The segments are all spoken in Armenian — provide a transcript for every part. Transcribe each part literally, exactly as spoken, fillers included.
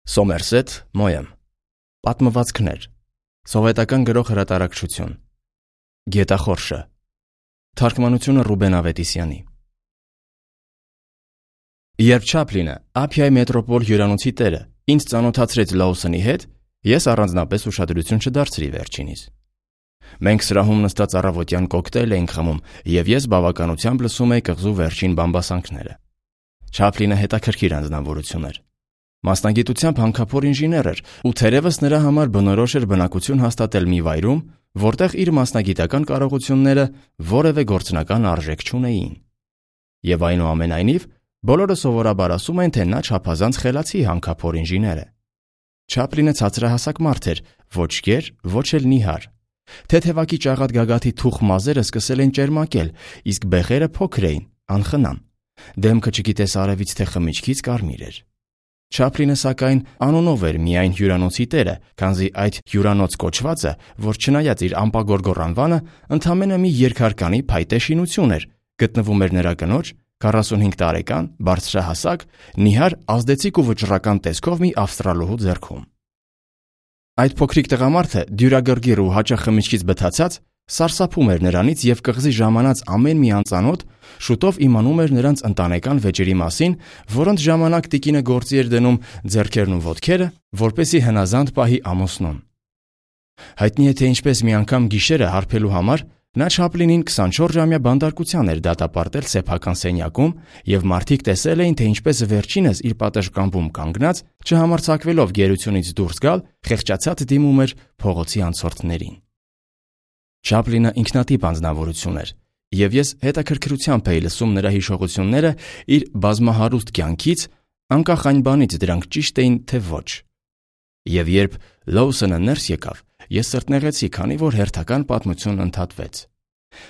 Սոմերսեթ Մոեմ Պատմվածքներ Սովետական գրող հրատարակչություն Գետախորշը Թարգմանությունը Ռուբեն Ավետիսյանի Երբ Չապլինը Ափիայի մետրոպոլ հյուրանոցի տերը ինձ ծանոթացրեց Լաուսոնի հետ, ես առանձնապես ուշադրություն չդարձրի վերջինիս։ Մենք սրահում նստած առավոտյան կոկտեյլ էինք խմում, եւ ես բավականությամբ լսում էի կղզու վերջին բամբասանքները։ Չապլինը հետաքրքիր անձնավորություն էր։ Մասնագիտությամբ հանքափոր ինժեներ էր, ու թերևս նրա համար բնորոշ էր բնակություն հաստատել մի վայրում, որտեղ իր մասնագիտական կարողությունները որևէ գործնական արժեք չունեին։ Եվ այնուամենայնիվ, բոլորը սովորաբար ասում են, թե նա չափազանց խելացի հանքափոր ինժեներ է։ Չապլինը ցածրահասակ մարդ էր, ոչ գեր, ոչ էլ նիհար։ Թեթևակի ճաղատ գագաթի թուխ մազերը սկսել են ճերմակել, իսկ բեղերը փոքր էին, անխնամ։ Դեմքը չգիտես արևից թե խմիչքից կարմիր էր։ Չապլինը սակայն անունով էր միայն հյուրանոցի տերը, քանզի այդ հյուրանոց կոչվածը, որ չնայած իր ամպագորգոր անվանը, ընդամենը մի երկհարկանի փայտե շինություն էր, գտնվում էր նրա կնոջ, քառասունհինգ տարեկան, բարձրահասակ, նիհար, ազդեցիկ ու վճռական տեսքով մի ավստրալոհու ձեռքում։ Այդ փոքրիկ տղամարդը, դյուրագրգիռ ու հաճախ խմիչքից բթացած, սարսափում էր նրանից եւ կղզի ժամանած ամեն մի անծանոթ շուտով իմանում էր նրանց ընտանեկան վեճերի մասին, որոնց ժամանակ տիկինը գործի էր դնում ձեռքերն ու ոտքերը, որպեսզի հնազանդ պահի ամուսնուն։ Հայտնի է, թե ինչպես մի անգամ գիշերը հարբելու համար նա Չապլինին քսանչորս-ժամյա բանդարկության էր դատապարտել սեփական սենյակում, եւ մարդիկ տեսել էին, թե ինչպես վերջինս իր պատշգամբում կանգնած, չհամարձակվելով գերությունից դուրս գալ, խեղճացած դիմում էր փողոցի անցորդներին։ Չապլինը ինքնատիպ անձնավորություն էր, եւ ես հետաքրքրությամբ էի լսում նրա հիշողությունները իր բազմահարուստ կյանքից, անկախ այն բանից դրանք ճիշտ էին թե ոչ։ Եվ երբ Լաուսոնը ներս եկավ, ես սրտնեղեցի, քանի որ հերթական պատմությունն ընդհատվեց։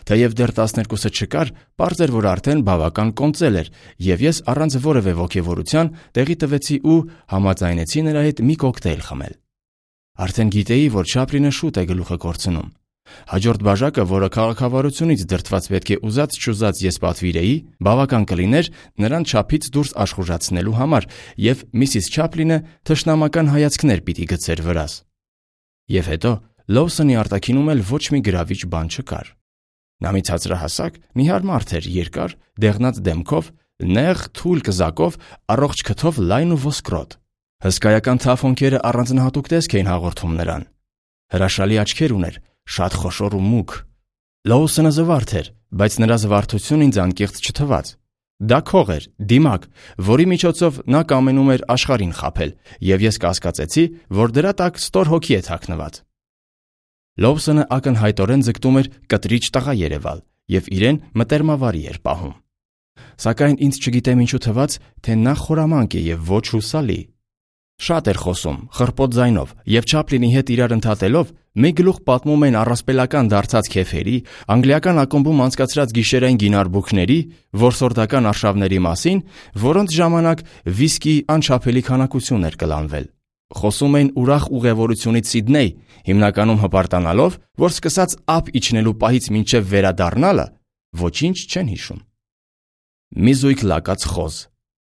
Թեև դեռ տասներկուսը չկար, պարզ էր, որ արդեն բավական կոնծել էր, եւ ես առանց որևէ ոգևորության տեղի տվեցի ու համաձայնեցի նրա հետ մի կոկտեյլ խմել։ Արդեն գիտեի, որ Չապլինը շուտ է գլուխը կորցնում։ Հաջորդ բաժակը, որը քաղաքավարությունից դրդված պետք է ուզած-չուզած ես պատվիրեի, բավական կլիներ նրան չափից դուրս աշխուժացնելու համար, եւ միսիս Չապլինը թշնամական հայացքներ պիտի գցեր վրաս։ Եվ հետո Լաուսոնի արտաքինում էլ ոչ մի գրավիչ բան չկար։ Նա մի ցածրահասակ, նիհար մարդ էր, երկար, դեղնած դեմքով, նեղ, թույլ կզակով, առողջ քթով լայն ու ոսկրոտ։ Հսկայական թափոնքերը առանձնահատուկ տեսք էին հաղորդում նրան։ Հրաշալի աչքեր ուներ, շատ խոշոր ու մուգ։ Լաուսոնը զվարթ էր, բայց նրա զվարթությունն ինձ անկեղծ չթվաց։ Դա քող էր, դիմակ, որի միջոցով նա կամենում էր աշխարհին խաբել, եւ ես կասկածեցի, որ դրա տակ ստոր հոգի է թաքնված։ Լաուսոնը ակնհայտորեն ձգտում էր կտրիչ տղա երևալ եւ իրեն մտերմավարի էր պահում։ Սակայն ինձ չգիտեմ ինչու թվաց, թե նա խորամանկ է եւ ոչ հուսալի։ Շատ էր խոսում, խռպոտ ձայնով, եւ Չապլինի հետ իրար ընդհատելով մի գլուխ պատմում են առասպելական դարձած քեֆերի, անգլիական ակումբում անցկացրած գիշերային գինարբուքների, որսորդական արշավների մասին, որոնց ժամանակ վիսկի անչափելի քանակություն էր կլանվել։ Խոսում էին ուրախ ուղևորությունից Սիդնեյ, հիմնականում հպարտանալով, որ սկսած ափ իջնելու պահից մինչև վերադառնալը ոչինչ չեն հիշում։ Մի զույգ լակած խոզ,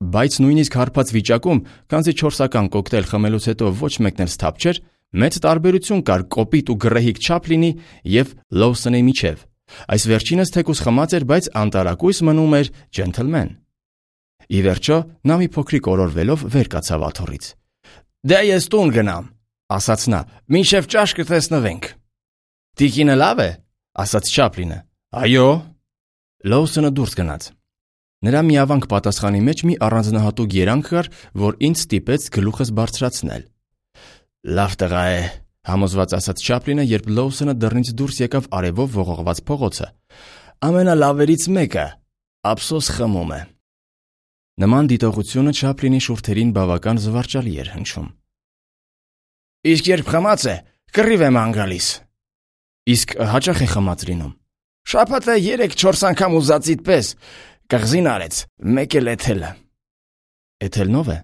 բայց նույնիսկ հարբած վիճակում, քանզի չորսական կոկտեյլ խմելուց հետո ոչ մեկն էլ սթափ չէր, մեծ տարբերություն կար կոպիտ ու գռեհիկ Չապլինի եւ Լաուսոնի միջև։ Այս վերջինս թեկուզ խմած էր, բայց անտարակույս մնում էր ջենթլմեն։ Ի վերջո, նա մի փոքրիկ օրորվելով վեր կացավ աթոռից։ Դե ես տուն գնամ, ասաց նա, մինչև ճաշ կտեսնվենք։ Տիկինը լավ է, ասաց Չապլինը։ Այո։ Լաուսոնը դուրս գնաց։ Նրա միավանք պատասխանի մեջ մի առանձնահատուկ երանգ կար, որ ինձ ստիպեց գլուխս բարձրացնել։ Լավ տղա է, համոզված ասաց Չապլինը, երբ Լաուսոնը դռնից դուրս եկավ արևով ողողված փողոցը։ Ամենալավերից մեկը, ափսոս խմում է։ Նման դիտողությունը Չապլինի շուրթերին բավական զվարճալի էր հնչում։ Իսկ երբ խմած է, կռիվ եմ անգալիս։ Իսկ հաճախ է խմած լինում։ Շաբաթը երեք-չորս անգամ ուզածիդ պես։ Կղզին արեց, մեկ էլ Էթելը։ Էթելնով է։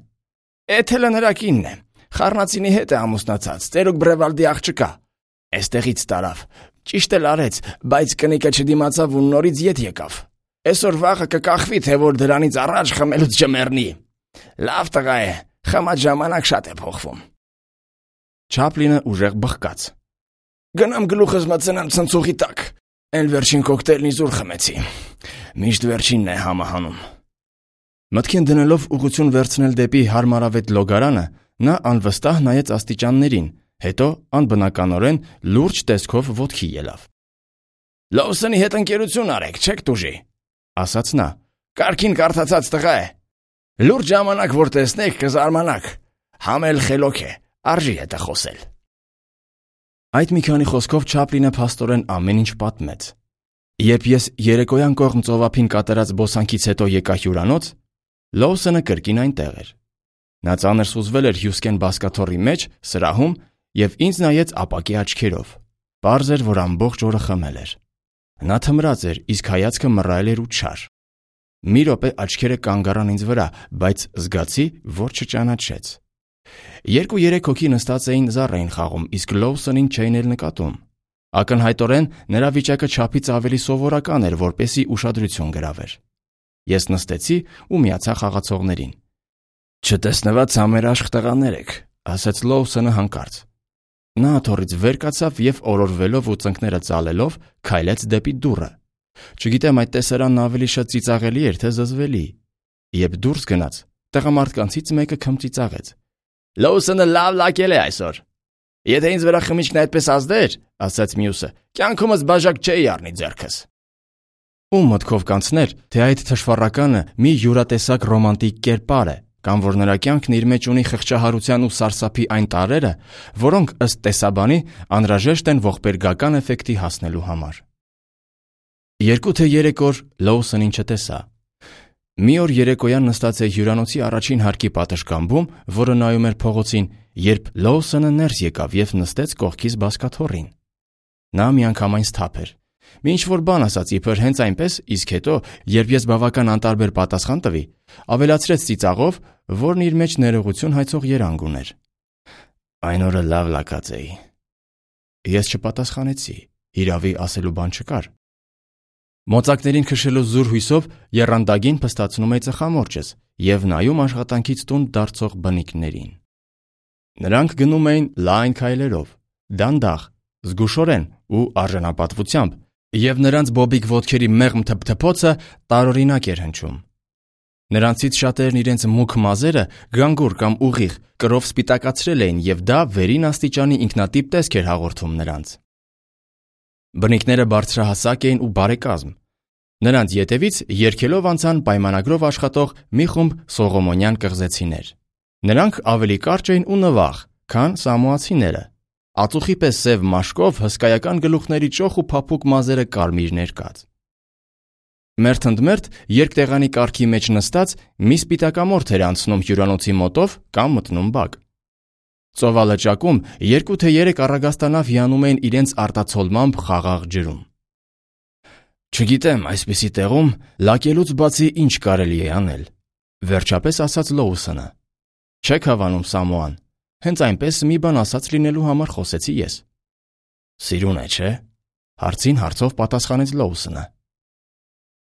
Էթելը նրա կինն է, խառնածինի հետ է ամուսնացած, ծերուկ Բրևալդի աղջկա։ Էստեղից տարավ, ճիշտ էլ արեց, բայց կնիկը չդիմացավ ու նորից ետ եկավ։ Այսօր վաղը կկախվի, թե որ դրանից առաջ խմելուց չմեռնի։ Լավ տղա է, Խմած ժամանակ շատ է փոխվում։ Չապլինը ուժեղ բխկաց։ Գնամ գլուխս մտցնեմ ցնցուղի տակ։ Էլ վերջին կոկտեյլն իզուր խմեցի։ Միշտ վերջինն է համահանում։ Մտքին դնելով ուղղություն վերցնել դեպի հարմարավետ լոգարանը, նա անվստահ նայեց աստիճաններին, հետո անբնականորեն լուրջ տեսքով ոտքի ելավ։ Լոուսոնի հետ ընկերություն արեք, չեք տուժի, ասաց նա։ Կարգին կարդացած տղա է։ Լուրջ ժամանակ որ տեսնեք կզարմանաք։ Համել խելոք է, արժի հետ է խոսել։ Այդ մի քանի խոսքով Չապլինը փաստորեն ամեն ինչ պատմեց։ Երբ ես երեկոյան կողմ ծովափին կատարած բոսանքից հետո եկա հյուրանոց, Լոուսոնը կրկին այնտեղ էր։ Նա ծանր սուզվել էր հյուսկեն բազկաթոռի մեջ, սրահում եւ ինձ նայեց ապակի աչքերով։ Պարզ էր, որ ամբողջ օրը խմել էր։ Նա թմրած էր, իսկ հայացքը մռայլ էր ու չար։ Մի րոպե աչքերը կանգ առան ինձ վրա, բայց զգացի, որ չճանաչեց։ Երկու-երեք հոգի նստած էին զառ էին խաղում, իսկ Լոուսոնին չէին էլ նկատում։ Ակնհայտորեն նրա վիճակը չափից ավելի սովորական էր, որպեսզի ուշադրություն գրավեր։ Ես նստեցի ու միացա խաղացողներին։ Չտեսնված համերաշխ տղաներ եք, ասաց Լոուսոնը հանկարծ։ Նա աթոռից վեր կացավ եւ օրորվելով ու ծնկները ծալելով քայլեց դեպի դուռը։ Չգիտեմ այդ տեսարանն ավելի շատ ծիծաղելի էր, թե զզվելի։ Երբ դուրս գնաց, տղամարդկանցից մեկը քմծիծաղեց։ Լոուսոնը լավ լակել է այսօր։ Եթե ինձ վրա խմիչքն այդպես ազդեր, ասաց մյուսը, կյանքումս բաժակ չէի առնի ձեռքս։ Ում մտքով կանցներ, թե այդ թշվառականը մի յուրատեսակ ռոմանտիկ կերպար է, կամ որ նրա կյանքն իր մեջ ունի խղճահարության ու սարսափի այն տարրերը, որոնք ըստ տեսաբանի անհրաժեշտ են ողբերգական էֆեկտի հասնելու համար։ Երկու թե երեք օր Լոուսոնին չտեսա։ Մի օր երեկոյան նստած է հյուրանոցի առաջին հարկի պատշգամբում, որը նայում էր փողոցին, երբ Լոուսոնը ներս եկավ եւ նստեց կողքից բազկաթոռին։ Նա միանգամայն սթափ էր։ Մի ինչ-որ բան ասաց իբր հենց այնպես, իսկ հետո, երբ ես բավական անտարբեր պատասխան տվի, ավելացրեց ծիծաղով, որն իր մեջ ներողություն հայցող երանգ ուներ։ Այն օրը լավ լակած էի։ Ես չպատասխանեցի, հիրավի ասելու բան չկար։ Մոծակներին քշելու զուր հույսով եռանդագին փստացնում էի ծխամորճս եւ նայում աշխատանքից տուն դարձող բնիկներին։ Նրանք գնում էին լայն քայլերով, դանդաղ, զգուշորեն ու արժանապատվությամբ, եւ նրանց բոբիկ ոտքերի մեղմ թփթփոցը տարօրինակ էր հնչում։ Նրանցից շատերն իրենց մուգ մազերը գանգուր կամ ուղիղ կրով սպիտակացրել էին եւ դա վերին աստիճանի ինքնատիպ տեսք էր հաղորդում նրանց։ Բնիկները բարձրահասակ էին ու բարեկազմ։ Նրանց ետևից երգելով անցան պայմանագրով աշխատող մի խումբ սողոմոնյան կղզեցիներ։ Նրանք ավելի կարճ էին ու նվաղ, քան սամոացիները։ Ածուխի պես սև մաշկով հսկայական գլուխների ճոխ ու փափուկ մազերը կարմիր ներկած։ Մերթընդմերթ երկտեղանի կարգի մեջ նստած մի սպիտակամորթ էր անցնում հյուրանոցի մոտով կամ մտնում բակ։ Ծովալճակում երկու թե երեք առագաստանավ հիանում էին իրենց արտացոլմամբ խաղաղ ջրում։ Չգիտեմ, այսպիսի տեղում լակելուց բացի ինչ կարելի է անել, վերջապես ասաց Լոուսոնը։ Չեք հավանում Սամոան, հենց այնպես մի բան ասած լինելու համար խոսեցի ես։ Սիրուն է, չէ՞, հարցին հարցով պատասխանեց Լոուսոնը։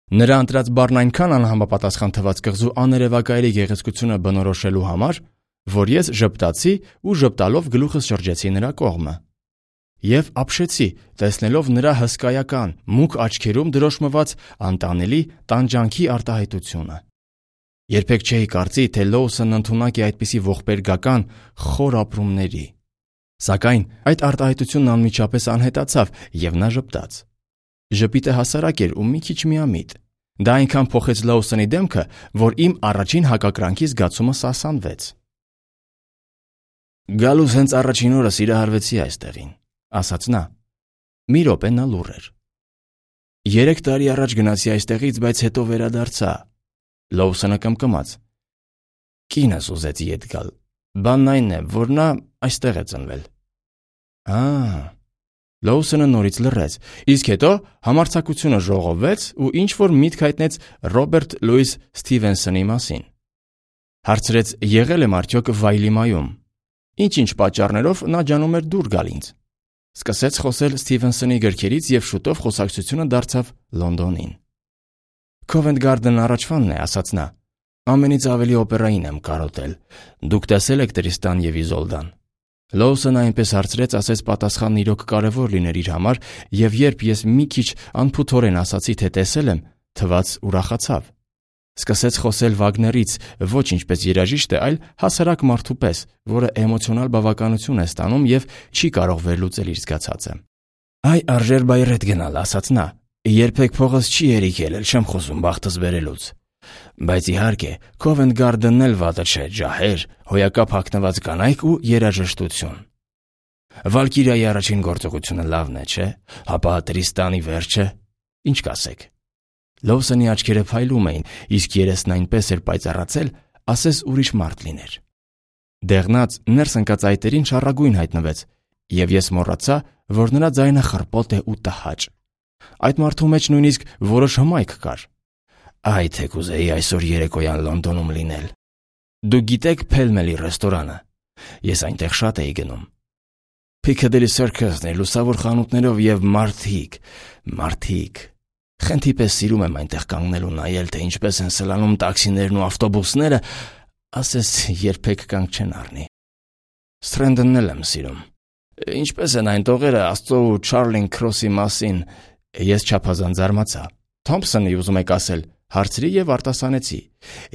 Նրա ընտրած բառն այնքան անհամապատասխան թվաց կղզու աներևակայելի գեղեցկությունը բնորոշելու համար, որ ես ժպտացի ու ժպտալով գլուխս շրջեցի նրա կողմը։ Եվ ապշեցի, տեսնելով նրա հսկայական, մուգ աչքերում դրոշմված անտանելի տանջանքի արտահայտությունը։ Երբեք չէի կարծի, թե Լոուսոնն ընդունակ է այդպիսի ողբերգական խոր ապրումների։ Սակայն այդ արտահայտությունն անմիջապես անհետացավ եւ նա ժպտաց։ Ժպիտը հասարակ էր ու մի քիչ միամիտ։ Դա այնքան փոխեց Լոուսոնի դեմքը, որ իմ առաջին հակակրանքի զգացումը սասանվեց։ Գալուս հենց առաջին օրը սիրահարվեցի այստեղին, ասաց նա։ Մի րոպե նա լուռ էր։ Երեք տարի առաջ գնացի այստեղից, բայց հետո վերադարձա։ Լոուսոնը կմկմաց։ Կինս ուզեց ետ գալ։ Բանն այն է, որ նա այստեղ է ծնվել։ Ա, Լոուսոնը նորից լռեց, իսկ հետո համարձակությունը ժողովվեց ու ինչ-որ միտք հայտնեց Ռոբերտ Լուիս Սթիվենսոնի մասին։ Հարցրեց, եղել եմ արդյոք Վայլիմայում։ Ինչ-ինչ պատճառներով նա ջանում էր դուր գալ ինձ։ Սկսեց խոսել Սթիվենսոնի գրքերից եւ շուտով խոսակցությունը դարձավ Լոնդոնին։ Քովենտ Գարդենն առաջվանն է, ասաց նա։ Ամենից ավելի օպերային եմ կարոտել։ Դուք տեսել եք Տրիստան եւ Իզոլդան։ Լոուսոնը այնպես հարցրեց, ասես պատասխանն իրոք կարևոր լիներ իր համար, եւ երբ ես մի քիչ անփութորեն ասացի, թե տեսել եմ, թվաց ուրախացավ։ Սկսեց խոսել Վագներից, ոչ ինչպես երաժիշտը, այլ հասարակ մարդու պես, որը էմոցիոնալ բավականություն է ստանում եւ չի կարող վերլուծել իր զգացածը։ Այ արժեր բայրետ գնալ, ասաց նա։ Երբեք փողս չի երիքել, չեմ խոսում բախտս բերելուց։ Բայց իհարկե, Covent Garden-ն էլ վատը չէ, ջահեր, հոյակապ հագնված կանայք ու երաժշտություն։ Վալկիրիայի առաջին գործողությունը լավն է, չէ՞, հապա Տրիստանի վերջը, ինչ կասեք։ Լոուսոնի աչքերը փայլում էին, իսկ երեսն այնպես էր պայծառացել, ասես ուրիշ մարդ լիներ։ Դեղնած, ներս ընկած այտերին շառագույն հայտնվեց, եւ ես մոռացա, որ նրա ձայնը խռպոտ է ու տհաճ։ Այդ մարդու մեջ նույնիսկ որոշ հմայք կար։ Այ թե կուզեի այսօր երեկոյան Լոնդոնում լինել։ Դու գիտեք Փելմելի ռեստորանը։ Ես այնտեղ շատ էի գնում։ Piccadilly Circus-ն է լուսավոր խանութներով եւ մարդիկ, մարդիկ։ Խենթի պես սիրում եմ այնտեղ կանգնել ու նայել, թե ինչպես են սլանում տաքսիներն ու ավտոբուսները, ասես երբեք կանգ չեն առնի։ Strand-ն էլ եմ սիրում։ Ինչպես են այն տողերը Աստծո ու Չարլին Քրոսի մասին, ես չափազանց զարմացա։ Թոմփսոնի ուզում եք ասել, հարցրի եւ արտասանեցի։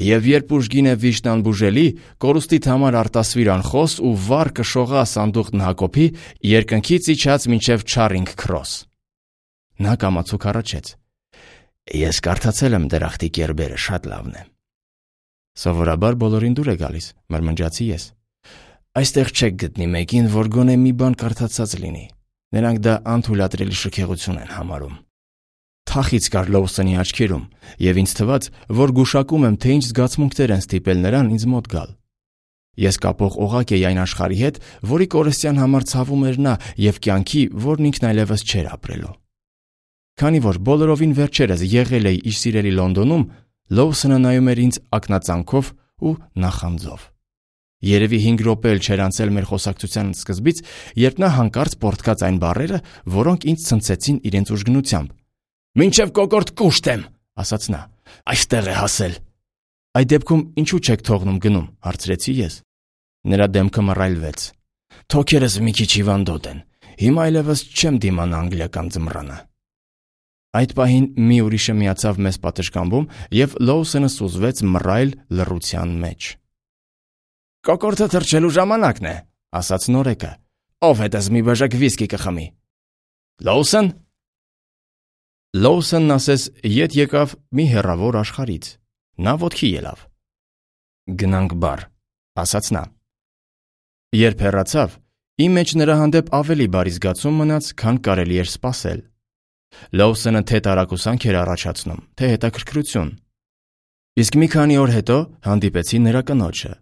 Եվ երբ ուժգին է վիշտան բուժելի, կորուստիդ համար արտասվիր անխոս ու վառ կշողա սանդուղքն Հակոբի, երկնքից իջած մինչև Չարինգ Քրոս։ Նա կամացուկ առաջեց։ Ես կարդացել եմ դրախտի կերբերը, շատ լավն է։ Սովորաբար բոլորին դուր է գալիս, մրմնջացի ես։ Այստեղ չեք գտնի մեկին, որ գոնե մի բան կարդացած լինի։ Նրանք դա անթույլատրելի շքեղություն են համարում։ Թախից կար Լոուսոնի աչքերում, եւ ինձ թվաց, որ գուշակում եմ, թե ինչ զգացմունքներ են ստիպել նրան ինձ մոտ գալ։ Ես կապող օղակ էի այն աշխարհի հետ, որի կորստյան համար ցավում էր նա եւ կյանքի, որն ինքն այլևս չէր ապրելու։ Քանի որ բոլորովին վերջերս եղել էի իր սիրելի Լոնդոնում, Լոուսոնը նայում էր ինձ ակնածանքով ու նախանձով։ Երևի հինգ րոպե էլ չէր անցել մեր խոսակցության սկզբից, երբ նա հանկարծ պոռթկաց այն բառերը, որոնք ինձ ցնցեցին իրենց ուժգնությամբ։ «Մինչև կոկորտ կուշտ եմ», ասաց նա։ «Այստեղ է հասել»։ Այդ դեպքում ինչու չեք թողնում գնում, հարցրեցի ես։ Նրա դեմքը մռայլվեց։ Թոքերս մի քիչ հիվանդոտ են։ Հիմա այլևս չեմ դիմանա անգլիական ձմռանը։ Այդ պահին մի ուրիշը միացավ մեզ պատշգամբում, եւ Լոուսոնը սուզվեց մռայլ լռության մեջ։ «Կոկորտը թռչելու ժամանակն է», ասաց նորեկը։ «Ով հետս մի բաժակ վիսկի կխմի»։ «Լոուսոն»։ Լոուսոնն ասես ետ եկավ մի հեռավոր աշխարհից։ Նա ոտքի ելավ։ «Գնանք բար», ասաց նա։ Երբ հեռացավ, իմ մեջ նրա հանդեպ ավելի բարի զգացում մնաց, քան կարելի էր սպասել։ Լոուսոնը թե տարակուսանք էր առաջացնում, թե հետաքրքրություն։ Իսկ մի քանի օր հետո հանդիպեցի նրա կնոջը։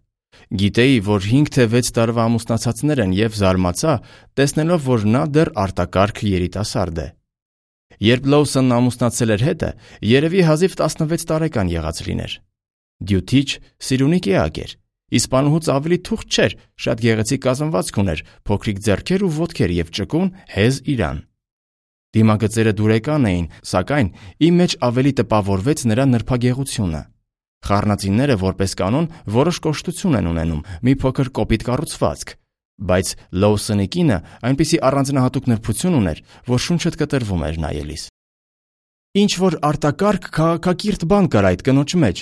Գիտեի, որ հինգ թե վեց տարվա ամուսնացածներ են եւ զարմացա, տեսնելով, որ նա դեռ արտակարգ երիտասարդ է։ Երբ Լոուսոնն ամուսնացել էր հետը, երևի հազիվ տասնվեց տարեկան եղած լիներ։ Դյութիչ, սիրունի կեակ էր։ Իսպանուհուց ավելի թուղթ չէր, շատ գեղեցիկ կազմվածք ուներ, փոքրիկ ձեռքեր ու ոտքեր եւ ճկուն, հեզ իրան։ Դիմագծերը դուրեկան էին, սակայն իմ մեջ ավելի տպավորվեց նրա նրբագեղությունը։ Խառնածինները, որպես կանոն, որոշ կոշտություն են ունենում, մի փոքր կոպիտ կառուցվածք, բայց Լոուսոնի կինը այնպիսի առանձնահատուկ նրբություն ուներ, որ շունչդ կտրվում էր նայելիս։ Ինչ որ արտակարգ քաղաքակիրթ բան կար այդ կնոջ մեջ,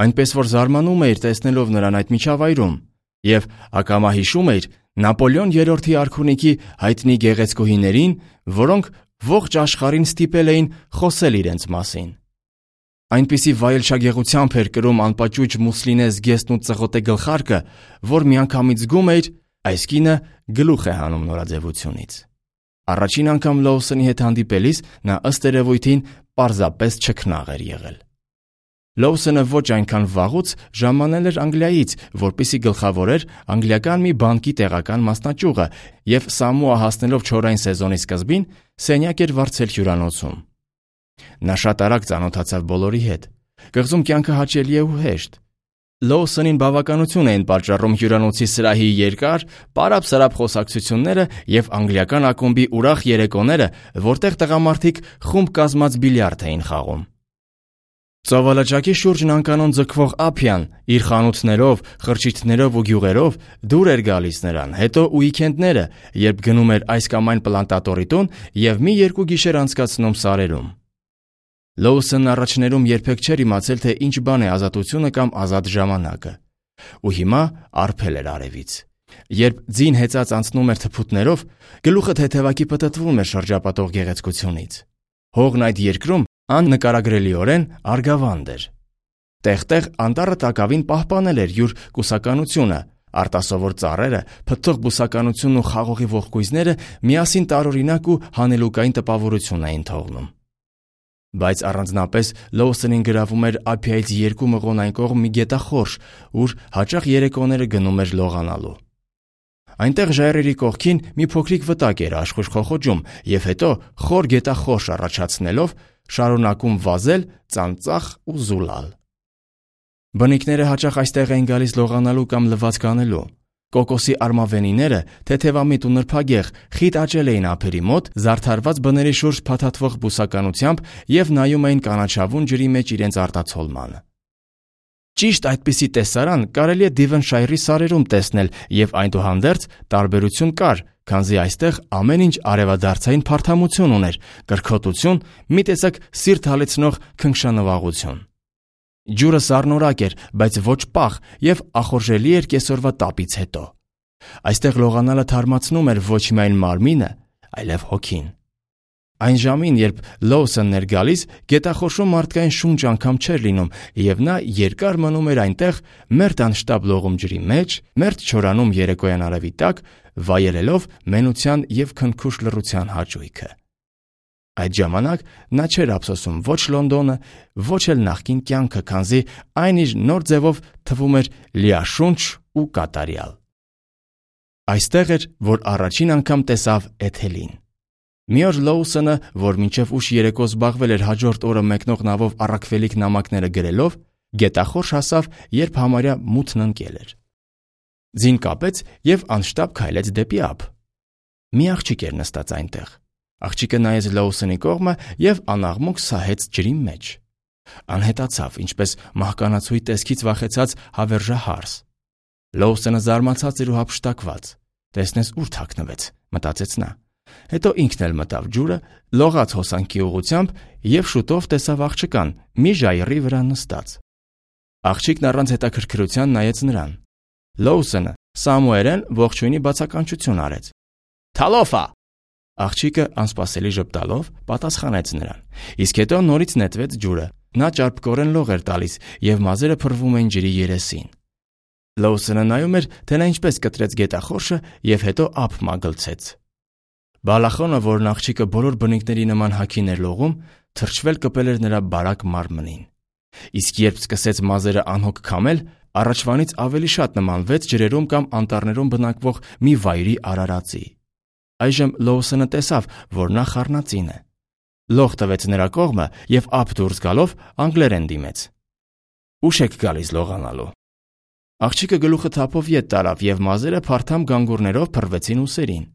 այնպես որ զարմանում էիր տեսնելով նրան այդ միջավայրում, եւ ակամա հիշում էիր Նապոլեոն երրորդի արքունիքի հայտնի գեղեցկուհիներին, որոնք ողջ աշխարհին ստիպել էին խոսել իրենց մասին։ Այնպիսի վայելչագեղությամբ էր կրում անպաճուճ Մուսլինե զգեստն ու ծղոտե գլխարկը, որ միանգամից զգում էր, այս կինը գլուխ է հանում նորաձևությունից։ Առաջին անգամ Լոուսոնի հետ հանդիպելիս նա ըստ երևույթին պարզապես չքնաղ էր եղել։ Լոուսոնը ոչ այնքան վաղուց ժամանել էր Անգլիայից, որպեսզի գլխավորեր անգլիական մի բանկի տեղական մասնաճյուղը եւ Սամոա հասնելով չորային սեզոնի սկզբին սենյակ էր վարձել հյուրանոցում։ Նա շատ արագ ծանոթացավ բոլորի հետ։ Կղզում կյանքը հաճելի է ու հեշտ։ Լոուսոնին բավականություն էին պատճառում հյուրանոցի սրահի երկար, պարապ-սարապ խոսակցությունները եւ անգլիական ակումբի ուրախ երեկոները, որտեղ տղամարդիկ խումբ կազմած բիլիարդ էին խաղում։ Ծովալճակի շուրջն անկանոն ձգվող Ափյան իր խանութներով, խրճիթներով ու գյուղերով դուր էր գալիս նրան, հետո ուիկենդները, երբ գնում էր այս կամ այն պլանտատորի տուն և մի երկու գիշեր անցկացնում սարերում։ Լոուսոնն առաջներում երբեք չէր իմացել, թե ինչ բան է ազատությունը կամ ազատ ժամանակը, ու հիմա արբել էր արևից։ Երբ ձին հեծած անցնում էր թփուտներով, գլուխը թեթևակի պտտվում էր շրջապատող գեղեցկությունից։ Հողն այդ երկրում աննկարագրելիորեն արգավանդ էր։ Տեղ-տեղ անտառը տակավին պահպանել էր յուր կուսականությունը, արտասովոր ծառերը, փթթող բուսականությունն ու խաղողի ողկույզները միասին տարօրինակ ու հանելուկային տպավորություն էին թողնում։ Բայց առանձնապես Լոուսոնին գրավում էր Ափիայից երկու մղոն այն կողմ մի գետախորշ, ուր հաճախ երեկոները գնում էր լողանալու։ Այնտեղ ժայռերի կողքին մի փոքրիկ վտակ էր աշխույժ խոխոջում և հետո խոր գետախորշ առաջացնելով շարունակում վազել, ծանծաղ ու զուլալ։ Բնիկները հաճախ այստեղ էին գալիս լողանալու կամ լվացք անելու։ Կոկոսի արմավենիները թեթևամիտ ու նրբագեղ խիտ աճել էին ափերի մոտ, զարդարված բների շուրջ փաթաթվող բուսականությամբ և նայում էին կանաչավուն ջրի մեջ իրենց արտացոլմանը։ Ճիշտ այդպիսի տեսարան կարելի է Դիվենշայրի սարերում տեսնել և այնուհանդերձ տարբերություն կար, քանզի այստեղ ամեն ինչ արևադարձային փարթամություն ուներ, կրքոտություն, մի տեսակ սիրտ հալեցնող քնքշանվաղություն։ Ջուրը սառնորակ էր, բայց ոչ պաղ և ախորժելի էր կեսօրվա տապից հետո։ Այստեղ լողանալը թարմացնում էր ոչ միայն մարմինը, այլև հոգին։ Այն ժամին, երբ Լոուսոնն էր գալիս, գետախորշում մարդկային շունչ անգամ չէր լինում, և նա երկար մնում էր այնտեղ, մերթ անշտապ լողում ջրի մեջ, մերթ չորանում երեկոյան արևի տակ, վայելելով մենության և քնքուշ լռության հաճույքը։ Այդ ժամանակ նա չէր ափսոսում ոչ Լոնդոնը, ոչ էլ նախկին կյանքը, քանզի այն իր նոր ձևով թվում էր լիաշունչ ու կատարյալ։ Այստեղ էր, որ առաջին անգամ տեսավ Էթելին։ Մի օր Լոուսոնը, որ մինչև ուշ երեկո զբաղվել էր հաջորդ օրը մեկնող նավով առաքվելիք նամակները գրելով, գետախորշ հասավ, երբ համարյա մութն ընկել էր։ Ձին կապեց և անշտապ քայլեց դեպի ափ։ Մի աղջիկ էր նստած այնտեղ։ Աղջիկը նայեց Լոուսոնի կողմը և անաղմուկ սահեց ջրի մեջ։ Անհետացավ, ինչպես մահկանացուի տեսքից վախեցած հավերժահարս։ Լոուսոնը զարմացած էր ու հափշտակված։ Տեսնես ուր թաքնվեց, մտածեց նա։ Հետո ինքն էլ մտավ ջուրը, լողաց հոսանքի ուղղությամբ և շուտով տեսավ աղջկան մի ժայռի վրա նստած։ Աղջիկն առանց հետաքրքրության նայեց նրան։ Լոուսոնը սամուերեն ողջույնի բացականչություն արեց։ Թալոֆա։ Աղջիկը անսպասելի ժպտալով պատասխանեց նրան, իսկ հետո նորից նետվեց ջուրը։ Նա ճարպկորեն լող էր տալիս և մազերը փռվում էին ջրի երեսին։ Լոուսոնը նայում էր, թե նա ինչպես կտրեց գետախորշը և հետո ափ մագլցեց։ Բալախոնը, որն աղջիկը բոլոր բնիկների նման հագին էր լողում, թրջվել կպել էր նրա բարակ մարմնին։ Իսկ երբ սկսեց մազերը անհոգ քամել, առաջվանից ավելի շատ նմանվեց ջրերում կամ անտառներում բնակվող մի վայրի արարածի։ Այժմ Լոուսոնը տեսավ, որ նա խառնածին է։ Լող տվեց նրա կողմը և ափ դուրս գալով անգլերեն դիմեց։ Ուշ եք գալիս լողանալու։ Աղջիկը գլուխը թափով ետ տարավ և մազերը փարթամ գանգուրներով փռվեցին ուսերին։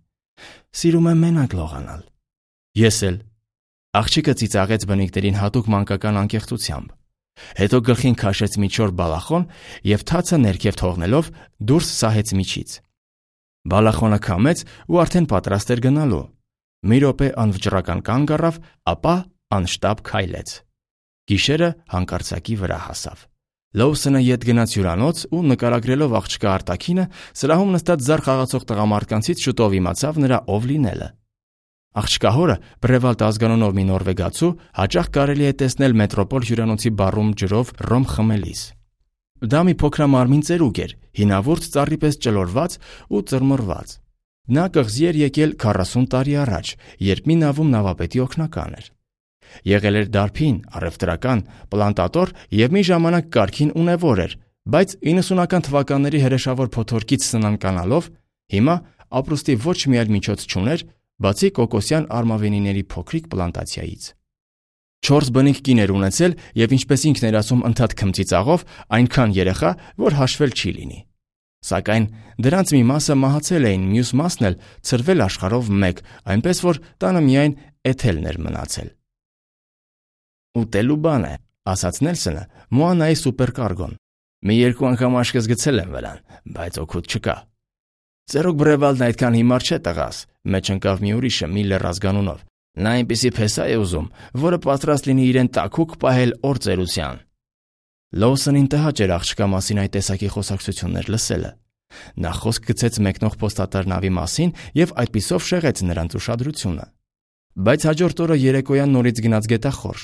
Սիրում եմ մենակ լողանալ։ Ես էլ։ Աղջիկը ծիծաղեց բնիկներին հատուկ մանկական անկեղծությամբ։ Հետո գլխին քաշեց մի չոր բալախոն և թացը ներքև թողնելով դուրս սահեց միջից։ Բալախոնը քամեց ու արդեն պատրաստ էր գնալու։ Մի րոպե անվճռական կանգ առավ, ապա անշտապ քայլեց։ Գիշերը հանկարծակի վրա հասավ։ Լոուսոնը ետ գնաց հյուրանոց ու նկարագրելով աղջկա արտաքինը, սրահում նստած զար խաղացող տղամարդկանցից շուտով իմացավ նրա ով լինելը։ Աղջկա հորը, Բրևալտ ազգանունով մի նորվեգացու, հաճախ կարելի է տեսնել մետրոպոլ հյուրանոցի բարում ջրով ռոմ խմելիս։ Դա մի փոքրամարմին ծերուկ էր, հինավուրց ծառի պես ճլորված ու ծռմռված։ Նա կղզի էր եկել քառասուն տարի առաջ, երբ մի նավում նավապետի օգնական էր։ Եղել էր դարբին, առևտրական, պլանտատոր և մի ժամանակ կարգին ունևոր էր, բայց իննսունական թվականների հրեշավոր փոթորկից սնանկանալով հիմա ապրուստի ոչ մի այլ միջոց չուներ, բացի կոկոսյան արմավենիների փոքրիկ պլանտացիայից։ Չորս բնիկ կին էր ունեցել և ինչպես ինքն էր ասում ընդհատ քմծիծաղով, այնքան երեխա, որ հաշվել չի լինի։ Սակայն դրանց մի մասը մահացել էին, մյուս մասն էլ ցրվել աշխարհով մեկ, այնպես որ տանը միայն Էթելն էր մնացել։ Ուտելու բան է, ասաց Նելսոնը Մոանայի սուպերկարգոն։ Մի երկու անգամ աշկս գցել եմ վրան, բայց օգուտ չկա։ Ծերուկ Բրևալդն այդքան հիմար չէ տղաս, մեջ ընկավ մի ուրիշը Միլլեր ազգանունով։ Նա այնպիսի փեսա է ուզում, որը պատրաստ լինի իրեն տաքուկ պահել օր ծերության։ Լոուսոնին տհաճ էր աղջկա մասին այդ տեսակի խոսակցություններ լսելը։ Նա խոսք գցեց մեկնող փոստատար նավի մասին եւ այդպիսով շեղեց նրանց ուշադրությունը։ Բայց հաջորդ օրը երեկոյան նորից գնաց գետախորշ։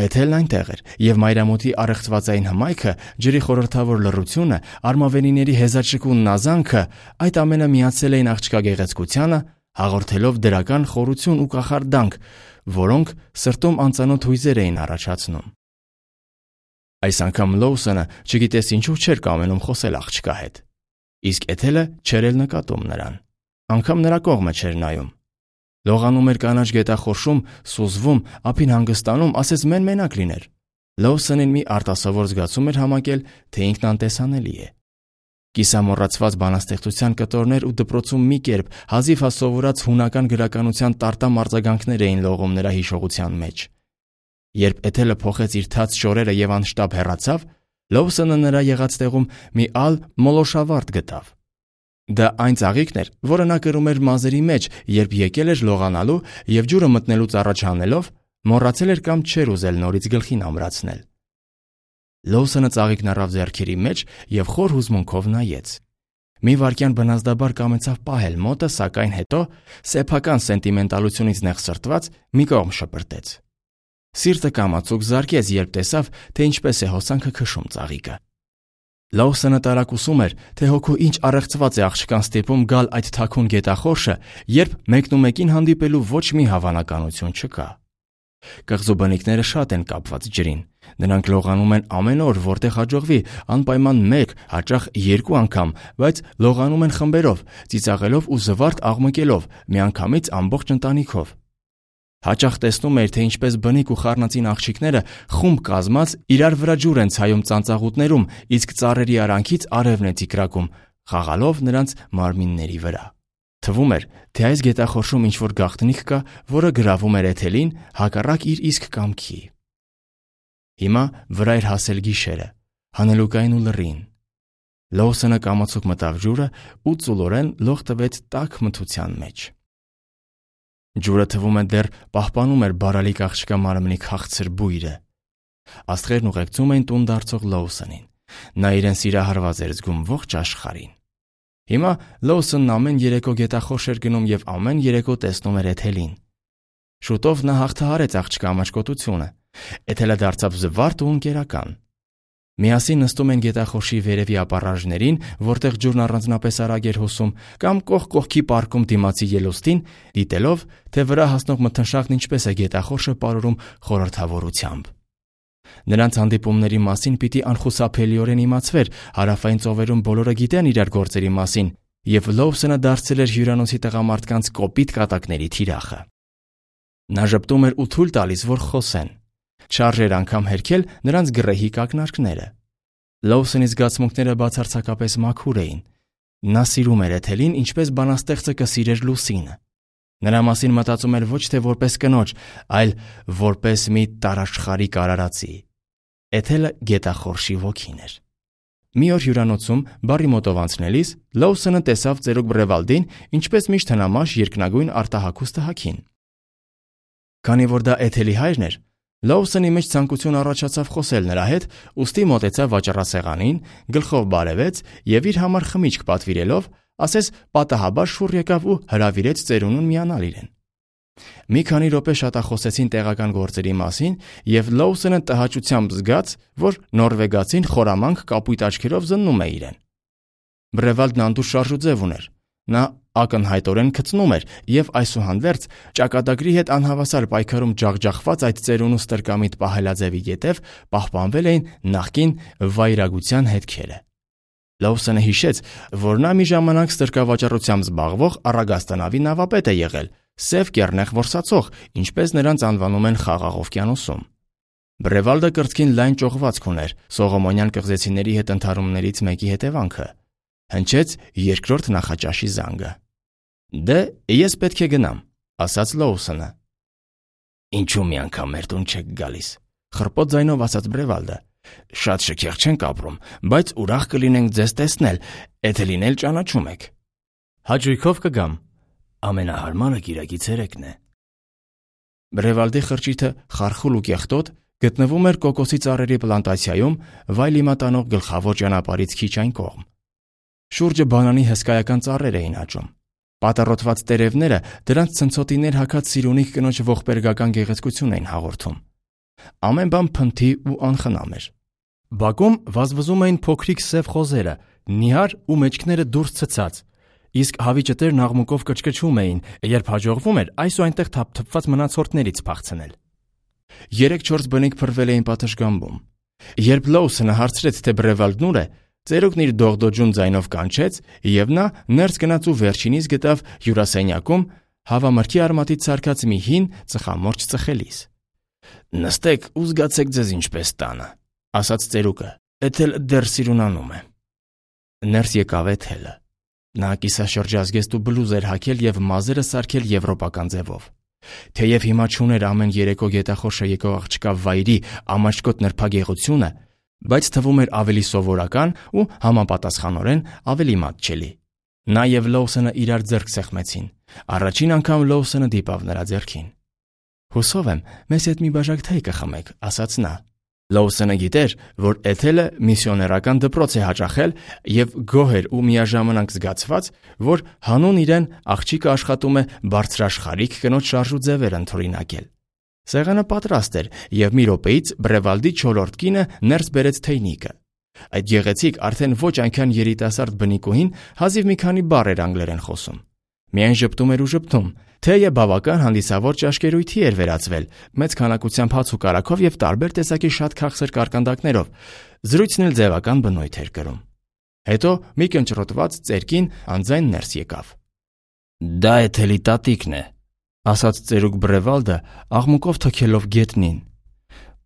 Էթելն այնտեղ էր, եւ մայրամուտի առեղծվածային հմայքը, ջրի խորհրդավոր լռությունը, արմավենիների հեզաճկուն նազանքը, այդ ամենը միացել էին աղջկա գեղեցկությանը, հաղորդելով դրական խորություն ու կախարդանք, որոնք սրտում անծանոթ հույզեր էին առաջացնում։ Այս անգամ Լոուսոնը չգիտես ինչու չէր կամենում խոսել աղջկա հետ, իսկ Էթելը չէր էլ նկատում նրան, անգամ նրա կողմը չէր նայում։ Լողանում էր կանաչ գետախորշում, սուզվում, ափին հանգստանում, ասես մեն-մենակ լիներ։ Լոուսոնին մի արտասովոր զգացում էր համակել, թե ինքն անտեսանելի է։ Կիսամոռացված բանաստեղծության կտորներ ու դպրոցում մի կերպ հազիվ հա սովորած հունական գրականության տարտամ արձագանքներ էին լողում նրա հիշողության մեջ։ Երբ Էթելը փոխեց իր թաց շորերը եւ անշտապ հեռացավ, Լոուսոնը նրա եղած տեղում մի ալ մոլոշավարդ գտավ։ Դա այն ծաղիկն էր, որը նա կրում էր մազերի մեջ, երբ եկել էր լողանալու եւ ջուրը մտնելուց առաջ հանելով, մոռացել էր կամ չէր ուզել նորից գլխին ամրացնել։ Լոուսոնը ծաղիկն առավ ձեռքերի մեջ եւ խոր հուզմունքով նայեց։ Մի վայրկյան բնազդաբար կամեցավ պահել մոտը, սակայն հետո սեփական սենտիմենտալությունից նեղսրտված մի կողմ շպրտեց։ Սիրտը կամացուկ զարկեց, երբ տեսավ, թե ինչպես է հոսանքը քշում ծաղիկը։ Լոուսոնը տարակուսում էր, թե հոգու ինչ առեղծված է աղջկան ստիպում գալ այդ թաքուն գետախորշը, երբ մեկնումեկին հանդիպելու ոչ մի հավանականություն չկա։ Կղզու բնիկները շատ են կապված ջրին։ Նրանք լողանում են ամեն օր, որտեղ հաջողվի, անպայման մեկ, հաճախ երկու անգամ, բայց լողանում են խմբերով, ծիծաղելով ու զվարթ աղմկելով, միանգամից ամբողջ ընտանիքով։ Հաճախ տեսնում էր, թե ինչպես բնիկ ու խառնածին աղջիկները խումբ կազմած իրար վրա ջուր են ցայում ծանծաղուտներում, իսկ ծառերի արանքից արևն է ցիկրակում, խաղալով նրանց մարմինների վրա։ Թվում էր, թե այս գետախորշում ինչ-որ գաղտնիք կա, որը գրավում էր Էթելին հակառակ իր իսկ կամքի։ Հիմա վրա էր հասել գիշերը, հանելուկային ու լռին։ Լոուսոնը կամացուկ մտավ ջուրը ու ծուլորեն լող տվեց տաք մթության մեջ։ Ջուրը թվում է դեռ պահպանում էր բարալիկ աղջկա մարմնի քաղցր բույրը։ Աստղերն ուղեկցում էին տուն դարձող Լոուսոնին։ Նա իրեն սիրահարված էր զգում ողջ աշխարհին։ Հիմա Լոուսոնն ամեն երեկո գետախորշ էր գնում եւ ամեն երեկո տեսնում էր Էթելին։ Շուտով նա հաղթահարեց աղջկա ամաչկոտությունը։ Էթելը դարձավ զվարթ ու ընկերական։ Միասին նստում են գետախորշի վերևի ապառաժներին, որտեղ ջուրն առանձնապես արագ էր հոսում, կամ կողք կողքի պարկում դիմացի ելուստին, դիտելով, թե վրա հասնող մթնշաղն ինչպես է գետախորշը պարուրում խորհրդավորությամբ։ Նրանց հանդիպումների մասին պիտի անխուսափելիորեն իմացվեր, հարավային ծովերում բոլորը գիտեն իրար գործերի մասին, եւ Լոուսոնը դարձել էր հյուրանոցի տղամարդկանց կոպիտ կատակների թիրախը։ Նա ժպտում էր ու թույլ տալիս, որ խոսեն։ Չարժ էր անգամ հերքել նրանց գռեհիկ ակնարկները։ Լոուսոնի զգացմունքները բացարձակապես մաքուր էին։ Նա սիրում էր Էթելին, ինչպես բանաստեղծը կսիրեր լուսինը։ Նրա մասին մտածում էր ոչ թե որպես կնոջ, այլ որպես մի տարաշխարհիկ արարածի։ Էթելը գետախորշի ոգին էր։ Մի օր հյուրանոցում բարի մոտով անցնելիս Լոուսոնը տեսավ ծերուկ Բրևալդին, ինչպես միշտ հնամաշ երկնագույն արտահակուստը հագին։ Քանի որ դա Էթելի հայրն էր, Լոուսոնի մեջ ցանկություն առաջացավ խոսել նրա հետ, ուստի մոտեցավ վաճառասեղանին, գլխով բարևեց եւ իր համար խմիչք պատվիրելով, ասես պատահաբար շուռ եկավ ու հրավիրեց ծերունուն միանալ իրեն։ Մի քանի րոպե շատախոսեցին տեղական գործերի մասին եւ Լոուսոնը տհաճությամբ զգաց, որ նորվեգացին խորամանկ կապույտ աչքերով զննում է իրեն։ Բրևալդն անդուր շարժուձև ուներ։ Նա ակնհայտորեն քծնում էր եւ այսուհանդերձ ճակատագրի հետ անհավասար պայքարում ջախջախված այդ ծերունու ստրկամիտ պահելաձևի ետև պահպանվել էին նախկին վայրագության հետքերը։ Լոուսոնը հիշեց, որ նա մի ժամանակ ստրկավաճառությամբ զբաղվող Առագաստանավի նավապետ է եղել, սև կեռնեխ որսացող, ինչպես նրանց անվանում են Խաղաղ օվկիանոսում։ Բրևալդը կրծքին լայն ճողվածք ուներ Սողոմոնյան կղզեցիների հետ ընդհարումներից մեկի հետևանքը։ Հնչեց երկրորդ նախաճաշի զանգը։ Դե, ես պետք է գնամ, ասաց Լոուսոնը։ Ինչու մի անգամ մեր տուն չեք գալիս, Խռպոտ ձայնով ասաց Բրևալդը։ Շատ շքեղ չենք ապրում, բայց ուրախ կլինենք ձեզ տեսնել, եթե լինել ճանաչում եք։ Հաճույքով կգամ։ Ամենահարմարը կիրակի ցերեկն է։ Բրևալդի խրճիթը խարխուլ ու կեղտոտ գտնվում էր կոկոսի ծառերի պլանտացիայում վայլիմա տանող գլխավոր ճանապարհից քիչ այն կողմ։ Շուրջը բանանի հսկայական ծառեր էին աճում։ Պատառոտված տերևները դրանց ցնցոտիներ հագած սիրունիկ կնոջ ողբերգական գեղեցկություն էին հաղորդում։ Ամեն բան փնթի ու անխնամ էր։ Բակում վազվզում էին փոքրիկ սև խոզերը, նիհար ու մեջքները դուրս ցցած, իսկ հավիճտերն աղմուկով կչկչում էին, երբ հաջողվում էր այս ու այնտեղ թափթփված մնացորդներից փախցնել։ Երեք-չորս բնիկ փրվել էին պատշգամբում։ Երբ Լոուսոնը հարցրեց, թե Բրևալդն ուր է, ծերուկն իր դողդոջուն ձայնով կանչեց, եւ նա ներս գնաց ու վերջինիս գտավ հյուրասենյակում հավամրգի արմատից սարքած մի հին ծխամորճ ծխելիս։ Նստեք ու զգացեք ձեզ ինչպես տանը, ասաց ծերուկը։ Էթել դեռ սիրունանում է։ Ներս եկավ Էթելը։ Նա կիսաշրջազգեստ ու բլուզ էր հագել եւ մազերը սարքել եվրոպական ձևով։ Թեև հիմա չուներ ամեն երեկո գետախորշը եկող աղջկա վայրի ամաչկոտ նրբագեղությունը, բայց թվում էր ավելի սովորական ու համապատասխանորեն ավելի մատչելի։ Նա եւ Լոուսոնը իրար ձեռք սեղմեցին։ Առաջին անգամ Լոուսոնը դիպավ նրա ձեռքին։ Հուսով եմ, մեզ հետ մի բաժակ թեյ կխմեք, ասաց նա։ Լոուսոնը գիտեր, որ Էթելը միսիոներական դպրոց է հաճախել եւ գոհ էր ու միաժամանակ զգացված, որ հանուն իրեն աղջիկը աշխատում է բարձրաշխարհիկ կնոջ շարժու ձևեր ընդօրինակել։ Սեղանը պատրաստ էր եւ մի րոպեից Բրևալդի չորրորդ կինը ներս բերեց թեյնիկը։ Այդ գեղեցիկ արդեն ոչ այնքան երիտասարդ բնիկուհին հազիվ մի քանի բառ էր անգլերեն խոսում։ Միայն ժպտում էր ու ժպտում։ Թեյը բավական հանդիսավոր ճաշկերույթի էր վերածվել, մեծ քանակությամբ հաց ու կարագով եւ տարբեր տեսակի շատ քաղցր կարկանդակներով։ Զրույցն էլ ձևական բնույթ էր կրում։ Հետո մի կնճռոտված ծերկին անձայն ներս եկավ։ Դա Էթելի տատիկն է, ասաց ծերուկ Բրևալդը, աղմուկով թքելով գետնին։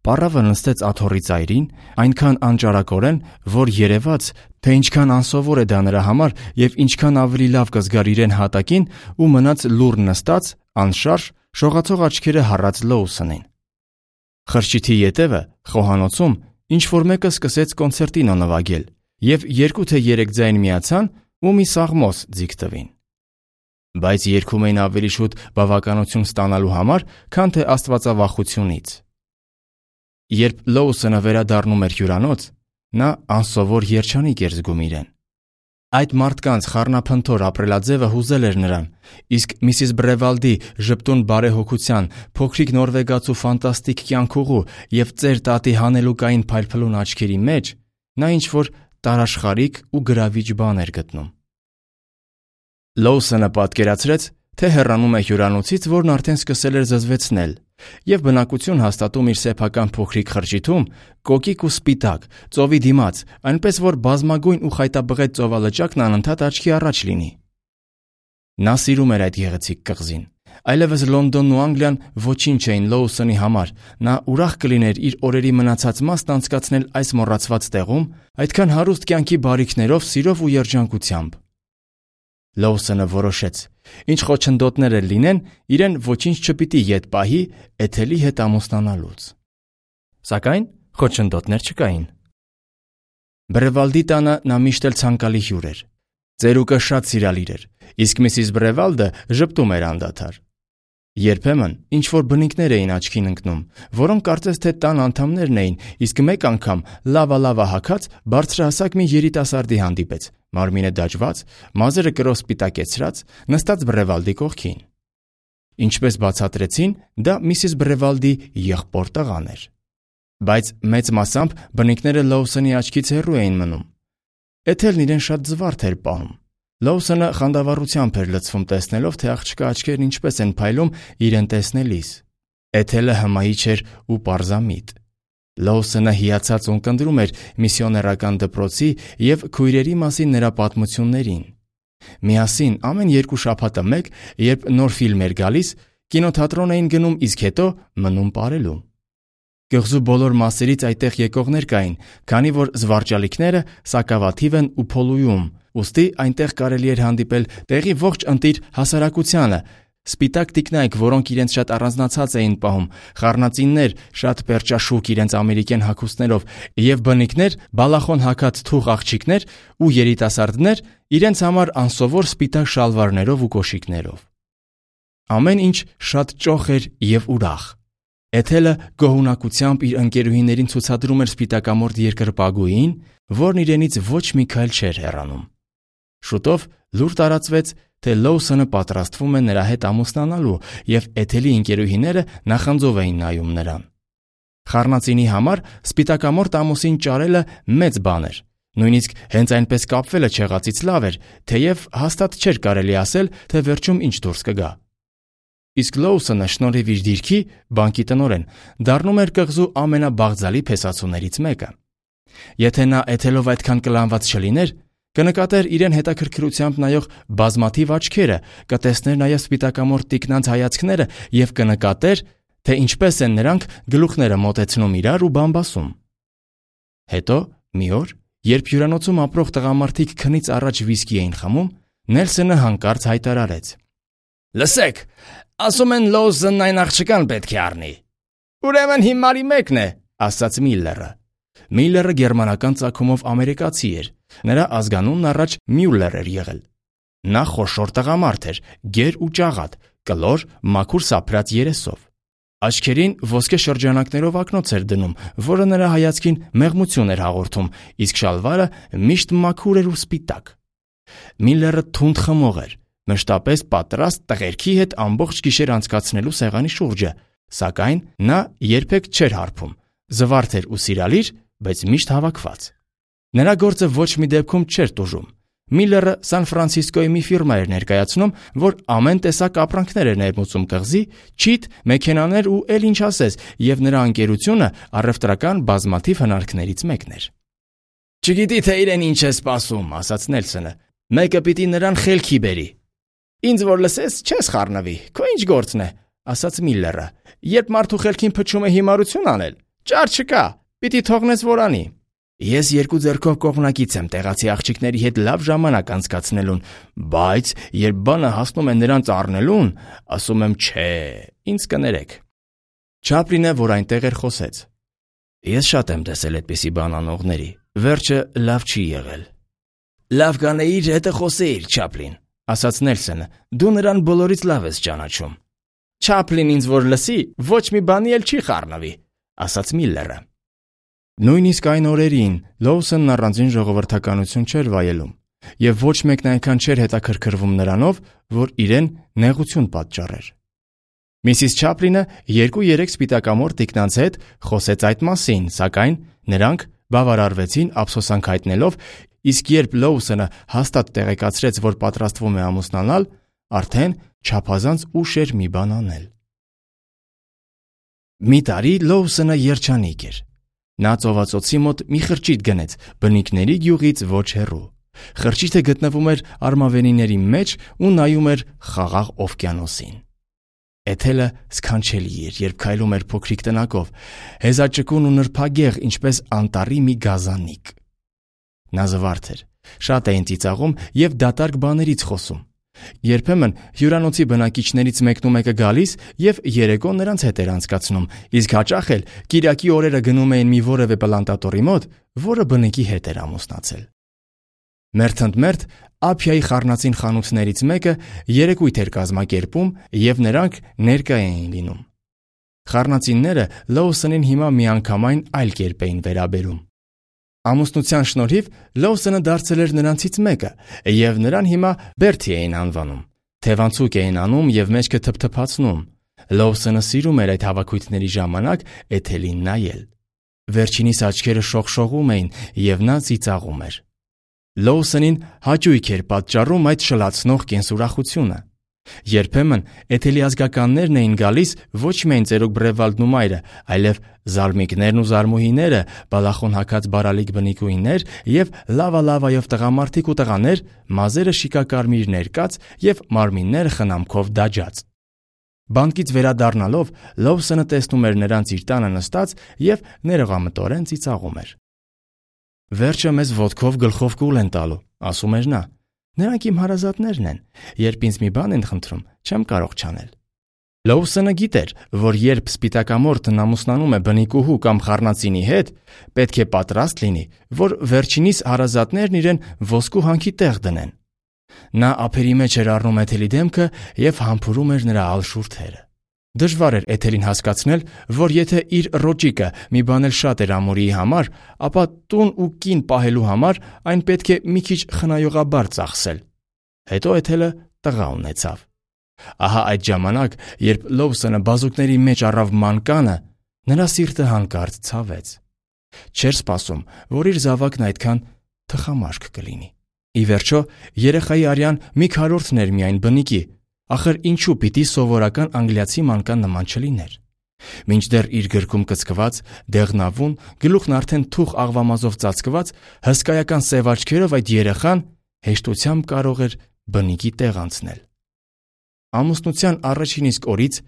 Պառավը նստեց աթոռի ծայրին, այնքան անճարակորեն, որ երևաց, թե ինչքան անսովոր է դա նրա համար եւ ինչքան ավելի լավ կզգար իրեն հատակին ու մնաց լուռ նստած, անշարժ, շողացող աչքերը հառած Լոուսոնին։ Խրճիթի ետևը, խոհանոցում, ինչ-որ մեկը սկսեց կոնցերտինո նվագել, եւ երկու թե երեք ձայն միացան ու մի սաղմոս ձիգ տվին։ Բայց երգում էին ավելի շուտ բավականություն ստանալու համար, քան թե աստվածավախությունից։ Երբ Լոուսոնը վերադառնում էր հյուրանոց, նա անսովոր երջանիկ էր զգում իրեն։ Այդ մարդկանց խառնափնթոր ապրելաձևը հուզել էր նրան, իսկ Միսիս Բրևալդի ժպտուն բարեհոգության, փոքրիկ նորվեգացու ֆանտաստիկ կյանքուղու եւ ծեր տատի հանելուկային փայլփլուն աչքերի մեջ նա ինչ-որ տարաշխարհիկ ու գրավիչ բան էր գտնում։ Լոուսոնը պատկերացրեց, թե հեռանում է հյուրանոցից, որն արդեն սկսել էր զզվեցնել, եւ բնակություն հաստատում իր սեփական փոքրիկ խրճիթում, կոկիկ ու սպիտակ, ծովի դիմաց, այնպես որ բազմագույն ու խայտաբղետ ծովալճակն անընդհատ աչքի առաջ լինի։ Նա սիրում էր այդ գեղեցիկ կղզին։ Այլևս Լոնդոնն ու Անգլիան ոչինչ էին Լոուսոնի համար։ Նա ուրախ կլիներ իր օրերի մնացած մասն անցկացնել այս մոռացված տեղում, այդքան հարուստ կյանքի բարիքներով, սիրով ու երջանկությամբ։ Լոուսոնը որոշեց, ինչ խոչընդոտներ էլ լինեն, իրեն ոչինչ չպիտի ետ պահի Էթելի հետ ամուսնանալուց։ Սակայն խոչընդոտներ չկային։ Բրևալդի տանը նա միշտ էլ ցանկալի հյուր էր։ Ծերուկը շատ սիրալիր էր, իսկ Միսիս Բրևալդը ժպտում էր անդադար։ Երբեմն ինչ-որ բնիկներ էին աչքին ընկնում, որոնք կարծես թե տան անդամներն էին, իսկ մեկ անգամ լավա-լավա հագած բարձրահասակ մի երիտասարդի հանդիպեց, մարմինը դաջված, մազերը կրով սպիտակեցրած, նստած Բրևալդի կողքին։ Ինչպես բացատրեցին, դա Միսիս Բրևալդի եղբոր տղան էր։ Բայց մեծ մասամբ բնիկները Լոուսոնի աչքից հեռու էին մնում։ Էթելն իրեն շատ զվարթ էր պահում։ Լոուսոնը խանդավառությամբ էր լցվում տեսնելով, թե աղջկա աչքերն ինչպես են փայլում իրեն տեսնելիս։ Էթելը հմայիչ էր ու պարզամիտ։ Լոուսոնը հիացած ունկնդրում էր միսիոներական դպրոցի եւ քույրերի մասին նրա պատմություններին։ Միասին ամեն երկու շաբաթը մեկ, երբ նոր ֆիլմ էր գալիս, կինոթատրոն էին գնում, իսկ հետո մնում ապրելու։ Գղզու բոլոր մասերից այդտեղ եկողներ կային, քանի որ զվարճալիքները սակավաթիվ են ու փոլույում, ուստի այնտեղ կարելի էր հանդիպել տեղի ողջ ընտիր հասարակությանը, սպիտակ տիկնայք, որոնք իրենց շատ առանձնացած էին պահում, խառնածիններ, շատ պերճաշուկ իրենց ամերիկյան հագուստներով եւ բնիկներ, բալախոն հագած թուղ աղջիկներ ու երիտասարդներ իրենց համար անսովոր սպիտակ շալվարներով ու կոշիկներով։ Ամեն ինչ շատ ճոխ էր եւ ուրախ։ Էթելը գոհունակությամբ իր ընկերուհիներին ցուցադրում էր սպիտակամորթ երկրպագուին, որն իրենից ոչ մի քայլ չէր հեռանում։ Շուտով լուր տարածվեց, թե Լոուսոնը պատրաստվում է նրա հետ ամուսնանալու եւ Էթելի ընկերուհիները նախանձով էին նայում նրան։ Խառնածինի համար սպիտակամորթ ամուսին ճարելը մեծ բան էր։ Նույնիսկ հենց այնպես կապվելը չեղածից լավ էր, թեև հաստատ չէր կարելի ասել, թե վերջում ինչ դուրս կգա։ Իսկ Լոուսոնը շնորհիվ իր դիրքի բանկի տնօրեն դառնում էր կղզու ամենաբաղձալի փեսացուներից մեկը։ Եթե նա Էթելով այդքան կլանված չլիներ, կնկատեր իրեն հետաքրքրությամբ նայող բազմաթիվ աչքերը, կտեսներ նաև սպիտակամորթ տիկնանց հայացքները եւ կնկատեր, թե ինչպես են նրանք գլուխները մոտեցնում իրար ու բամբասում։ Հետո մի օր, երբ հյուրանոցում ապրող տղամարդիկ քնից առաջ վիսկի էին խմում, Նելսոնը հանկարծ հայտարարեց. «Լսեք, ասում են Լոուսոնն այն աղջկան պետք է առնի»։ «Ուրեմն հիմարի մեկն է», ասաց Միլլերը։ Միլլերը գերմանական ծագումով ամերիկացի էր։ Նրա ազգանունն առաջ Մյուլլեր էր եղել։ Նա խոշոր տղամարդ էր, գեր ու ճաղատ, կլոր, մաքուր սափրած երեսով։ Աչքերին ոսկե շրջանակներով ակնոց էր դնում, որը նրա հայացքին մեղմություն էր հաղորդում, իսկ շալվարը միշտ մաքուր էր ու սպիտակ։ Միլլերը թունդ խմող էր, մշտապես պատրաստ տղերքի հետ ամբողջ գիշեր անցկացնելու սեղանի շուրջը, սակայն նա երբեք չէր հարբում, զվարթ էր ու սիրալիր, բայց միշտ հավաքված։ Նրա գործը ոչ մի դեպքում չէր տուժում։ Միլլերը Սան Ֆրանցիսկոյի մի ֆիրմա էր ներկայացնում, որ ամեն տեսակ ապրանքներ էր ներմուծում կղզի, չիթ, մեքենաներ ու էլ ինչ ասես, եւ նրա ընկերությունը առևտրական բազմաթիվ հնարքներից մեկն էր։ «Չգիտի թե իրեն ինչ է սպասում», ասաց Նելսոնը։ «Մեկը պիտի նրան խելքի բերի»։ «Ինձ որ լսես, չես խառնվի, քո ինչ գործն է», ասաց Միլլերը։ «Երբ մարդու խելքին փչում է հիմարություն անել, ճար չկա, պիտի թողնես որ անի»։ «Ես երկու ձեռքով կողմնակից եմ տեղացի աղջիկների հետ լավ ժամանակ անցկացնելուն, բայց երբ բանը հասնում է նրանց առնելուն, ասում եմ չէ, ինձ կներեք»։ Չապլինը, որ այնտեղ էր, խոսեց. «Ես շատ եմ տեսել այդպիսի բան անողների, վերջը լավ չի եղել»։ «Լավ կանեիր, հետը խոսեիր, Չապլին», ասաց Նելսոնը, «դու նրան բոլորից լավ ես ճանաչում»։ «Չապլին ինձ որ լսի, ոչ մի բանի էլ չի խառնվի», ասաց Միլլերը։ Նույնիսկ այն օրերին Լոուսոնն առանձին ժողովրդականություն չէր վայելում, եւ ոչ մեկն այնքան չէր հետաքրքրվում նրանով, որ իրեն նեղություն պատճառեր։ Միսիս Չապլինը երկու-երեք սպիտակամորթ տիկնանց հետ խոսեց այդ մասին, սակայն նրանք բավարարվեցին ափսոսանք հայտնելով, իսկ երբ Լոուսոնը հաստատ տեղեկացրեց, որ պատրաստվում է ամուսնանալ, արդեն չափազանց ուշ էր մի բան անել։ Մի տարի Լոուսոնը երջանիկ էր։ Նա ծովածոցի մոտ մի խրճիթ գնեց, բնիկների գյուղից ոչ հեռու։ Խրճիթը գտնվում էր արմավենիների մեջ ու նայում էր խաղաղ օվկիանոսին։ Էթելը սքանչելի էր, երբ քայլում էր փոքրիկ տնակով, հեզաճկուն ու նրբագեղ, ինչպես անտառի մի գազանիկ։ Նա զվարթ էր, շատ էին ծիծաղում եւ դատարկ բաներից խոսում։ Երբեմն հյուրանոցի բնակիչներից մեկն ու մեկը գալիս եւ երեկո նրանց հետ էր անցկացնում, իսկ հաճախ էլ կիրակի օրերը գնում էին մի որևէ պլանտատորի մոտ, որը բնիկի հետ էր ամուսնացել։ Մերթընդմերթ Ափիայի խառնածին խանութներից մեկը երեկույթ էր կազմակերպում եւ նրանք ներկա էին լինում։ Խառնածինները Լոուսոնին հիմա միանգամայն այլ կերպ էին վերաբերում։ Ամուսնության շնորհիվ Լոուսոնը դարձել էր նրանցից մեկը, եւ նրան հիմա Բերթի էին անվանում։ Թևանցուկ էին անում եւ մեջքը թփթփացնում։ Լոուսոնը սիրում էր այդ հավաքույթների ժամանակ Էթելին նայել։ Վերջինիս աչքերը շողշողում էին եւ նա ծիծաղում էր։ Լոուսոնին հաճույք էր պատճառում այդ շլացնող կենսուրախությունը։ Երբեմն Էթելի ազգականներն էին գալիս ոչ միայն ծերուկ Բրևալդն ու մայրը, այլև զարմիկներն ու զարմուհիները, բալախոն հագած բարալիկ բնիկուհիներ եւ լավա-լավայով տղամարդիկ ու տղաներ, մազերը շիկակարմիր ներկած եւ մարմինները խնամքով դաջած։ Բանկից վերադառնալով Լոուսոնը տեսնում էր նրանց իր տանը նստած եւ ներողամտորեն ծիծաղում էր։ «Վերջը մեզ ոտքով գլխով կուլ են տալու», ասում էր նա։ Նրանք իմ հարազատներն են, երբ ինձ մի բան են խնդրում, չեմ կարող չանել։ Լոուսոնը գիտեր, որ երբ սպիտակամորթն ամուսնանում է բնիկուհու կամ խառնածինի հետ, պետք է պատրաստ լինի, որ վերջինիս հարազատներն իրեն ոսկու հանքի տեղ դնեն։ Նա ափերի մեջ էր առնում Էթելի դեմքը և համբուրում էր նրա ալշուրթերը։ Դժվար էր Էթելին հասկացնել, որ եթե իր ռոճիկը մի բան էլ շատ էր ամորիի համար, ապա տուն ու կին պահելու համար այն պետք է մի քիչ խնայողաբար ծախսել։ Հետո Էթելը տղա ունեցավ։ Ահա այդ ժամանակ, երբ Լոուսոնը բազուկների մեջ առավ մանկանը, նրա սիրտը հանկարծ ցավեց։ Չէր սպասում, որ իր զավակն այդքան թխամարք կլինի։ Ի վերջո, երեխայի արյան մի քառորդն էր միայն բնիկի, ախր ինչու պիտի սովորական անգլիացի մանկան նման չլիներ։ Մինչդեռ իր գրկում կծկված, դեղնավուն, գլուխն արդեն թուխ աղվամազով ծածկված, հսկայական սև աչքերով այդ երեխան հեշտությամբ կարող էր բնիկի տեղ անցնել։ Ամուսնության առաջին իսկ օրից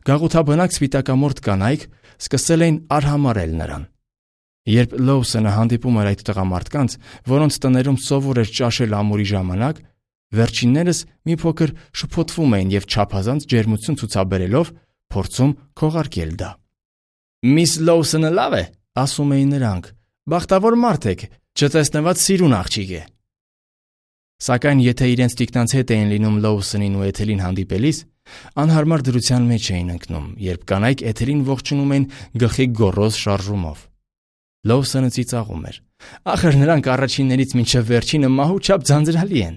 գաղութաբնակ սպիտակամորթ կանայք սկսել էին արհամարել նրան։ Երբ Լոուսոնը հանդիպում էր այդ տղամարդկանց, որոնց տներում սովոր էր ճաշել ամուրի ժամանակ, վերջիններս մի փոքր շփոթվում էին և չափազանց ջերմություն ցուցաբերելով փորձում քողարկել դա։ «Միս Լոուսոնը լավ է», ասում էին նրանք, «բախտավոր մարդ եք, չտեսնված սիրուն աղջիկ է»։ Սակայն եթե իրենց տիկնանց հետ էին լինում Լոուսոնին ու Էթելին հանդիպելիս, անհարմար դրության մեջ էին ընկնում, երբ կանայք Էթելին ողջունում էին գլխի գոռոզ շարժումով։ Լոուսոնը ծիծաղում էր. «Ախր նրանք առաջիններից մինչև վերջինը մահու չափ ձանձրալի են»,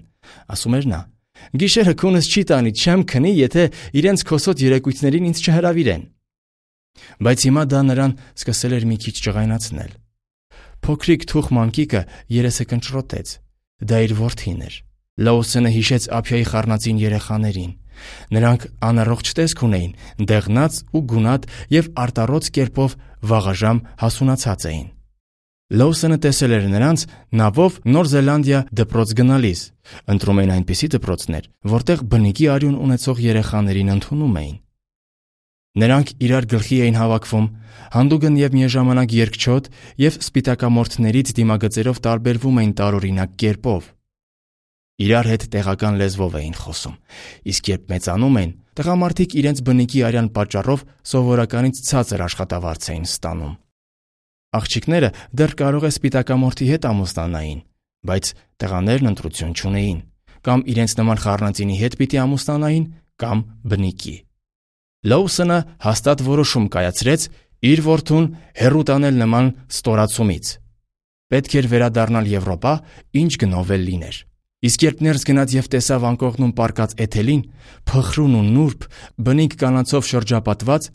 ասում էր նա։ «Գիշերը քունս չի տանի, չեմ քնի, եթե իրենց քոսոտ երեկույթներին ինձ չհրավիրեն»։ Բայց հիմա դա նրան սկսել էր մի քիչ ջղայնացնել։ Փոքրիկ թուխ մանկիկը երեսը կնճռոտեց։ Դա իր որդին էր։ Լոուսոնը հիշեց ափիայի խառնածին երեխաներին։ Նրանք անառողջ տեսք ունեին, դեղնած ու գունատ և արտառոց կերպով վաղաժամ հասունացած էին։ Լոուսոնը տեսել էր նրանց նավով Նոր Զելանդիա դպրոց գնալիս, ընտրում էին այնպիսի դպրոցներ, որտեղ բնիկի արյուն ունեցող երեխաներին ընդունում էին։ Նրանք իրար գլխի էին հավաքվում, հանդուգն և միաժամանակ երկչոտ և սպիտակամորթներից դիմագծերով տարբերվում էին տարօրինակ կերպով։ Իրար հետ տեղական լեզվով էին խոսում, իսկ երբ մեծանում էին, տղամարդիկ իրենց բնիկի արյան պատճառով սովորականից ցածր աշխատավարձ էին ստանում։ Աղջիկները դեռ կարող է սպիտակամորթի հետ ամուսնանային, բայց տղաներն ընտրություն չունեին, կամ իրենց նման խառնածինի հետ պիտի ամուսնանային, կամ բնիկի։ Լոուսոնը հաստատ որոշում կայացրեց իր որդուն հեռու տանել նման ստորացումից։ Պետք էր վերադառնալ Եվրոպա, ինչ գնով էլ լիներ։ Իսկ երբ ներս գնաց և տեսավ անկողնում պառկած Էթելին, փխրուն ու նուրբ, բնիկ կանացով շրջապատված,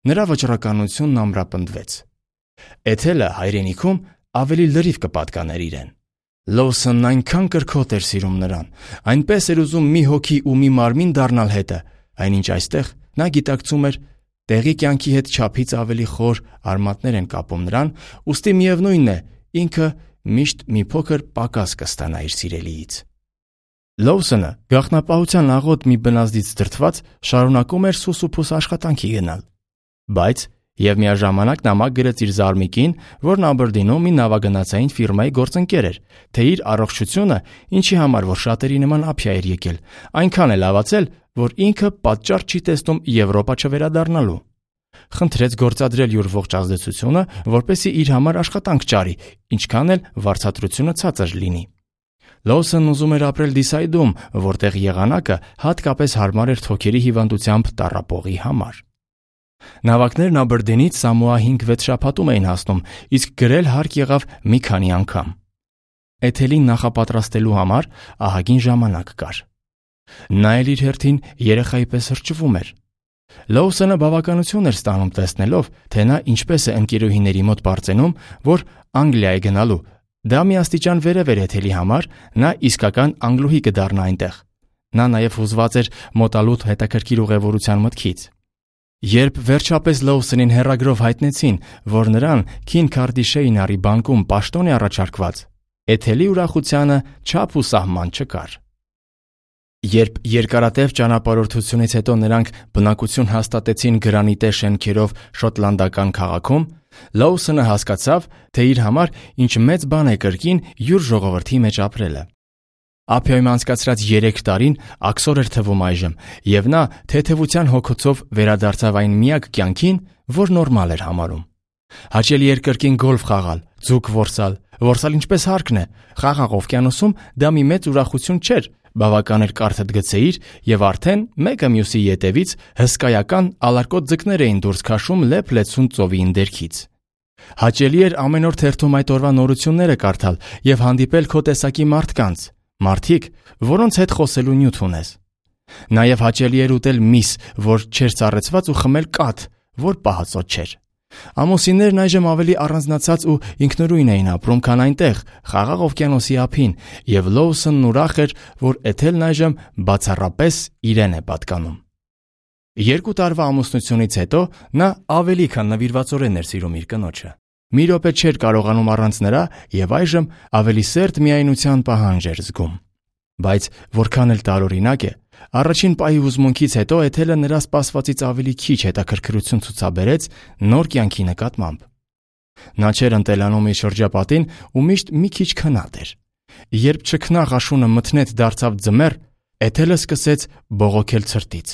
նրա վճռականությունն ամրապնդվեց։ Էթելը հայրենիքում ավելի լրիվ կպատկաներ իրեն։ Լոուսոնն այնքան կրքոտ էր սիրում նրան, այնպես էր ուզում մի հոգի ու մի մարմին դառնալ հետը, այնինչ այստեղ նա գիտակցում էր, տեղի կյանքի հետ չափից ավելի խոր արմատներ են կապում նրան, ուստի միևնույն է, ինքը միշտ մի փոքր պակաս կստանա իր սիրելիից։ Լոուսոնը գաղտնապահության աղոտ մի բնազդից դրդված շարունակում էր սուսուփուս աշխատանքի գնալ։ Բայց և միաժամանակ նամակ գրեց իր զարմիկին, որն Աբերդինում մի նավագնացային ֆիրմայի գործընկեր էր, թե իր առողջությունը, ինչի համար որ շատերի նման ափիա էր եկել, այնքան է լավացել, որ ինքը պատճառ չի տեսնում Եվրոպա չվերադառնալու։ Խնդրեց գործադրել յուր ողջ ազդեցությունը, որպեսզի իր համար աշխատանք ճարի, ինչքան էլ վարձատրությունը ցածր լինի։ Լոուսոնն ուզում էր ապրել Դիսայդում, որտեղ եղանակը հատկապես հարմար էր թոքերի հիվանդությամբ տառապողի համար։ Նավակներն Աբերդինից Սամոա հինգ-վեց շաբաթում էին հասնում, իսկ գրել հարկ եղավ մի քանի անգամ։ Էթելին նախապատրաստելու համար ահագին ժամանակ կար։ Նա էլ իր հերթին երեխայի պես հրճվում էր։ Լոուսոնը բավականություն էր ստանում տեսնելով, թե նա ինչպես է ընկերուհիների մոտ բարձենում, որ Անգլիա է գնալու։ Դա մի աստիճան վերև էր Էթելի համար, նա իսկական անգլուհի կդառնա այնտեղ։ Նա նաև հուզված էր մոտալուտ հետաքրքիր ուղևորության մտքից։ Երբ վերջապես Լոուսոնին հեռագրով հայտնեցին, որ նրան Քինքարդիշեյնարի բանկում պաշտոն է առաջարկված, Էթելի ուրախությանը չափ ու սահման չկար։ Երբ երկարատև ճանապարհորդությունից հետո նրանք բնակություն հաստատեցին գրանիտե շենքերով շոտլանդական քաղաքում, Լոուսոնը հասկացավ, թե իր համար ինչ մեծ բան է կրկին յուր ժողովրդի մեջ ապրելը։ Ափիայում անցկացրած երեք տարին աքսոր էր թվում այժմ, եւ նա թեթևության հոգոցով վերադարձավ այն միակ կյանքին, որ նորմալ էր համարում։ Հաճելի էր կրկին գոլֆ խաղալ, ձուկ որսալ, որսալ ինչպես հարկն է, խաղաղ օվկիանոսում դա մի մեծ ուրախություն չէր, բավական էր կարթդ գցեիր եւ արդեն մեկը մյուսի ետևից հսկայական ալարկոտ ձկներ էին դուրս քաշում լեփ-լեցուն ծովի ընդերքից։ Հաճելի էր ամեն օր թերթում այդ օրվա նորությունները կարդալ եւ հանդիպել քո տեսակի մարդկանց, մարդիկ, որոնց հետ խոսելու նյութ ունես։ Նաեւ հաճելի էր ուտել միս, որ չէր ծառեցված ու խմել կաթ, որ պահածոտ չէր։ Ամուսիններն այժմ ավելի առանձնացած ու ինքնուրույն էին ապրում, քան այնտեղ, խաղաղ օվկիանոսի ափին, եւ Լոուսոնն ուրախ էր, որ Էթելն այժմ բացառապես իրեն է պատկանում։ Երկու տարվա ամուսնությունից հետո նա ավելի քան նվիրվածորեն էր սիրում իր կնոջը։ Մի րոպե չէր կարողանում առանց նրա եւ այժմ ավելի սերտ միայնության պահանջ էր զգում։ Բայց որքան էլ տարօրինակ է, առաջին պահի հուզմունքից հետո Էթելը նրա սպասվածից ավելի քիչ հետաքրքրություն ցուցաբերեց նոր կյանքի նկատմամբ։ Նա չէր ընտելանում իր շրջապատին ու միշտ մի քիչ քնած էր։ Երբ չքնաղ աշունը մթնեց դարձավ ձմեռ, Էթելը սկսեց բողոքել ցրտից։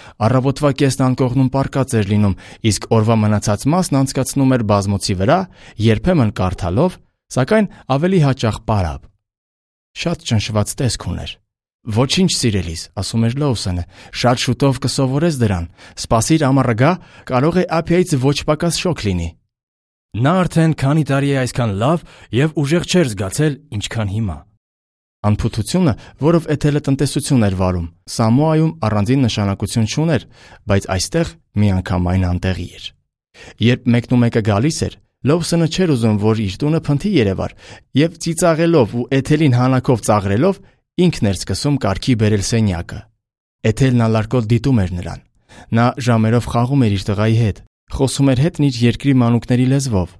Առավոտվա կեսն անկողնում պառկած էր լինում, իսկ օրվա մնացած մասն անցկացնում էր բազմոցի վրա, երբեմն կարդալով, սակայն ավելի հաճախ պարապ։ Շատ ճնշված տեսք ուներ։ Ոչինչ, սիրելիս, ասում էր Լոուսոնը, շատ շուտով կսովորես դրան, սպասիր ամառը գա, կարող է Ափիայից ոչ պակաս շոկ լինի։ Նա արդեն քանի տարի է այսքան լավ եւ ուժեղ չէր զգացել, ինչքան հիմա։ Անփութությունը, որով Էթելը տնտեսություն էր վարում, Սամոայում առանձին նշանակություն չուներ, բայց այստեղ միանգամայն անտեղի էր։ Երբ մեկն ու մեկը գալիս էր, Լոուսոնը չէր ուզում, որ իր տունը փնթի երևար, եւ ծիծաղելով ու Էթելին հանակով ծաղրելով ինքն էր սկսում կարգի բերել սենյակը։ Էթելն ալարկոտ դիտում էր նրան։ Նա ժամերով խաղում էր իր տղայի հետ, խոսում էր հետն իր երկրի մանուկների լեզվով։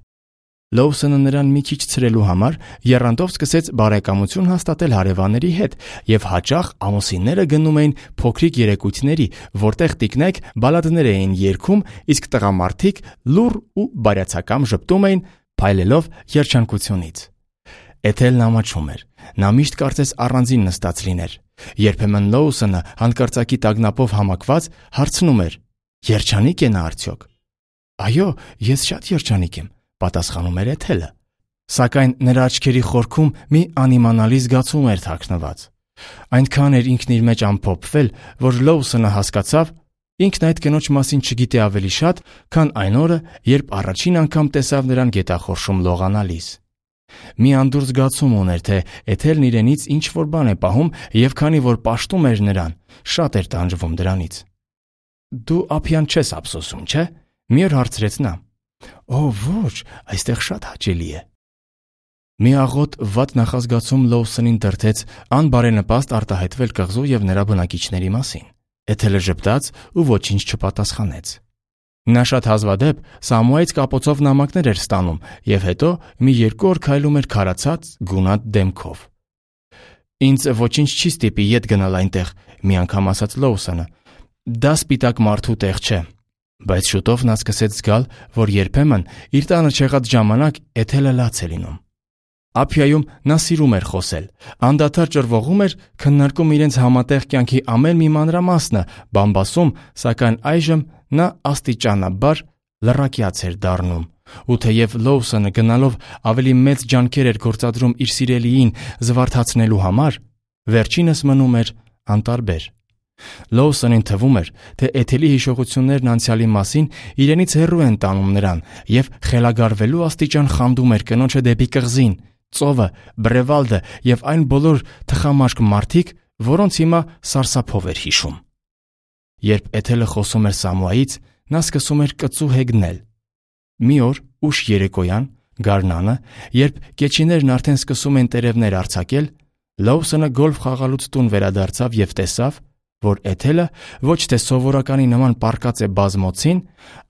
Լոուսոնը նրան մի քիչ ցրելու համար եռանդով սկսեց բարեկամություն հաստատել հարևանների հետ եւ հաճախ ամուսինները գնում էին փոքրիկ երեկույթների, որտեղ տիկնայք բալադներ էին երգում, իսկ տղամարդիկ լուռ ու բարյացակամ ժպտում էին, փայլելով երջանկությունից։ Էթելն ամաչում էր։ Նա միշտ կարծես առանձին նստած լիներ։ Երբեմն Լոուսոնը հանկարծակի տագնապով համակված հարցնում էր. «Երջանիկ է նա արդյոք»։ «Այո, ես շատ երջանիկ եմ», պատասխանում էր Էթելը։ Սակայն նրա աչքերի խորքում մի անիմանալի զգացում էր թաքնված։ Այնքան էր ինքն իր մեջ ամփոփվել, որ Լոուսոնը հասկացավ, ինքն այդ կնոջ մասին չգիտի ավելի շատ, քան այն օրը, երբ առաջին անգամ տեսավ նրան գետախորշում լողանալիս։ Մի անդուր զգացում ուներ, թե Էթելն իրենից ինչ-որ բան է պահում, եւ քանի որ պաշտում էր նրան, շատ էր տանջվում դրանից։ «Դու Ափիան չես ափսոսում, չէ՞», մի օր հարցրեց նա։ «Օ, ոչ, այստեղ շատ հաճելի է»։ Մի աղոտ վատ նախազգացում Լոուսոնին դրդեց անբարենպաստ արտահայտվել կղզու եւ նրա բնակիչների մասին։ Էթելը ժպտաց ու ոչինչ չպատասխանեց։ Նա շատ հազվադեպ Սամոայից կապոցով նամակներ էր ստանում եւ հետո մի երկու օր քայլում էր քարացած գունատ դեմքով։ «Ինձ ոչինչ չի ստիպի ետ գնալ այնտեղ», մի անգամ ասաց Լոուսոնը։ «Դա սպիտակ մարդու տեղ չէ»։ Բայց շուտով նա սկսեց զգալ, որ երբեմն իր տանը չեղած ժամանակ Էթելը լաց է լինում։ Ափիայում նա սիրում էր խոսել, անդադար ճռվողում էր, քննարկում իրենց համատեղ կյանքի ամեն մի մանրամասնը, բամբասում, սակայն այժմ նա աստիճանաբար լռակյաց էր դառնում։ Ու թեև Լոուսոնը գնալով ավելի մեծ ջանքեր էր գործադրում իր սիրելիին զվարթացնելու համար, վերջինս մնում էր անտարբեր։ Լոուսոնին թվում էր, թե Էթելի հիշողություններն անցյալի մասին իրենից հեռու են տանում նրան եւ խելագարվելու աստիճան խանդում էր կնոջը դեպի կղզին, ծովը, Բրևալդը եւ այն բոլոր թխամաշկ մարդիկ, որոնց հիմա սարսափով էր հիշում։ Երբ Էթելը խոսում էր Սամոայից, նա սկսում էր կծու հեգնել։ Մի օր ուշ երեկոյան, գարնանը, երբ կեչիներն արդեն սկսում են տերևներ արձակել, Լոուսոնը գոլֆ խաղալուց տուն վերադարձավ եւ տեսավ, որ Էթելը ոչ թե սովորականի նման պառկած է բազմոցին,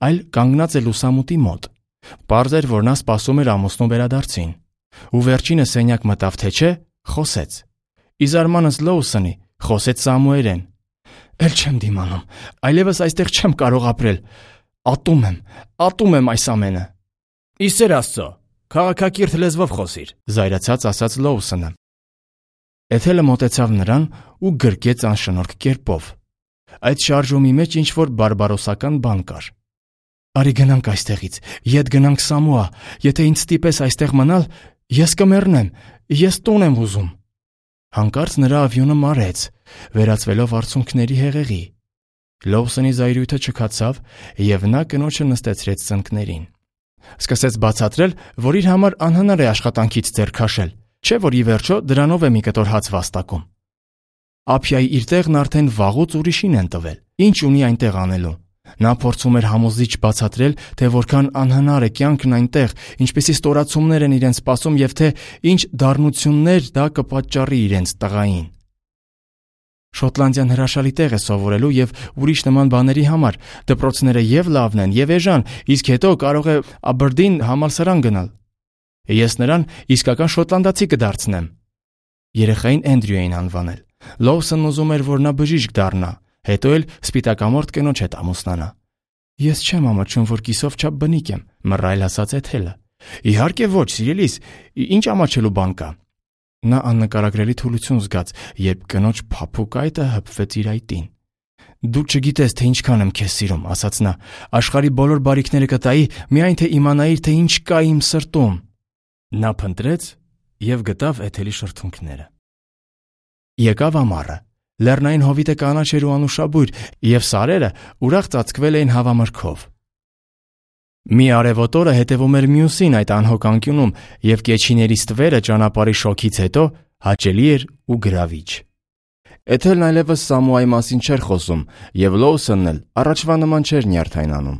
այլ կանգնած է լուսամուտի մոտ։ Պարզ էր, որ նա սպասում էր ամուսնու վերադարձին։ Ու վերջինը սենյակ մտավ, թե չէ, խոսեց։ Ի զարմանս Լոուսոնի, խոսեց Սամուելեն. «Էլ չեմ դիմանում, այլևս այստեղ չեմ կարող ապրել։ Ատում եմ, ատում եմ այս ամենը»։ «Ի սեր Աստծո, քաղաքակիրթ լեզվով խոսիր», զայրացած ասաց Լոուսոնը։ Էթելը մոտեցավ նրան ու գրկեց անշնորհք կերպով։ Այդ շարժումի մեջ ինչ-որ բարբարոսական բան կար։ «Արի գնանք այստեղից, ետ գնանք Սամուա, եթե ինձ ստիպես այստեղ մնալ, ես կմեռնեմ, ես տուն եմ ուզում»։ Հանկարծ նրա ավյունը մարեց, վերածվելով արցունքների հեղեղի։ Լոուսոնի զայրույթը չքացավ, եւ նա կնոջը նստեցրեց ծնկներին։ Սկսեց բացատրել, որ իր համար անհնար է աշխատանքից ձեռ քաշել, չէ՞ որ ի վերջո դրանով է մի կտոր հաց վաստակում։ Ափիայի իր տեղն արդեն վաղուց ուրիշին են տվել։ Ինչ ունի այնտեղ անելու։ Նա փորձում էր համոզիչ բացատրել, թե որքան անհնար է կյանքն այնտեղ, ինչպիսի ստորացումներ են իրեն սպասում եւ թե ինչ դառնություններ դա կպատճառի իրենց տղային։ Շոտլանդիան հրաշալի տեղ է սովորելու եւ ուրիշ նման բաների համար։ Դպրոցները եւ լավն են, եւ էժան, իսկ հետո կարող է Աբերդին համալսարան գնալ։ Ես նրան իսկական շոտլանդացի կդարձնեմ։ Երեխային Էնդրյու էին անվանել։ Լոուսոնն ուզում էր, որ նա բժիշկ դառնա, հետո էլ սպիտակամորթ կնոջ հետ ամուսնանա։ Ես չեմ ամաչում, որ կիսով չափ բնիկ եմ, մռայլ ասաց Էթելը։ Իհարկե ոչ, սիրելիս, ինչ ամաչելու բան կա։ Նա աննկարագրելի թուլություն զգաց, երբ կնոջ փափուկ այտը հպվեց իր այտին։ Դու չգիտես, թե ինչքան եմ քեզ սիրում, ասաց նա։ Աշխարհի բոլոր բարիքները կտայի, միայն թե իմանայիր, թե ինչ կա իմ սրտում։ Նա փնտրեց եւ գտավ Էթելի շրթունքները։ Եկավ ամառը։ Լեռնային հովիտը կանաչ էր ու անուշաբույր, եւ սարերը ուրախ ծածկվել էին հավամրգով։ Մի արևոտ օրը հետևում էր մյուսին այդ անհոգ անկյունում, եւ կեչիների ստվերը ճանապարհի շոքից հետո հաճելի էր ու գրավիչ։ Էթելն այլևս Սամուայի մասին չէր խոսում, եւ Լոուսոնն էլ առաջվա նման չէր նյարդայնանում։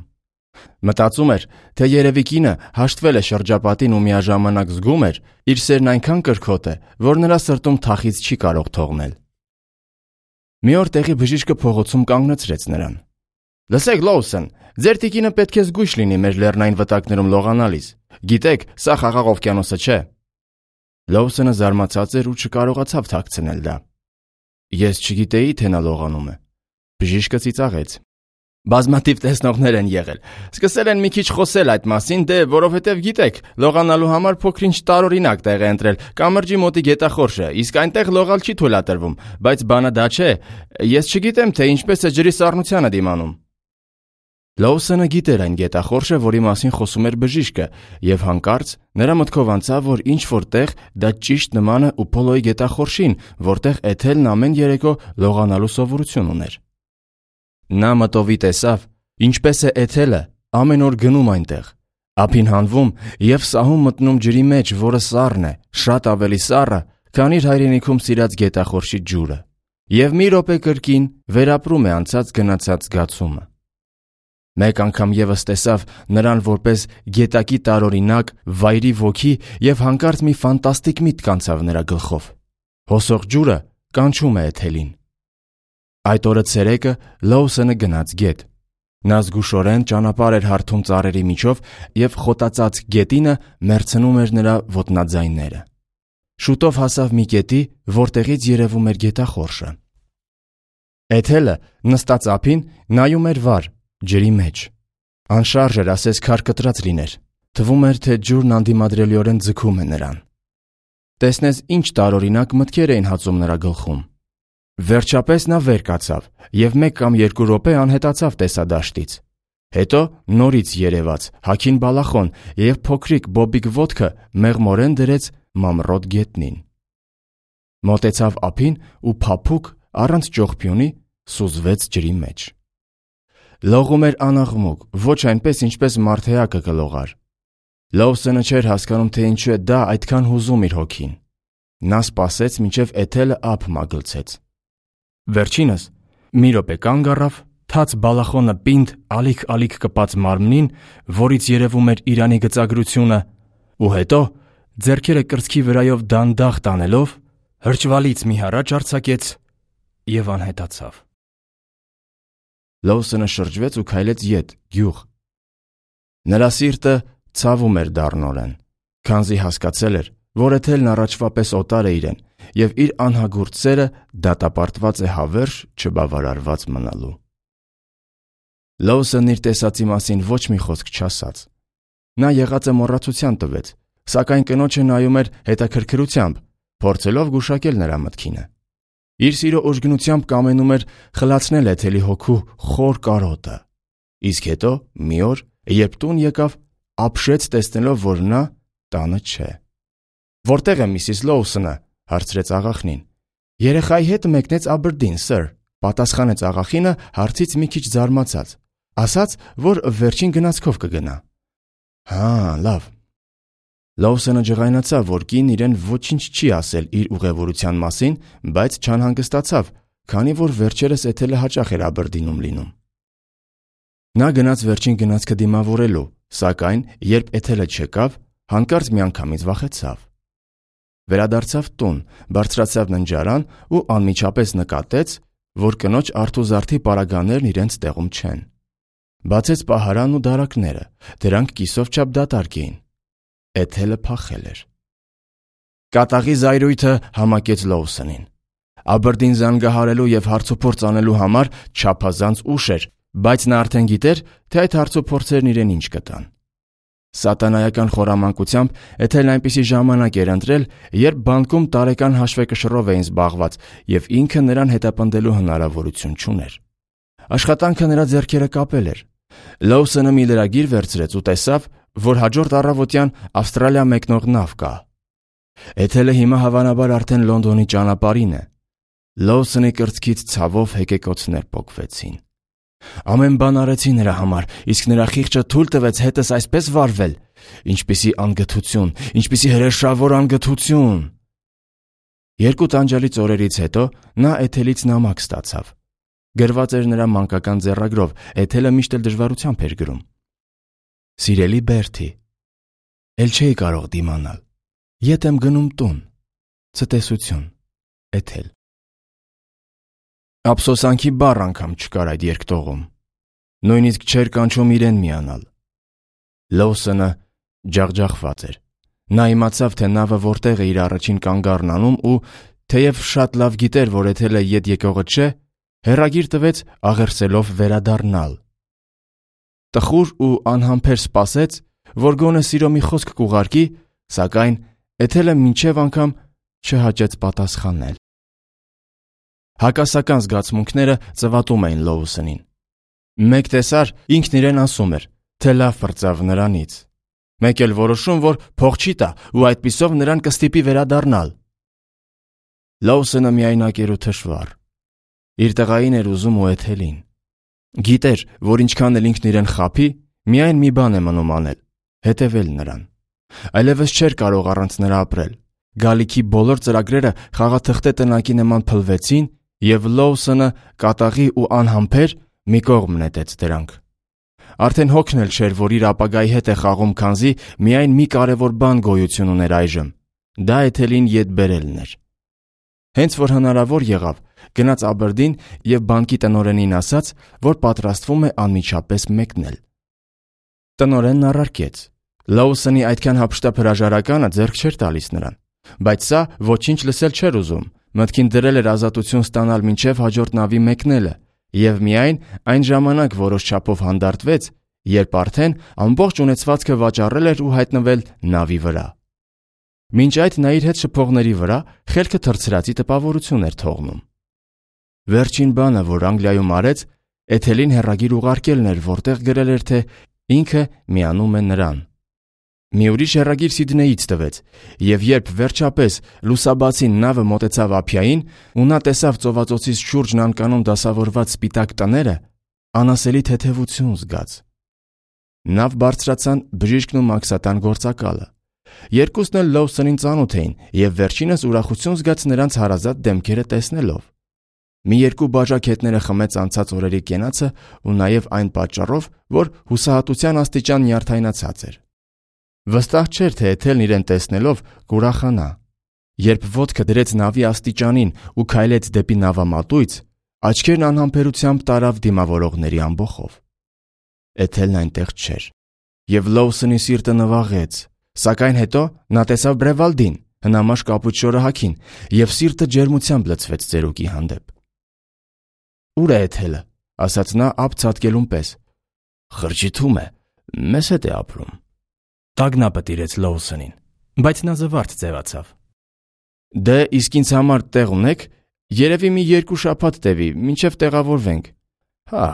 Մտածում էր, թե երևի կինը հաշտվել է շրջապատին ու միաժամանակ զգում էր, իր սերն այնքան կրքոտ է, որ նրա սրտում թախից չի կարող թողնել։ Մի օր տեղի բժիշկը փողոցում կանգնեցրեց նրան։ Լսեք, Լոուսոն, ձեր տիկինը պետք է զգույշ լինի մեր լեռնային վտակներում լողանալիս։ Գիտեք, սա խաղաղ օվկիանոսը չէ։ Լոուսոնը զարմացած էր ու չկարողացավ թաքցնել դա։ Ես չգիտեի, թե նա լողանում է։ Բժիշկը ծիծաղեց։ Բազմաթիվ տեսնողներ են եղել։ Սկսել են մի քիչ խոսել այդ մասին, դե որովհետև գիտեք, լողանալու համար փոքրինչ տարօրինակ տեղ է ընտրել կամրջի մոտի գետախորշը, իսկ այնտեղ լողալ չի թույլատրվում, բայց բանը դա չէ։ Ես չգիտեմ, թե ինչպես է ջրի սառնությանը դիմանում։ Լոուսոնը գիտեր այն գետախորշը, որի մասին խոսում էր բժիշկը, եւ հանկարծ նրա մտքով անցավ, որ ինչ որտեղ դա ճիշտ նման է Ուփոլոյի գետախորշին, որտեղ Էթելն ամեն երեկո լողանալու սովորություն ուներ։ Նա մտովի տեսավ, ինչպես է Էթելը ամեն օր գնում այնտեղ, ափին հանվում եւ սահում մտնում ջրի մեջ, որը սառն է, շատ ավելի սառը, քան իր հայրենիքում սիրած գետախորշի ջուրը, եւ մի րոպե կրկին վերապրում է անցած գնացած զգացումը։ Մեկ անգամ եւս տեսավ նրան որպես գետակի տարօրինակ վայրի ոգի եւ հանկարծ մի ֆանտաստիկ միտք անցավ նրա գլխով։ Հոսող ջուրը կանչում է Էթելին։ Այդ օրը ցերեկը Լոուսոնը գնաց գետ։ Նա զգուշորեն ճանապարհ էր հարթում ծառերի միջով եւ խոտածած գետինը մերցնում էր նրա ոտնաձայնները։ Շուտով հասավ մի կետի, որտեղից երևում էր գետախորշը։ Էթելը նստած ափին նայում էր վար, ջրի մեջ։ Անշարժ էր, ասես քար կտրած լիներ։ Թվում էր, թե ջուրն անդիմադրելիորեն ձգում է նրան։ Տեսնես ինչ տարօրինակ մտքեր էին հացում նրա գլխում։ Վերջապես նա վեր կացավ եւ մեկ կամ երկու րոպե անհետացավ տեսադաշտից։ Հետո նորից երևաց հագին բալախոն եւ փոքրիկ բոբիկ ոտքը մեղմորեն դրեց մամռոտ գետնին։ Մոտեցավ ափին ու փափուկ առանց ճողփյունի սուզվեց ջրի մեջ։ Լողում էր անաղմուկ, ոչ այնպես, ինչպես մարդեակը կլողար։ Լոուսոնը չէր հասկանում, թե ինչու է դա այդքան հուզում իր հոգին։ Նա սպասեց, մինչև Էթելը ափ մագլցեց։ Վերջինս մի րոպե կանգ առավ, թաց բալախոնը պինդ ալիք-ալիք կպած մարմնին, որից երևում էր Իրանի գծագրությունը, ու հետո ձեռքերը կրծքի վրայով դանդաղ տանելով, հրճվալից մի հառաչ արձակեց եւ անհետացավ։ Լոուսոնը շրջվեց ու քայլեց ետ, գյուղ։ Նրա սիրտը ցավում էր դառնորեն, քանզի հասկացել էր, որ Էթելն առաջվա պես օտար է իրեն եւ իր անհագուրդ սերը դատապարտված է հավերժ չբավարարված մնալու։ Լոուսոնն իր տեսածի մասին ոչ մի խոսք չասաց։ Նա եղածը մոռացության տվեց, սակայն կնոջը նայում էր հետաքրքրությամբ, փորձելով գուշակել նրա մտքինը։ Իր սիրո ուժգնությամբ կամենում էր խլացնել Էթելի հոգու խոր կարոտը։ Իսկ հետո մի օր, երբ տուն եկավ, ապշեց տեսնելով, որ նա տանը չէ։ «Որտե՞ղ է միսիս Լոուսոնը?» հարցրեց աղախնին։ «Երեխայի հետ մեկնեց Աբերդին, սըր», պատասխանեց աղախինը հարցից մի քիչ զարմացած։ Ասաց, որ վերջին գնացքով կգնա։ «Հա, լավ»։ Լոուսոնը ջղայնացավ, որ կինն իրեն ոչինչ չի ասել իր ուղևորության մասին, բայց չանհանգստացավ, քանի որ վերջերս Էթելը հաճախ էր Աբերդինում լինում։ Նա գնաց վերջին գնացքը դիմավորելու, սակայն երբ Էթելը չեկավ, հանկարծ միանգամից վախեցավ։ Վերադարձավ տուն, բարձրացավ ննջարան ու անմիջապես նկատեց, որ կնոջ արթուզարդի պարագաներն իրենց տեղում չեն։ Բացեց պահարանն ու դարակները, դրանք կիսով չափ դատարկ էին։ Էթելը փախել էր։ Կատաղի զայրույթը համակեց Լոուսոնին։ Աբերդին զանգահարելու և հարցուփորձ անելու համար չափազանց ուշ էր, բայց նա արդեն գիտեր, թե այդ հարցուփորձերն իրեն ինչ կտան։ Սատանայական խորամանկությամբ Էթելն այնպիսի ժամանակ էր ընտրել, երբ բանկում տարեկան հաշվեկշռով էին զբաղված, և ինքը նրան հետապնդելու հնարավորություն չուներ։ Աշխատանքը նրա ձեռքերը կապել էր։ Լոուսոնը մի լրագիր վերցրեց ու տեսավ, որ հաջորդ առավոտյան Ավստրալիա մեկնող նավ կա։ Էթելը հիմա հավանաբար արդեն Լոնդոնի ճանապարհին է։ Լոուսոնի կրծքից ցավով հեկեկոցներ պոկվեցին։ Ամեն բան արեցի նրա համար, իսկ նրա խիղճը թույլ տվեց հետս այսպես վարվել։ Ինչպիսի անգթություն, ինչպիսի հրեշավոր անգթություն։ Երկու տանջալից օրերից հետո նա Էթելից նամակ ստացավ։ Գրված էր նրա մանկական ձեռագրով, Էթելը միշտ էլ դժվարությամբ էր գրում։ Սիրելի Բերթի, էլ չէի կարող դիմանալ։ Ետ եմ գնում տուն։ Ցտեսություն, Էթել։ Ափսոսանքի բառ անգամ չկար այդ երկտողում։ Նույնիսկ չէր կանչում իրեն միանալ։ Լոուսոնը ջախջախված էր։ Նա իմացավ, թե նավը որտեղ է իր առաջին կանգառն անում ու, թեև շատ լավ գիտեր, որ Էթելը ետ եկողը չէ, հեռագիր տվեց աղերսելով վերադառնալ։ Տխուր ու անհամբեր սպասեց, որ գոնե սիրո մի խոսք կուղարկի, սակայն Էթելը մինչև անգամ չհաճեց պատասխանել։ Հակասական զգացմունքները ծվատում էին Լոուսոնին։ Մեկ տեսար ինքն իրեն ասում էր, թե լավ պրծավ նրանից։ Մեկ էլ որոշում, որ փող չի տա ու այդպիսով նրան կստիպի վերադառնալ։ Լոուսոնը միայնակ էր ու թշվառ։ Իր տղային էր ուզում ու Էթելին։ Գիտեր, որ ինչքան էլ ինքն իրեն խաբի, միայն մի բան է մնում անել՝ հետևել նրան։ Այլևս չէր կարող առանց նրա ապրել։ Գալիքի բոլոր ծրագրերը խաղաթղթե տնակի նման փլվեցին, և Լոուսոնը կատաղի ու անհամբեր մի կողմ նետեց դրանք։ Արդեն հոգն էլ չէր, որ իր ապագայի հետ է խաղում, քանզի միայն մի կարևոր բան գոյություն ուներ այժմ՝ դա Էթելին ետ բերելն էր։ Հենց որ հնարավոր եղավ, գնաց Աբերդին և բանկի տնօրենին ասաց, որ պատրաստվում է անմիջապես մեկնել։ Տնօրենն առարկեց։ Լոուսոնի այդքան հափշտապ հրաժարականը ձեռք չէր տալիս նրան, բայց սա ոչինչ լսել չէր ուզում, մտքին դրել էր ազատություն ստանալ մինչև հաջորդ նավի մեկնելը, և միայն այն ժամանակ որոշ չափով հանդարտվեց, երբ արդեն ամբողջ ունեցվածքը վաճառել էր ու հայտնվել նավի վրա։ Մինչ այդ նա իր հետ շփողների վրա խելքը թռցրածի տպավորություն էր թողնում։ Վերջին բանը, որ Անգլիայում արեց, Էթելին հեռագիր ուղարկելն էր, որտեղ գրել էր, թե ինքը միանում է նրան։ Մի ուրիշ հեռագիր Սիդնեյից տվեց, և երբ վերջապես լուսաբացին նավը մոտեցավ ափիային ու նա տեսավ ծովածոցից շուրջն անկանոն դասավորված սպիտակ տները, անասելի թեթևություն զգաց։ Նավ բարձրացան բժիշկն ու մաքսատան գործակալը։ Երկուսն էլ Լոուսոնին ծանոթ էին և վերջինս ուրախություն զգաց նրանց հարազատ դեմքերը տեսնելով։ Մի երկու բաժակ հետները խմեց անցած օրերի կենացը ու նաև այն պատճառով, որ հուսահատության աստիճան նյարդայնացած էր։ Վստահ չէր, թե Էթելն իրեն տեսնելով կուրախանա։ Երբ ոտքը դրեց նավի աստիճանին ու քայլեց դեպի նավամատույց, աչքերն անհամբերությամբ տարավ դիմավորողների ամբոխով։ Էթելն այնտեղ չէր, և Լոուսոնի սիրտը նվաղեց, սակայն հետո նա տեսավ Բրևալդին, հնամաշ կապույտ շորահաքին, և սիրտը ջերմությամբ լցվեց ծերուկի հանդեպ։ «Ուր է Էթելը», ասաց նա ափ ցատկելուն պես։ «Խրճիթում է, մեզ հետ է ապրում»։ Տագնապը տիրեց Լոուսոնին, բայց նա զվարթ ձևացավ։ Դե իսկ ինձ համար տեղ ունեք, երևի մի երկու շաբաթ տևի, մինչև տեղավորվենք։ Հա,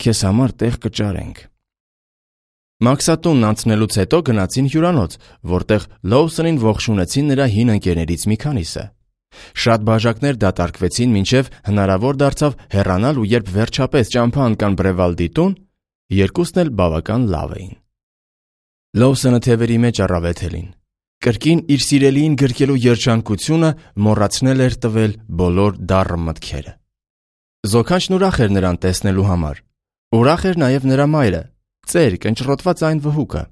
քեզ համար տեղ կճարենք։ Մաքսատունն անցնելուց հետո գնացին հյուրանոց, որտեղ Լոուսոնին ողջունեցին նրա հին ընկերներից մի քանիսը։ Շատ բաժակներ դատարկվեցին, մինչև հնարավոր դարձավ հեռանալ, ու երբ վերջապես ճամփա ընկան Բրևալդի տուն, երկուսն էլ բավական լավ էին։ Լոուսոնը թևերի մեջ առավետելին։ Կրկին իր սիրելիին գրկելու երջանկությունը մոռացնել էր տվել բոլոր դառը մտքերը։ Զոքանչն ուրախ էր նրան տեսնելու համար։ Ուրախ էր նաև նրա մայրը, ծեր կնճռոտված այն վհուկը։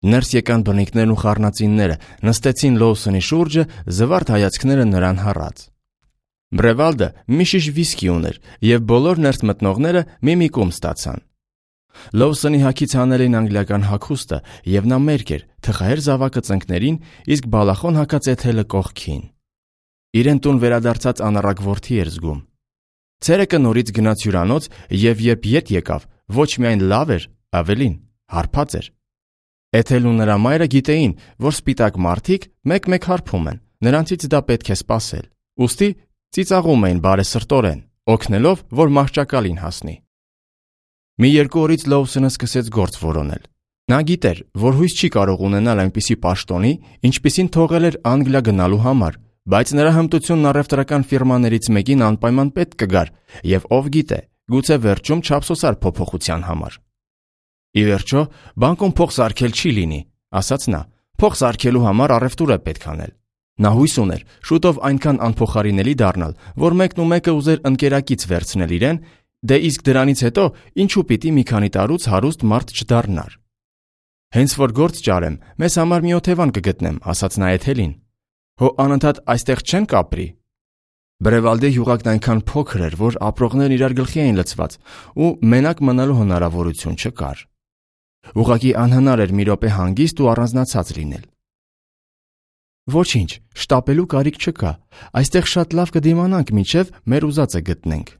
Ներս եկան բնիկներն ու խառնածինները, նստեցին Լոուսոնի շուրջը, զվարթ հայացքները նրան հառած։ Բրևալդը մի շիշ վիսկի ուներ, և բոլոր ներս մտնողները մի-մի կում ստացան։ Լոուսոնի հագից հանել էին անգլիական հագուստը, և նա մերկ էր, թխահեր զավակը ծնկներին, իսկ բալախոն հագած Էթելը կողքին։ Իրեն տուն վերադարձած անառակ որդի էր զգում։ Ցերեկը նորից գնաց հյուրանոց, և երբ ետ եկավ, ոչ միայն լավ էր, ավելին, հարբած էր։ Էթելն ու նրա մայրը գիտեին, որ սպիտակ մարդիկ մեկ-մեկ հարբում են, նրանցից դա պետք է սպասել, ուստի ծիծաղում էին բարեսրտորեն, օգնելով, որ մահճակալին հասնի։ Մի երկու օրից Լոուսոնը սկսեց գործ որոնել։ Նա գիտեր, որ հույս չի կարող ունենալ այնպիսի պաշտոնի, ինչպիսին թողել էր Անգլիա գնալու համար, բայց նրա հմտությունն առևտրական ֆիրմաներից մեկին անպայման պետք կգար, և ով գիտե, գուցե վերջում չափսոսար փոփոխության համար։ Ի վերջո, բանկում փող սարքել չի լինի, ասաց նա, փող սարքելու համար առևտուր է պետք անել։ Նա հույս ուներ շուտով այնքան անփոխարինելի դառնալ, որ մեկն ու մեկը ուզեր ընկերակից վերցնել իրեն, դե իսկ դրանից հետո ինչու պիտի մի քանի տարուց հարուստ մարդ չդառնար։ Հենց որ գործ ճարեմ, մեզ համար մի օթևան կգտնեմ, ասաց նա Էթելին։ Հո անընդհատ այստեղ չեն կապրի։ Բրևալդի յուղակն այնքան փոքր էր, որ ապրողներն իրար գլխի էին լցված, ու մենակ մնալու հնարավորություն չկար։ Ուղղակի անհնար էր մի րոպե հանգիստ ու առանձնացած լինել։ Ոչինչ, շտապելու կարիք չկա, այստեղ շատ լավ կդիմանանք, մինչև մեր ուզածը գտնենք։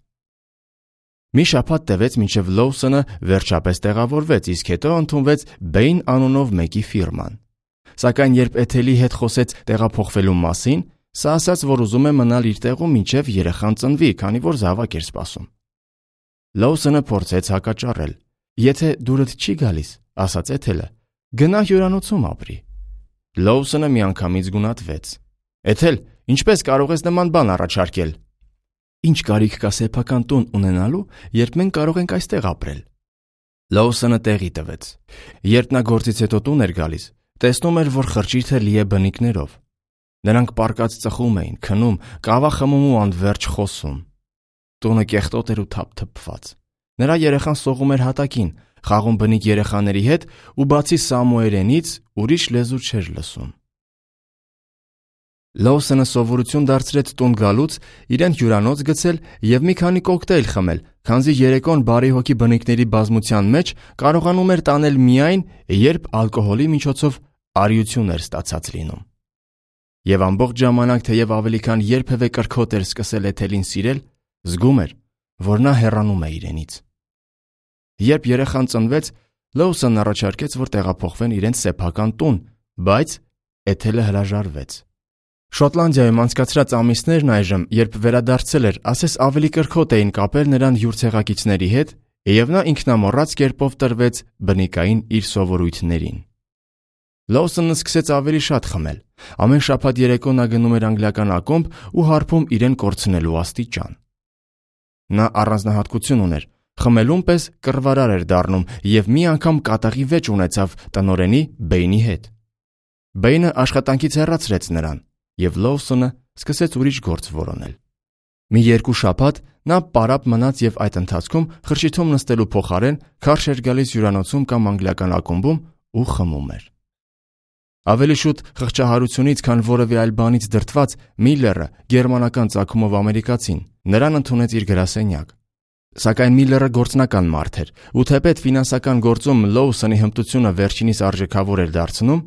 Մի շաբաթ տևեց, մինչև Լոուսոնը վերջապես տեղավորվեց, իսկ հետո ընդունվեց Բեյն անունով մեկի ֆիրման։ Սակայն երբ Էթելի հետ խոսեց տեղափոխվելու մասին, սա ասաց, որ ուզում է մնալ իր տեղում, մինչև երեխան ծնվի, քանի որ զավակ էր սպասում։ Լոուսոնը փորձեց հակաճառել։ Եթե դուրդ չի գալիս, ասաց Էթելը, գնա հյուրանոցում ապրի։ Լոուսոնը միանգամից գունատվեց։ Էթել, ինչպես կարող ես նման բան առաջարկել։ Ինչ կարիք կա սեփական տուն ունենալու, երբ մենք կարող ենք այստեղ ապրել։ Լոուսոնը տեղի տվեց։ Երբ նա գործից հետո տուն էր գալիս, տեսնում էր, որ խրճիթը լի է բնիկներով։ Նրանք պառկած ծխում էին, քնում, կավա խմում ու անվերջ խոսում։ Տունը կեղտոտ էր ու թափթփված։ Նրա երեխան սողում էր հատակին, խաղում բնիկ երեխաների հետ ու բացի սամոերենից ուրիշ լեզու չէր լսում։ Լոուսոնը սովորություն դարձրեց տուն գալուց իրեն հյուրանոց գցել և մի քանի կոկտեյլ խմել, քանզի երեկոն բարի հոգի բնիկների բազմության մեջ կարողանում էր տանել միայն, երբ ալկոհոլի միջոցով արիություն էր ստացած լինում։ Եվ ամբողջ ժամանակ, թեև ավելի քան երբևէ կրքոտ էր սկսել Էթելին սիրել, զգում էր, որ նա հեռանում է իրենից։ Երբ երեխան ծնվեց, Լոուսոնն առաջարկեց, որ տեղափոխվեն իրենց սեփական տուն, բայց Էթելը հրաժարվեց։ Շոտլանդիայում անցկացրած ամիսներն այժմ, երբ վերադարձել էր, ասես ավելի կրքոտ էին կապել նրան յուր ցեղակիցների հետ, և նա ինքնամոռաց կերպով տրվեց բնիկային իր սովորույթներին։ Լոուսոնն սկսեց ավելի շատ խմել։ Ամեն շաբաթ երեկո նա գնում էր անգլիական ակումբ ու հարբում իրեն կորցնելու աստիճան։ Նա առանձնահատկություն ուներ, խմելուն պես կռվարար էր դառնում և մի անգամ կատաղի վեճ ունեցավ տնօրենի Բեյնի հետ։ Բեյնը աշխատանքից հեռացրեց նրան, և Լոուսոնը սկսեց ուրիշ գործ որոնել։ Մի երկու շաբաթ նա պարապ մնաց և այդ ընթացքում խրճիթում նստելու փոխարեն քարշ էր գալիս հյուրանոցում կամ անգլիական ակումբում ու խմում էր։ Ավելի շուտ խղճահարությունից, քան որևէ այլ բանից դրդված, Միլլերը, գերմանական ծագումով ամերիկացին, նրան ընդունեց իր գրասենյակ։ Սակայն Միլլերը գործնական մարդ էր, ու թեպետ ֆինանսական գործում Լոուսոնի հմտությունը վերջինիս արժեքավոր էր դարձնում,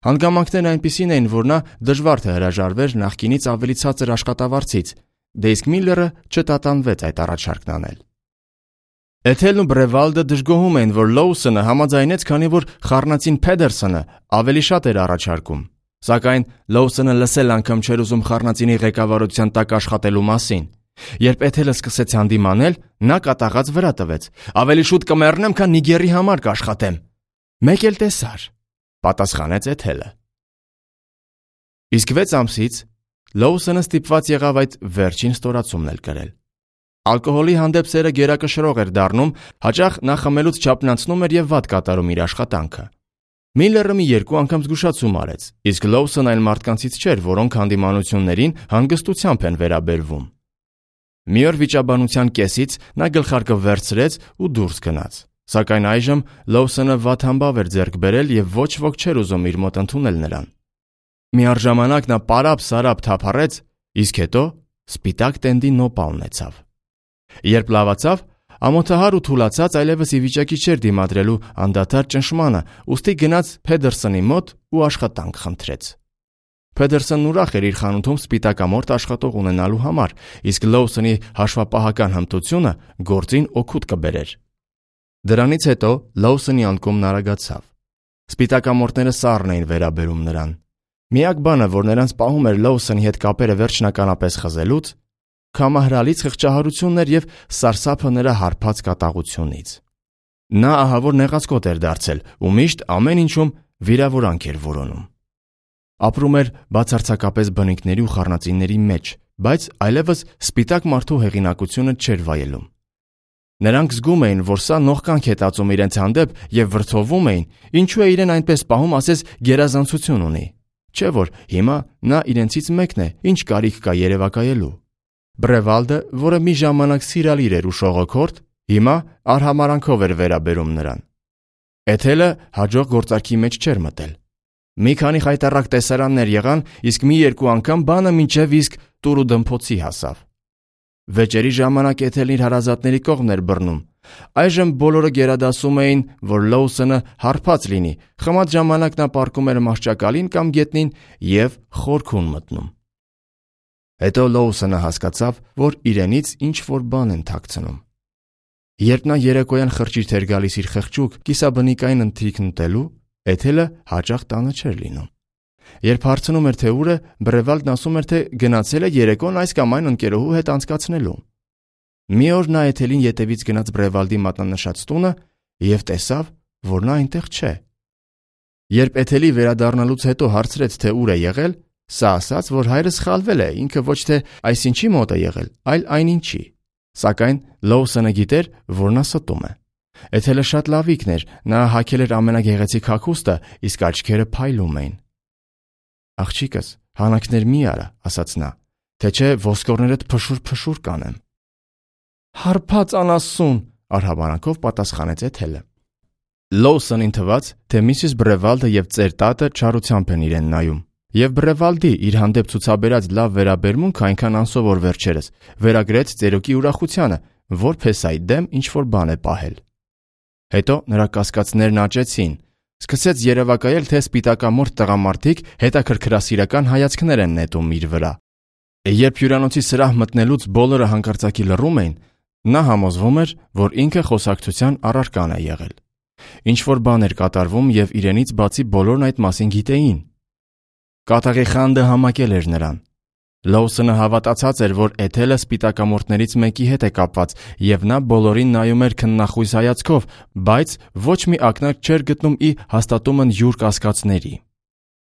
հանգամանքներն այնպիսին էին, որ նա դժվար թե հրաժարվեր նախկինից ավելի ցածր աշխատավարձից, դե իսկ Միլլերը չտատանվեց այդ առաջարկն անել։ Էթելն ու Բրևալդը դժգոհում էին, որ Լոուսոնը համաձայնեց, քանի որ խառնածին Փեդերսոնը ավելի շատ էր առաջարկում, Սակայն Լոուսոնը լսել անգամ չէր ուզում խառնածինի ղեկավարության տակ աշխատելու մասին։ Երբ Էթելը սկսեց հանդիմանել, նա կատաղած վրա տվեց. «Ավելի շուտ կմեռնեմ, քան Նիգերի համար կաշխատեմ»։ «Մեկ էլ տեսար», պատասխանեց Էթելը։ Իսկ վեց ամսից Լոուսոնը ստիպված եղավ այդ վերջին ստորացումն էլ կրել։ Ալկոհոլի հանդեպ սերը գերակշռող էր դառնում, հաճախ նա խմելուց չափնանցնում էր եւ վատ կատարում իր աշխատանքը։ Միլլերը մի երկու անգամ զգուշացում արեց, իսկ Լոուսոնը այն մարդկանցից չէր, որոնք հանդիմանություններին հանգստությամբ են վերաբերվում։ Մի օր վիճաբանության կեսից նա գլխարկը վերցրեց ու դուրս գնաց։ Սակայն այժմ Լոուսոնը վատ համբավ էր ձեռք բերել եւ ոչ ոք չէր ուզում իր մոտ ընդունել նրան։ Միառժամանակ նա պարապ-սարապ թափառեց, իսկ հետո սպիտակ տենդի նոպա ունեցավ։ Երբ լավացավ, ամոթահար ու թուլացած այլևս ի վիճակի չէր դիմադրելու անդադար ճնշմանը, ուստի գնաց Փեդերսոնի մոտ ու աշխատանք խնդրեց։ Փեդերսոնն ուրախ էր իր խանութում սպիտակամորթ աշխատող ունենալու համար, իսկ Լոուսոնի հաշվապահական հմտությունը գործին օգուտ կբերեր։ Դրանից հետո Լոուսոնի անկումն արագացավ։ Սպիտակամորթները սառն էին վերաբերում նրան։ Միակ բանը, որ նրանց պահում էր Լոուսոնի հետ կապերը վերջնականապես խզելուց, քամահրալից խղճահարությունն էր եւ սարսափը նրա հարբած կատաղությունից։ Նա ահավոր նեղացկոտ էր դարձել ու միշտ ամեն ինչում վիրավորանք էր որոնում։ Ապրում էր բացարձակապես բնիկների ու խառնածինների մեջ, բայց այլևս սպիտակ մարդու հեղինակությունը չէր վայելում։ Նրանք զգում էին, որ սա նողկանք է տածում իրենց հանդեպ եւ վրդովում էին, ինչու է իրեն այնպես պահում, ասես գերազանցություն ունի։ Չէ՞ որ հիմա նա իրենցից մեկն է, ինչ կարիք կա երևակայելու։ Բրևալդը, որը մի ժամանակ սիրալիր էր ու շողոքորթ, հիմա արհամարանքով էր վերաբերում նրան։ Էթելը հաջող գործարքի մեջ չէր մտել։ Մի քանի խայտառակ տեսարաններ եղան, իսկ մի երկու անգամ բանը մինչև իսկ տուրու դմփոցի հասավ։ Վեճերի ժամանակ Էթելն իր հարազատների կողմն էր բռնում։ Այժմ բոլորը գերադասում էին, որ Լոուսոնը հարբած լինի, խմած ժամանակ նա պառկում էր մահճակալին կամ գետնին եւ խորքում մտնում։ Հետո Լոուսոնը հասկացավ, որ իրենից ինչ-որ բան են թաքցնում։ Երբ նա երեկոյան խրճիթ էր գալիս իր խղճուկ կիսաբնիկային ընթրիքն ուտելու, Էթելը հաճախ տանը չէր լինում։ Երբ հարցնում էր, թե ուր է, Բրևալդն ասում էր, թե գնացել է երեկոն այս կամ այն ընկերոհու հետ անցկացնելու։ Մի օր նա Էթելին ետևից գնաց Բրևալդի մատնանշած տունը եւ տեսավ, որ նա այնտեղ չէ։ Երբ Էթելի վերադառնալուց հետո հարցրեց, թե ուր է եղել, սա ասաց, որ հայրը սխալվել է, ինքը ոչ թե այսինչի մոտ է եղել, այլ այնինչի։ Սակայն Լոուսոնը գիտեր, որ նա ստում է։ Էթելը շատ լավիկն էր, նա հագել էր ամենագեղեցիկ հագուստը, իսկ աչքերը փայլում էին։ Աղջիկս, հանակներ մի արա, ասաց նա, թե չէ ոսկորներդ փշուր-փշուր կանեմ։ Հարբած անասուն, արհամարանքով պատասխանեց Էթելը։ Լոուսոնին թվաց, թե միսիս Բրևալդը եւ ծեր տատը չարությամբ են իրեն նայում, եւ Բրևալդի իր հանդեպ ցուցաբերած լավ վերաբերմունքը այնքան անսովոր վերջերս վերագրեց ծերոկի ուրախությանը, որ փեսայի դեմ ինչ-որ բան է պահել։ Հետո նրա կասկածներն աճեցին, սկսեց երևակայել, թե սպիտակամորթ տղամարդիկ հետաքրքրասիրական հայացքներ են նետում իր վրա։ Երբ հյուրանոցի սրահ մտնելուց բոլորը հանկարծակի լռում էին, նա համոզվում էր, որ ինքը խոսակցության առարկան է եղել։ Ինչ-որ բան էր կատարվում եւ իրենից բացի բոլորն այդ մասին գիտեին։ Կատաղի խանդը համակել էր նրան։ Լոուսոնը հավատացած էր, որ Էթելը սպիտակամորթներից մեկի հետ է կապված եւ նա բոլորին նայում էր քննախույս հայացքով, բայց ոչ մի ակնարկ չէր գտնում ի հաստատումն յուր կասկածների։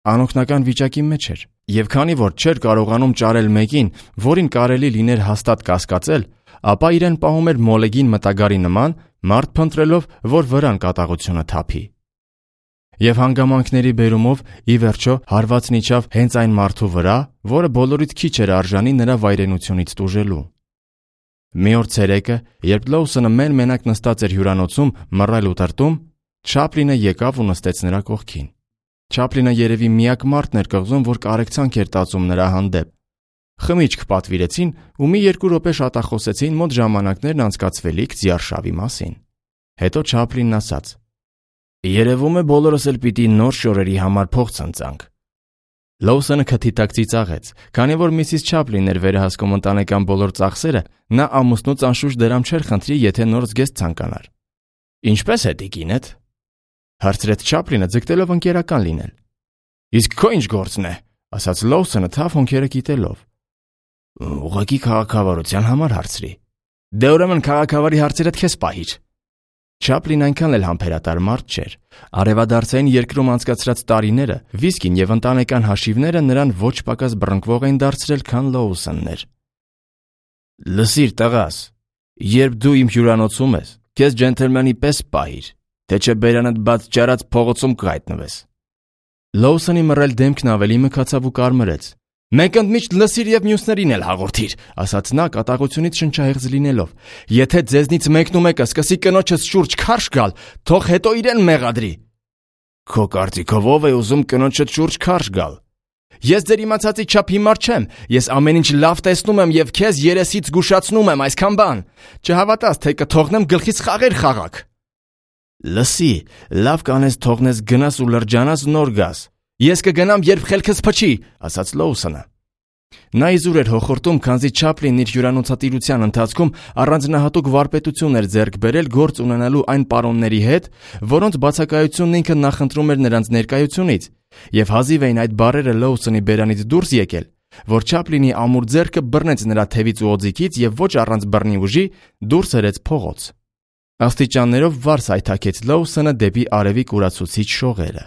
Անօգնական վիճակի մեջ էր, եւ քանի որ չէր կարողանում ճարել մեկին, որին կարելի լիներ հաստատ կասկածել, ապա իրեն պահում էր մոլեգին մտագարի նման, մարդ փնտրելով, որ վրան կատաղությունը թափի։ Եվ հանգամանքների բերումով ի վերջո հարվածն իջավ հենց այն մարդու վրա, որը բոլորից քիչ էր արժանի նրա վայրենությունից տուժելու։ Մի օր ցերեկը, երբ Լոուսոնը մեն-մենակ նստած էր հյուրանոցում մռայլ ու տրտում, Չապլինը եկավ ու նստեց նրա կողքին։ Չապլինը երևի միակ մարդն էր կղզում, որ կարեկցանք էր տածում նրա հանդեպ։ Խմիչք պատվիրեցին ու մի երկու րոպե շատախոսեցին մոտ ժամանակներն անցկացվելիք ձիարշավի մասին։ Հետո Չապլինն ասաց. Երևում է բոլորս էլ պիտի նոր շորերի համար փող ցնցանք։ Լոուսոնը քթի տակ ծիծաղեց, քանի որ միսիս Չապլինն էր վերահսկում ընտանեկան բոլոր ծախսերը, նա ամուսնուց անշուշտ դրամ չէր խնդրի, եթե նոր զգեստ ցանկանար։ Ինչպե՞ս է տիկինդ, հարցրեց Չապլինը, ձգտելով ընկերական լինել։ Իսկ քո ինչ գործն է, ասաց Լոուսոնը թավ հոնքերը կիտելով։ Ուղղակի քաղաքավարության համար հարցրի։ Դե ուրեմն քաղաքավարի հարցերդ քեզ պահիր։ Չապլին այնքան էլ համբերատար մարդ չէր։ Արևադարձային երկրում անցկացրած տարիները, վիսկին եւ ընտանեկան հաշիվները նրան ոչ պակաս բռնկվող էին դարձրել, քան Լոուսոնն էր։ Լսիր, տղաս, երբ դու իմ հյուրանոցում ես, քեզ ջենթլմենի պես պահիր, թե չէ բերանդ բաց ճարած փողոցում կհայտնվես։ Լոուսոնի մռայլ դեմքն ավելի մքացավ ու կարմրեց։ Մենք ընդմիշտ լսիր եւ մյուսներին էլ հաղորդիր, ասաց նա կատաղությունից շնչահեղձ լինելով։ Եթե ձեզնից մեկն ու մեկը սկսի կնոջս շուրջ քարշ գալ, թող հետո իրեն մեղադրի։ Քո կարծիքով ով է ուզում կնոջդ շուրջ քարշ գալ։ Ես ձեր իմացածի չափ հիմար չեմ, ես ամեն ինչ լավ տեսնում եմ եւ քեզ երեսից զգուշացնում եմ այսքան բան։ Չհավատաս, թե կթողնեմ գլխից խաղեր խաղաք։ Լսի, լավ կանես թողնես գնաս ու լրջանաս նոր գաս։ Ես կգնամ, երբ խելքս փչի, ասաց Լոուսոնը։ Նա իզուր էր հոխորտում, քանզի Չապլինն իր հյուրանոցատիրության ընթացքում առանձնահատուկ վարպետություն էր ձեռք բերել գործ ունենալու այն պարոնների հետ, որոնց բացակայությունն ինքը նախընտրում էր նրանց ներկայությունից, եւ հազիվ էին այդ բառերը Լոուսոնի բերանից դուրս եկել, որ Չապլինի ամուր ձեռքը բռնեց նրա թևից ու օձիքից եւ ոչ առանց բռնի ուժի դուրս հրեց փողոց։ Աստիճաններով վարս այթակեց Լոուսոնը դեպի արևի կուրացուցիչ շողերը։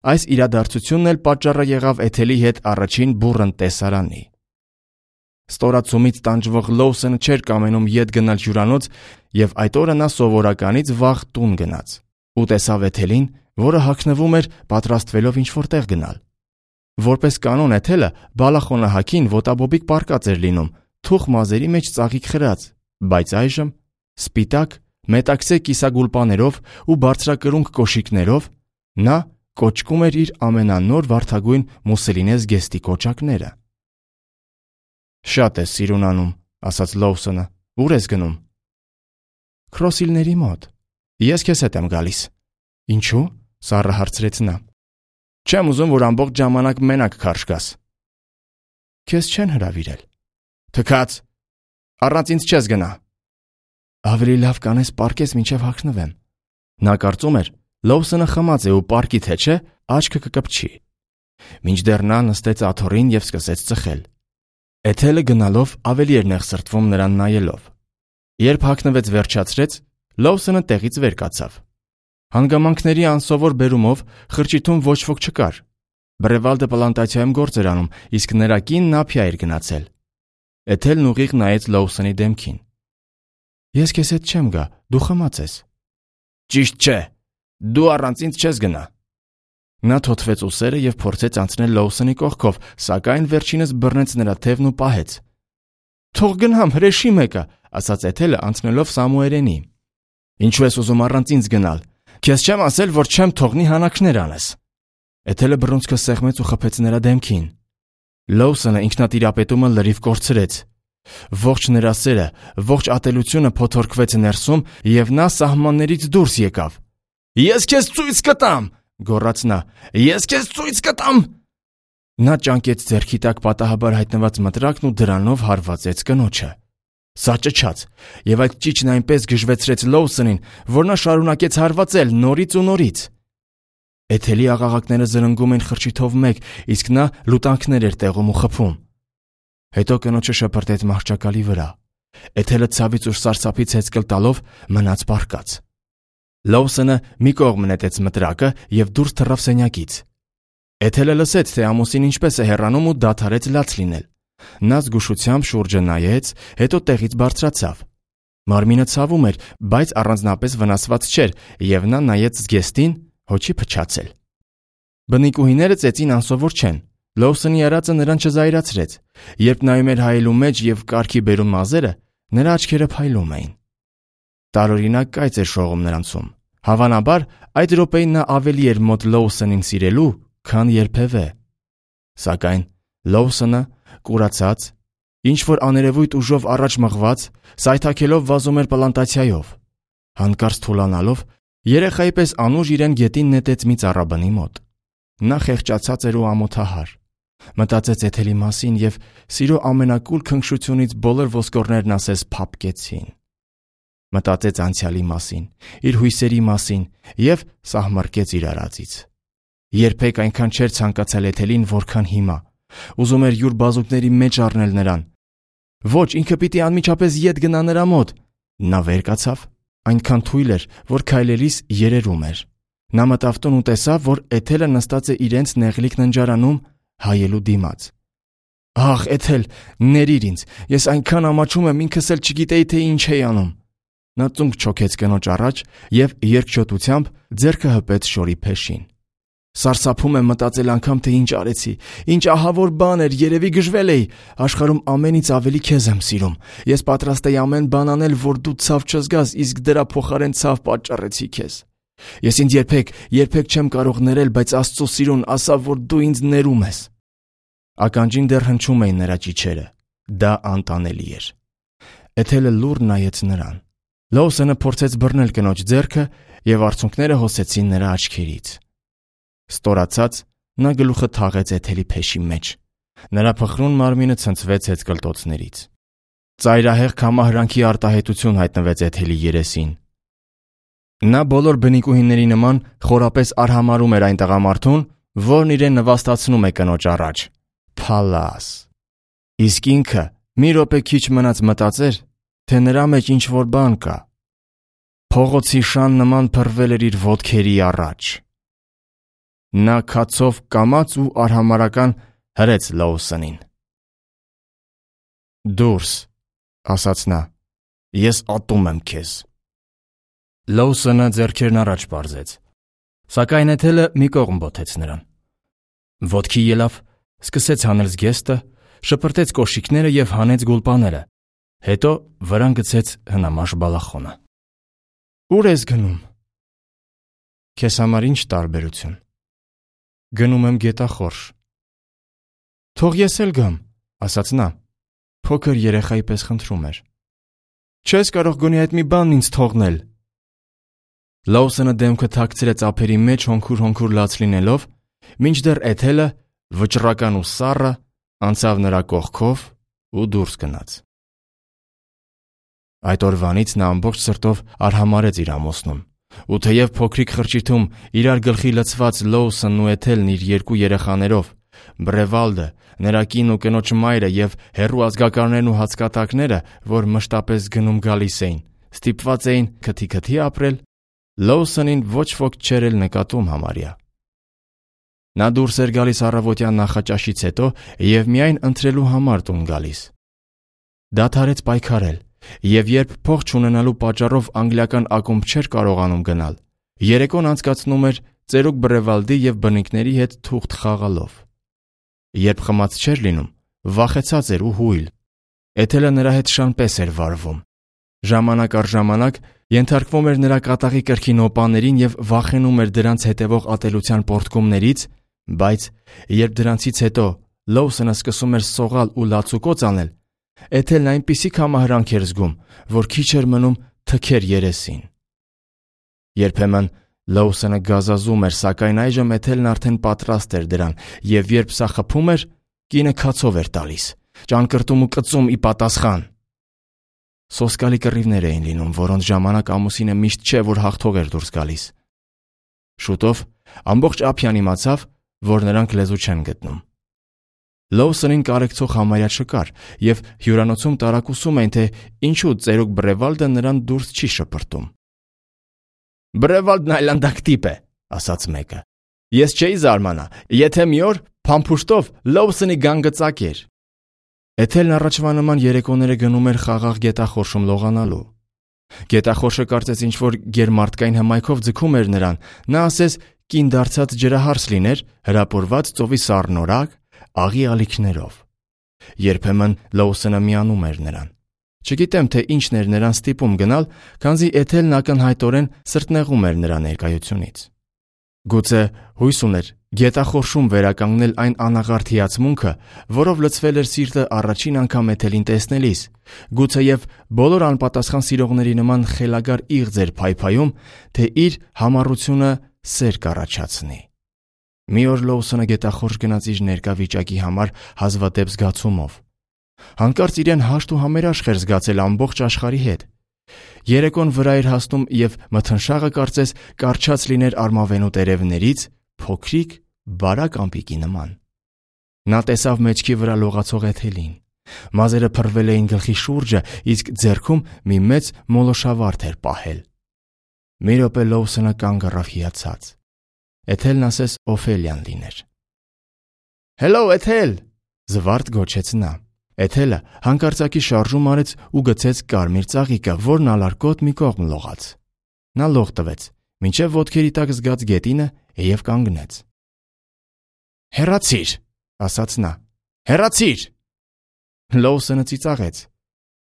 Այս իրադարձությունն էլ պատճառը եղավ Էթելի հետ առաջին բուռն տեսարանի։ Ստորացումից տանջվող Լոուսոնը չէր կամենում ետ գնալ հյուրանոց եւ այդ օրը նա սովորականից վաղ տուն գնաց ու տեսավ Էթելին, որը հագնվում էր պատրաստվելով ինչ-որ տեղ գնալ։ Որպես կանոն Էթելը բալախոնահակին ոտաբոբիկ պարկած էր լինում, թուխ մազերի մեջ ծաղիկ խրած, բայց այժմ սպիտակ, մետաքսե կիսագուլպաներով ու բարձրակրունկ կոշիկներով նա կոչկում էր իր ամենանոր վարդագույն մուսելինե զգեստի կոճակները։ Շատ ես սիրուն անում, ասաց Լոուսոնը։ Ուր ես գնում։ Քրոսիլների մոտ։ Ես քեզ հետ եմ գալիս։ Ինչու՞, սառը հարցրեց նա։ Չեմ ուզում, որ ամբողջ ժամանակ մենակ քարշ գաս։ Քեզ չեն հրավիրել։ Թքած։ Առանց ինձ չես գնա։ Ավելի լավ կանես պարկես մինչև հագնվեմ։ Նա կարծում էր, Լոուսոնը խմած է ու պարկի թե չէ, աչքը կկպչի։ Մինչդեռ նա նստեց աթոռին եւ սկսեց ծխել։ Էթելը գնալով ավելի էր նեղսրտվում նրան նայելով։ Երբ հագնվեց վերջացրեց, Լոուսոնը տեղից վեր կացավ։ Հանգամանքների անսովոր բերումով խրճիթում ոչ ոք չկար։ Բրևալդը պլանտացիայում գործ էր անում, իսկ նրա կինն ափիա էր գնացել։ Էթելն ուղիղ նայեց Լոուսոնի դեմքին։ Ես քեզ հետ չեմ գա, դու խմած ես։ Ճիշտ չէ, դու առանց ինձ չես գնա։ Նա թոթվեց ուսերը եւ փորձեց անցնել Լոուսոնի կողքով, սակայն վերջինս բռնեց նրա թևն ու պահեց։ Թող գնամ, հրեշի մեկը, ասաց Էթելը անցնելով Սամուերենի։ Ինչու ես ուզում առանց ինձ գնալ։ Քեզ չեմ ասել, որ չեմ թողնի հանակներ անես։ Էթելը բռունցքը սեղմեց ու խփեց նրա դեմքին։ Լոուսոնը ինքնատիրապետումը լրիվ կորցրեց։ Ողջ նրա սերը, ողջ ատելությունը փոթորկվեց ներսում եւ նա սահմաններից դուրս եկավ։ Ես քեզ ցույց կտամ, գոռաց նա։ Ես քեզ ցույց կտամ։ Նա ճանկեց ձեռքի տակ պատահաբար հայտնված մտրակն ու դրանով հարվածեց կնոջը։ Սա ճչաց, եւ այդ ճիճն այնպես գժվեցրեց Լոուսոնին, որ նա շարունակեց հարվածել նորից ու նորից։ Էթելի աղաղակները զրնգում են խրճիթով մեկ, իսկ նա լուտանքներ էր տեղում ու խփում։ Հետո կնոջը շպրտեց մահճակալի վրա։ Էթելը ցավից ու սարսափից հեծկլ տալով մնաց պառկած։ Լոուսոնը մի կողմ նետեց մտրակը եւ դուրս թռավ սենյակից։ Էթելը լսեց, թե ամուսին ինչպես է հեռանում ու դադարեց լաց լինել։ Նա զգուշությամբ շուրջը նայեց, հետո տեղից բարձրացավ։ Մարմինը ցավում էր, բայց առանձնապես վնասված չէր, եւ նա նայեց զգեստին, հոչի փչացել։ Բնիկուհիները ծեծին անսովոր չեն։ Լոուսոնի արածը նրան չզայրացրեց։ Երբ նայում էր հայելու մեջ եւ կարգի բերում մազերը, նրա աչքերը փայլում էին։ Տարօրինակ կայծ էր շողում նրանցում։ Հավանաբար, այդ րոպեին նա ավելի էր մոտ Լոուսոնին սիրելու, քան երբևէ։ Սակայն Լոուսոնը, կուրացած, ինչ որ աներևույթ ուժով առաջ մղված, սայթաքելով վազում էր պլանտացիայով։ Հանկարծ թուլանալով, երեխայի պես անուշ իրեն գետին նետեց մի ծառաբնի մոտ։ Նա խեղճացած էր ու ամոթահար։ Մտածեց Էթելի մասին եւ սիրո ամենակուլ քնքշությունից բոլոր ոսկորներն ասես փափկեցին։ Մտածեց անցյալի մասին, իր հույսերի մասին եւ սահմռկեց իր արածից։ Երբեք այնքան չէր ցանկացել Էթելին, որքան հիմա։ Ուզում էր յուր բազուկների մեջ առնել նրան։ Ոչ, ինքը պիտի անմիջապես ետ գնա նրա մոտ։ Նա վեր կացավ, այնքան թույլ էր, որ քայլելիս երերում էր։ Նա մտավ տուն ու տեսավ, որ Էթելը նստած է իրենց նեղլիկ ննջարանում հայելու դիմաց։ Ահ, Էթել, ներիր ինձ, ես այնքան ամաչում եմ, ինքս էլ չգիտեի, թե ինչ էի անում։ Նա ծունկ չոքեց կնոջ առաջ և երկչոտությամբ ձեռքը հպեց շորի փեշին։ Սարսափում եմ մտածել անգամ, թե ինչ արեցի, ինչ ահավոր բան էր, երևի գժվել էի, աշխարհում ամենից ավելի քեզ եմ սիրում, ես պատրաստ էի ամեն բան անել, որ դու ցավ չզգաս, իսկ դրա փոխարեն ցավ պատճառեցի քեզ։ Ես ինձ երբեք, երբեք չեմ կարող ներել, բայց Աստծո սիրուն ասավ, որ դու ինձ ներում ես։ Ականջին դեռ հնչում էին նրա ճիչերը, դա անտանելի էր։ Էթելը լուռ նայեց նրան։ Լոուսոնը փորձեց բռնել կնոջ ձեռքը և արցունքները հոսեցին նրա աչքերից։ Ստորացած, նա գլուխը թաղեց Էթելի փեշի մեջ։ Նրա փխրուն մարմինը ցնցվեց հետկլտոցներից։ Ծայրահեղ քամահրանքի արտահայտություն հայտնվեց Էթելի երեսին։ Նա բոլոր բնիկուհիների նման խորապես արհամարհում էր այն տղամարդուն, որն իրեն նվաստացնում է կնոջ առաջ։ Փալաս։ Իսկ ինքը մի րոպե քիչ մնաց մտածեր, թե նրա մեջ ինչ-որ բան կա։ Փողոցի շան նման փռվել էր իր ոտքերի առաջ։ Նա քացով կամաց ու արհամարհական հրեց Լոուսոնին։ Դուրս, ասաց նա, ես ատում եմ քեզ։ Լոուսոնը ձեռքերն առաջ պարզեց, սակայն Էթելը մի կողմ բոթեց նրան։ Ոտքի ելավ, սկսեց հանել զգեստը, շպրտեց կոշիկները և հանեց գուլպաները, հետո վրան գցեց հնամաշ բալախոնը։ Ուր ես գնում։ Քեզ համար ինչ տարբերություն։ Գնում եմ գետախորշ։ Թող ես էլ գամ, ասաց նա, փոքր երեխայի պես խնդրում էր։ Չես կարող գոնե այդ մի բանն ինձ թողնել։ Լոուսոնը դեմքը թաքցրեց ափերի մեջ հոնքուր-հոնքուր լաց լինելով, մինչդեռ Էթելը, վճռական ու սառը, անցավ նրա կողքով ու դուրս գնաց։ Այդ օրվանից նա ամբողջ սրտով արհամարհեց իր ամուսնուն, ու թեև փոքրիկ խրճիթում իրար գլխի լցված Լոուսոնն ու Էթելն իր երկու երեխաներով, Բրևալդը, նրա կին ու կնոջ մայրը և հեռու ազգականներն ու հացկատակները, որ մշտապես գնում գալիս էին, ստիպված էին քթի-քթի ապրել, Լոուսոնին ոչ ոք չէր էլ նկատում համարյա։ Նա դուրս էր գալիս առավոտյան նախաճաշից հետո և միայն ընթրելու համար տուն գալիս։ Դադարեց պայքարել, և երբ փող չունենալու պատճառով անգլիական ակումբ չէր կարողանում գնալ, երեկոն անցկացնում էր ծերուկ Բրևալդի և բնիկների հետ թուղթ խաղալով։ Երբ խմած չէր լինում, վախեցած էր ու հույլ։ Էթելը նրա հետ շան պես էր վարվում։ Ժամանակ առ ժամանակ ենթարկվում էր նրա կատաղի կրքի նոպաներին և վախենում էր դրանց հետևող ատելության պոռթկումներից, բայց երբ դրանցից հետո Լոուսոնը սկսում էր սողալ ու լացուկոծ անել, Էթելն այնպիսի քամահրանք էր զգում, որ քիչ էր մնում թքեր երեսին։ Երբեմն Լոուսոնը գազազում էր, սակայն այժմ Էթելն արդեն պատրաստ էր դրան, և երբ սա խփում էր, կինը քացով էր տալիս, ճանկրտում ու կծում ի պատասխան։ Սոսկալի կռիվներ էին լինում, որոնց ժամանակ ամուսինը միշտ չէ, որ հաղթող էր դուրս գալիս։ Շուտով ամբողջ ափյան իմացավ, որ նրանք լեզու չեն գտնում։ Լոուսոնին կարեկցող համարյա չկար, և հյուրանոցում տարակուսում էին, թե ինչու ծերուկ Բրևալդը նրան դուրս չի շպրտում։ Բրևալդն այլանդակ տիպ է, ասաց մեկը։ Ես չէի զարմանա, եթե մի օր փամփուշտով Լոուսոնի գանգծակ էր։ Էթելն առաջվա նման երեկոները գնում էր խաղաղ գետախորշում լողանալու։ Գետախորշը կարծես ինչ-որ գերմարդկային հմայքով ձգում էր նրան, նա ասես կին դարձած ջրահարս լիներ, հրապուրված ծովի սառնորակ, աղի ալիքներով։ Երբեմն Լոուսոնը միանում էր նրան։ Չգիտեմ, թե ինչն էր նրան ստիպում գնալ, քանզի Էթելն ակնհայտորեն սրտնեղում էր նրա ներկայությունից։ Գուցե հույս ուներ գետախորշում վերականգնել այն անաղարտ հիացմունքը, որով լցվել էր սիրտը առաջին անգամ Էթելին տեսնելիս, գուցեև բոլոր անպատասխան սիրողների նման խելագար իղձ էր փայփայում, թե իր համառությունը սեր կառաջացնի։ Մի օր Լոուսոնը գետախորշ գնաց իր ներկա վիճակի համար հազվադեպ զգացումով։ Հանկարծ իրեն հաշտ ու համերաշխ էր զգացել ամբողջ աշխարհի հետ։ Երեկոն վրա էր հասնում և մթնշաղը կարծես կառչած լիներ արմավենու տերևներից, փոքրիկ բարակ ամպիկի նման։ Նա տեսավ մեջքի վրա լողացող Էթելին։ Մազերը փռվել էին գլխի շուրջը, իսկ ձեռքում մի մեծ մոլոշավարդ էր պահել։ Մի րոպե Լոուսոնը կանգ առավ հիացած։ Էթելն ասես Օֆելիան լիներ։ «Հելո, Էթել», զվարթ գոչեց նա։ Էթելը հանկարծակի շարժում արեց ու գցեց կարմիր ծաղիկը, որն ալարկոտ մի կողմ լողաց։ Նա լող տվեց, մինչև ոտքերի տակ զգաց գետինը և կանգնեց։ «Հեռացիր», ասաց նա, «հեռացիր»։ Լոուսոնը ծիծաղեց։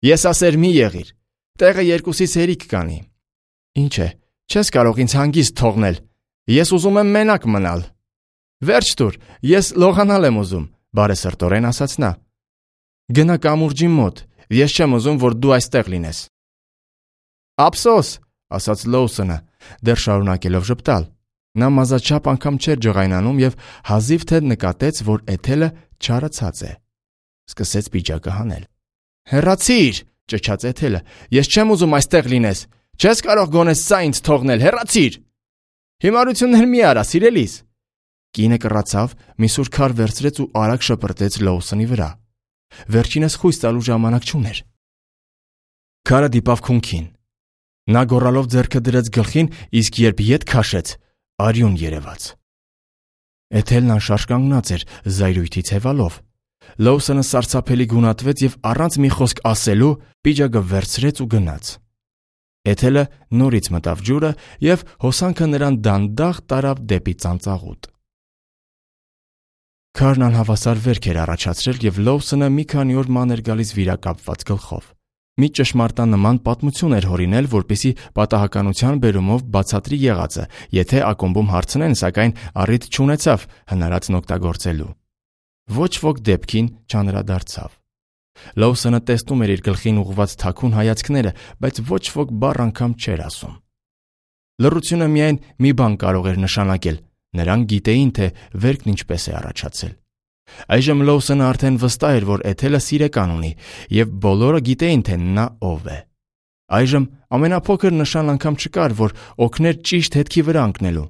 «Եսասեր մի եղիր, տեղը երկուսից հերիք կանի։ Ինչ է, չես կարող ինձ հանգիստ թողնել, ես ուզում եմ մենակ մնալ»։ «Վերջ տուր, ես լողանալ եմ ուզում», բարեսրտորեն ասաց նա։ «Գնա կամուրջի մոտ, ես չեմ ուզում, որ դու այստեղ լինես»։ «Ափսոս», ասաց Լոուսոնը, դեռ շարունակելով ժպտալ։ Նա մազաչափ անգամ չէր ջղայնանում և հազիվ թե նկատեց, որ Էթելը չարացած է։ Սկսեց պիջակը հանել։ «Հեռացիր», ճչաց Էթելը, «ես չեմ ուզում այստեղ լինես, չես կարող գոնե սա ինձ թողնել, հեռացիր»։ «Հիմարություններ մի արա, սիրելիս»։ Կինը կռացավ, մի սուր քար վերցրեց ու արագ շպրտեց Լոուսոնի վրա։ Վերջինս խույս տալու ժամանակ չուներ։ Քարը դիպավ քունքին։ Նա գոռալով ձեռքը դրեց գլխին, իսկ երբ ետ քաշեց, արյուն երևաց։ Էթելն անշարժ կանգնած էր, զայրույթից հևալով։ Լոուսոնը սարսափելի գունատվեց և առանց մի խոսք ասելու պիջակը վերցրեց ու գնաց։ Էթելը նորից մտավ ջուրը և հոսանքը նրան դանդաղ տարավ դեպի ծանծաղուտ։ Քարն անհավասար վերք էր առաջացրել, և Լոուսոնը մի քանի օր ման էր գալիս վիրակապված գլխով։ Մի ճշմարտանման պատմություն էր հորինել, որպեսզի պատահականության բերումով բացատրի եղածը, եթե ակումբում հարցնեն, սակայն առիթ չունեցավ հնարածն օգտագործելու։ Ոչ ոք դեպքին չանդրադարձավ։ Լոուսոնը տեսնում էր իր գլխին ուղղված թաքուն հայացքները, բայց ոչ ոք բառ անգամ չէր ասում։ Լռությունը միայն մի բան կարող էր նշանակել. նրանք գիտեին, թե վերքն ինչպես է առաջացել։ Այժմ Լոուսոնը արդեն վստահ էր, որ Էթելը սիրեկան ունի, և բոլորը գիտեին, թե նա ով է։ Այժմ ամենափոքր նշան անգամ չկար, որ օգներ ճիշտ հետքի վրա ընկնելու։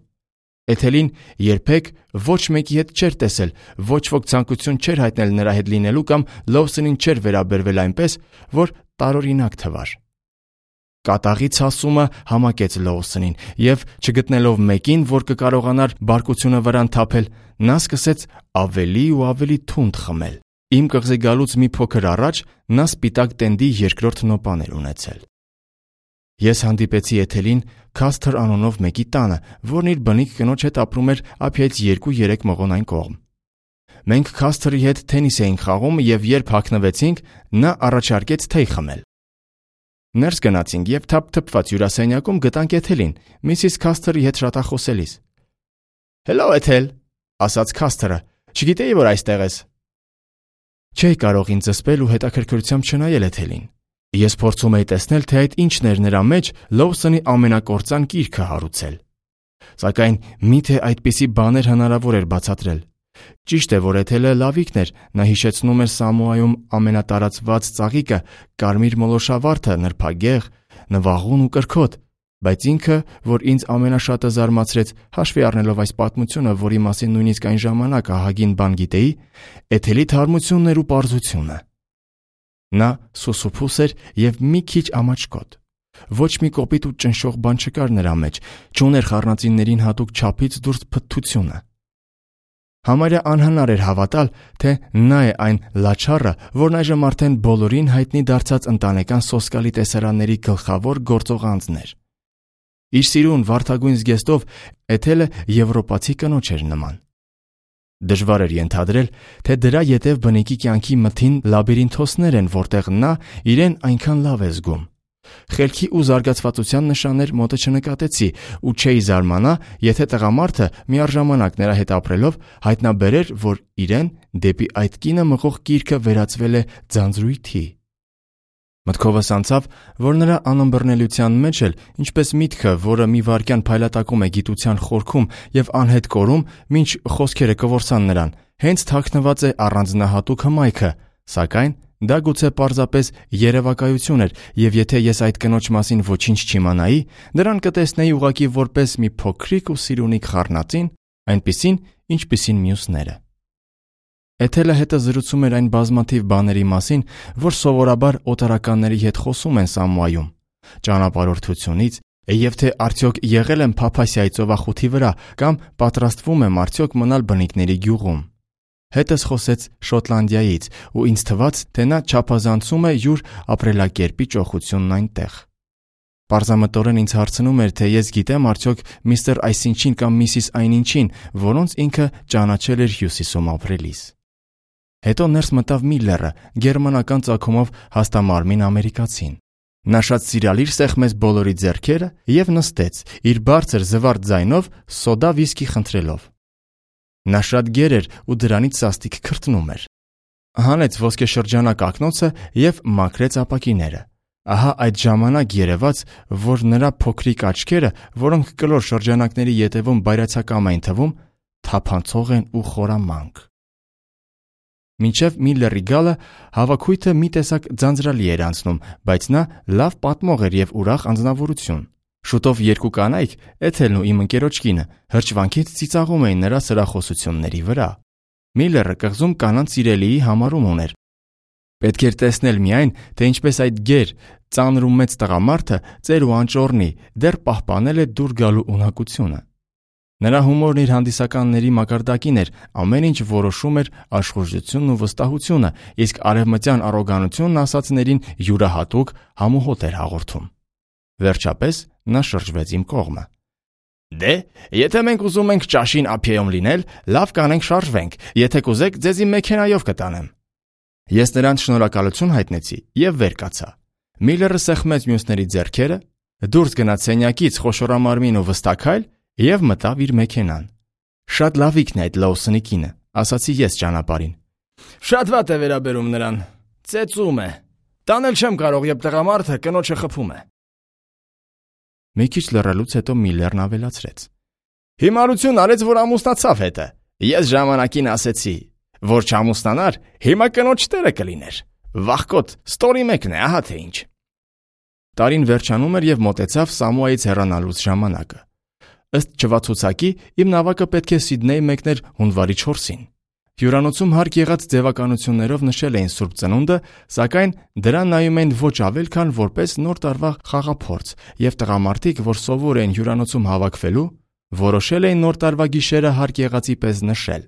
Էթելին երբեք ոչ մեկի հետ չէր տեսել, ոչ ոք ցանկություն չէր հայտնել նրա հետ լինելու կամ Լոուսոնին չէր վերաբերվել այնպես, որ տարօրինակ թվար։ Կատաղի ցասումը համակեց Լոուսոնին, և չգտնելով մեկին, որ կկարողանար բարկությունը վրան թափել, նա սկսեց ավելի ու ավելի թունդ խմել։ Իմ կղզի գալուց մի փոքր առաջ նա սպիտակ տենդի երկրորդ նոպան էր ունեցել։ Ես հանդիպեցի Էթելին Քասթր անունով մեկի տանը, որն իր բնիկ կնոջ հետ ապրում էր ափիայից երկու-երեք մղոն այն կողմ։ Մենք Քասթրի հետ թենիս էինք խաղում, և երբ հագնվեցինք, նա առաջարկեց թեյ խմել։ Ներս գնացինք և թափթփված հյուրասենյակում գտանք Էթելին, միսիս Քասթրի հետ շատախոսելիս։ «Հելո, Էթել», ասաց Քասթրը, «չգիտեի, որ այստեղ ես»։ Չէի կարող ինձ զսպել ու հետաքրքրությամբ չնայել Էթելին։ Ես փորձում էի տեսնել, թե այդ ինչն էր նրա մեջ Լոուսոնի ամենակործան կիրքը հարուցել։ Սակայն միթե այդպիսի բաներ հնարավոր էր բացատրել։ Ճիշտ է, որ Էթելը լավիկն էր, նա հիշեցնում էր Սամոայում ամենատարածված ծաղիկը, կարմիր մոլոշավարդը, նրբագեղ, նվաղուն ու կրքոտ, բայց ինքը, որ ինձ ամենաշատը զարմացրեց, հաշվի առնելով այս պատմությունը, որի մասին նույնիսկ այն ժամանակ ահագին բան գիտեի, Էթելի թարմությունն էր ու պարզությունը։ Նա սուսուփուս էր և մի քիչ ամաչկոտ։ Ոչ մի կոպիտ ու ճնշող բան չկար նրա մեջ, չուներ խառնածիններին հատուկ չափից դուրս փթթությունը։ Համարյա անհնար էր հավատալ, թե նա է այն լաչառը, որն այժմ արդեն բոլորին հայտնի դարձած ընտանեկան սոսկալի տեսարանների գլխավոր գործող անձն էր։ Իր սիրուն վարդագույն զգեստով Էթելը եվրոպացի կնոջ էր նման։ Դժվար էր ենթադրել, թե դրա ետև բնիկի կյանքի մթին լաբիրինթոսներ են, որտեղ նա իրեն այնքան լավ է զգում։ Խելքի ու զարգացվածության նշաններ մոտը չնկատեցի ու չէի զարմանա, եթե տղամարդը միառժամանակ նրա հետ ապրելով հայտնաբերեր, որ իրեն դեպի այդ կինը մղող կիրքը վերածվել է ձանձրույթի։ Մտքովս անցավ, որ նրա անըմբռնելիության մեջ էլ, ինչպես միտքը, որը մի վայրկյան փայլատակում է գիտության խորքում և անհետ կորում, մինչ խոսքերը կորսան նրան, հենց թաքնված է առանձնահատուկ հմայքը, սակայն դա գուցե պարզապես երևակայություն էր, և եթե ես այդ կնոջ մասին ոչինչ չիմանայի, նրան կտեսնեի ուղղակի որպես մի փոքրիկ ու սիրունիկ խառնածին, այնպիսին, ինչպիսին մյուսները։ Էթելը հետը զրուցում էր այն բազմաթիվ բաների մասին, որ սովորաբար օտարականների հետ խոսում են Սամուայում, ճանապարհորդությունից, եւ թե արդյոք եղել եմ Փափասիայի ծովախութի վրա կամ պատրաստվում եմ արդյոք մնալ բնիկների գյուղում։ Հետս խոսեց Շոտլանդիայից ու ինձ թվաց, թե նա չափազանցում է յուր ապրելակերպի ճոխությունն այնտեղ։ Պարզամտորեն ինձ հարցնում էր, թե ես գիտեմ արդյոք միստր այսինչին կամ միսիս այնինչին, որոնց ինքը ճանաչել էր Հյուսիսում ապրելիս։ Հետո ներս մտավ Միլլերը, գերմանական ծագումով հաստամարմին ամերիկացին։ Նա շատ սիրալիր սեղմեց բոլորի ձեռքերը եւ նստեց, իր բարձր զվարթ ձայնով սոդա վիսկի խնդրելով։ Նա շատ գեր էր ու դրանից սաստիկ քրտնում էր։ Հանեց ոսկեշրջանակ ակնոցը եւ մաքրեց ապակիները։ Ահա այդ ժամանակ երևաց, որ նրա փոքրիկ աչքերը, որոնք կլոր շրջանակների ետևում բայրացակամ էին թվում, թափանցող են ու խորամանկ։ Մինչև Միլլերի գալը հավաքույթը մի տեսակ ձանձրալի էր անցնում, բայց նա լավ պատմող էր եւ ուրախ անձնավորություն։ Շուտով երկու կանայք, Էթելն ու իմ ընկերոջ կինը, հրճվանքից ծիծաղում էին նրա սրախոսությունների վրա։ Միլլերը կղզում կանանց սիրելիի համարում ուներ։ Պետք էր տեսնել միայն, թե ինչպես այդ գեր, ծանր ու մեծ տղամարդը ծեր ու անճոռնի դեռ պահպանել է դուր գալու ունակությունը։ Նրա հումորն իր հանդիսականների մակարդակին էր, ամեն ինչ որոշում էր աշխուժությունն ու վստահությունը, իսկ արևմտյան առոգանությունն ասածներին յուրահատուկ համոհոտ էր հաղորդում։ Վերջապես նա շրջվեց իմ կողմը։ Դե, եթե մենք ուզում ենք ճաշին ափիայում լինել, լավ կանենք շարժվենք, եթե կուզեք, ձեզ իմ մեքենայով կտանեմ։ Ես նրանց շնորհակալություն հայտնեցի եւ վեր կացա։ Միլլերը սեղմեց մյուսների ձեռքերը, դուրս գնաց սենյակից խոշորամարմին ու վստակայլ եւ մտավ իր մեքենան։ Շատ լավիկն է այդ Լոուսոնի կինը, ասացի ես ճանապարհին։ Շատ վատ է վերաբերում նրան։ Ծեծում է։ Տանել չեմ կարող, երբ տղամարդը կնոջը խփում է։ Մի քիչ լռելուց հետո Միլլերն ավելացրեց. Հիմարություն արեց, որ ամուսնացավ հետը։ Ես ժամանակին ասեցի, որ չամուսնանար, հիմա կնոջ տերը կլիներ։ Վախկոտ, ստորի մեկն է, ահա թե ինչ։ Տարին վերջանում էր եւ մոտեցավ Սամուայից հեռանալուց ժամանակը։ Ըստ չվացուցակի, իմ նավակը պետք է Սիդնեյ մեկներ հունվարի չորսին։ Հյուրանոցում հարկ եղած ձևականություններով նշել էին Սուրբ Ծնունդը, սակայն դրան նայում էին ոչ ավել, քան որպես նոր տարվա խաղափորձ, եւ տղամարդիկ, որ սովոր էին հյուրանոցում հավաքվելու, որոշել էին նոր տարվա գիշերը հարկ եղածի պես նշել։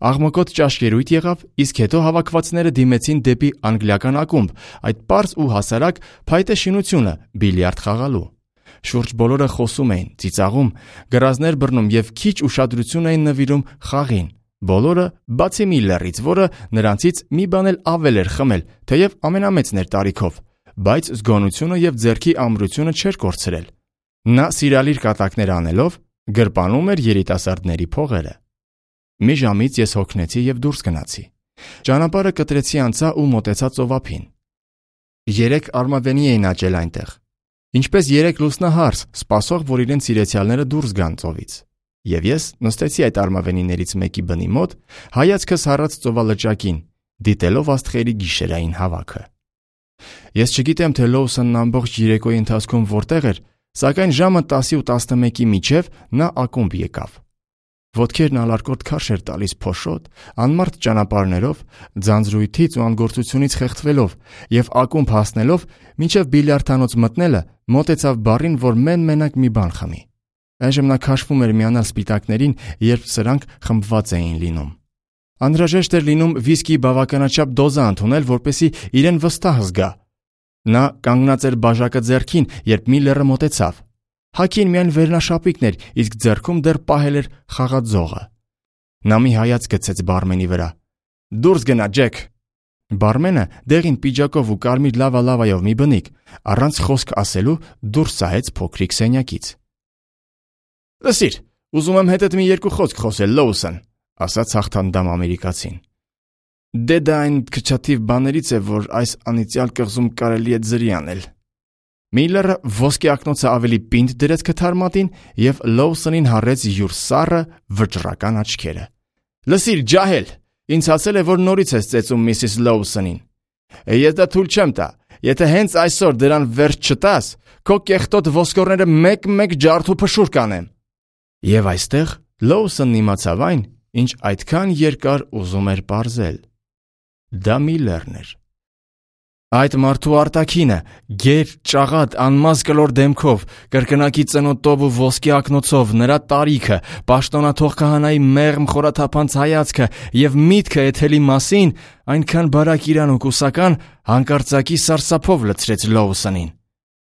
Աղմկոտ ճաշկերույթ եղավ, իսկ հետո հավաքվածները դիմեցին դեպի անգլիական ակումբ, այդ պարզ ու հասարակ փայտե շինությունը բիլիարդ խաղալու։ Շուրջ բոլորը խոսում էին, ծիծաղում, գրազներ բռնում եւ քիչ ուշադրություն էին նվիրում խաղին։ Բոլորը, բացի Միլլերից, որը նրանցից մի բան էլ ավել էր խմել, թեև ամենամեծն էր տարիքով, բայց զգոնությունը եւ ձեռքի ամրությունը չէր կորցրել։ Նա սիրալիր կատակներ անելով գրպանում էր երիտասարդների փողերը։ Մի ժամից ես հոգնեցի եւ դուրս գնացի։ Ճանապարհը կտրեցի անցա ու մոտեցա ծովափին։ Երեք արմավենի էին աճել այնտեղ։ Ինչպես երեք լուսնահարս, սպասող, որ իրենց սիրեցյալները դուրս գան ծովից։ Եվ ես նստեցի այդ արմավենիներից մեկի բնի մոտ, հայացքս հառած ծովալճակին, դիտելով աստղերի գիշերային հավաքը։ Ես չգիտեմ, թե Լոուսոնն ամբողջ երեկոյի ընթացքում որտեղ էր, սակայն ժամը տասի ու տասնմեկի միջև նա ակումբ եկավ։ Ոտքերն ալարկոտ քարշ էր տալիս փոշոտ, անմարդ ճանապարհներով, ձանձրույթից ու անգործությունից խեղդվելով եւ ակումբ հասնելով, մինչեւ բիլիարդանոց մտնելը, մոտեցավ բարին, որ մեն-մենակ մի բան խմի։ Այժմ նա քաշվում էր միանալ սպիտակներին, երբ սրանք խմբված էին լինում։ Անհրաժեշտ էր լինում վիսկի բավականաչափ դոզա ընդունել, որպեսզի իրեն վստահ զգա։ Նա կանգնած էր բաժակը ձեռքին, երբ Միլլերը մոտեցավ։ Հագին միայն վերնաշապիկն էր, իսկ ձեռքում դեռ պահել էր խաղաձողը։ Նա մի հայացք գցեց բարմենի վրա։ Դուրս գնա, Ջեք։ Բարմենը դեղին պիջակով ու կարմիր լավա-լավայով մի բնիկ, առանց խոսք ասելու դուրս սահեց փոքրիկ սենյակից։ Լսիր, ուզում եմ հետդ մի երկու խոսք խոսել, Լոուսոն, ասաց հաղթանդամ ամերիկացին։ Դե դա այն քչաթիվ բաներից է, որ այս անիծյալ կղզում կարելի է ձրի անել։ Միլլերը ոսկե ակնոցը ավելի պինդ դրեց քթարմատին եւ Լոուսոնին հառեց յուր սառը վճռական աչքերը։ Լսիր, ջահել, ինձ ասել է, որ նորից ես ծեծում միսիս Լոուսոնին։ Ես դա թույլ չեմ տա։ Եթե հենց այսօր դրան վերջ չտաս, քո կեղտոտ ոսկորները մեկ-մեկ ջարդ ու փշուր կանեմ։ Եվ այստեղ Լոուսոնն իմացավ այն, ինչ այդքան երկար ուզում էր պարզել. դա Միլլերն էր։ Այդ մարդու արտաքինը, գեր, ճաղատ, անմազ կլոր դեմքով, կրկնակի ծնոտով ու ոսկի ակնոցով, նրա տարիքը, պաշտոնաթող քահանայի մեղմ խորաթափանց հայացքը և միտքը Էթելի մասին այնքան բարակ իրան ու կուսական հանկարծակի սարսափով լցրեց Լոուսոնին։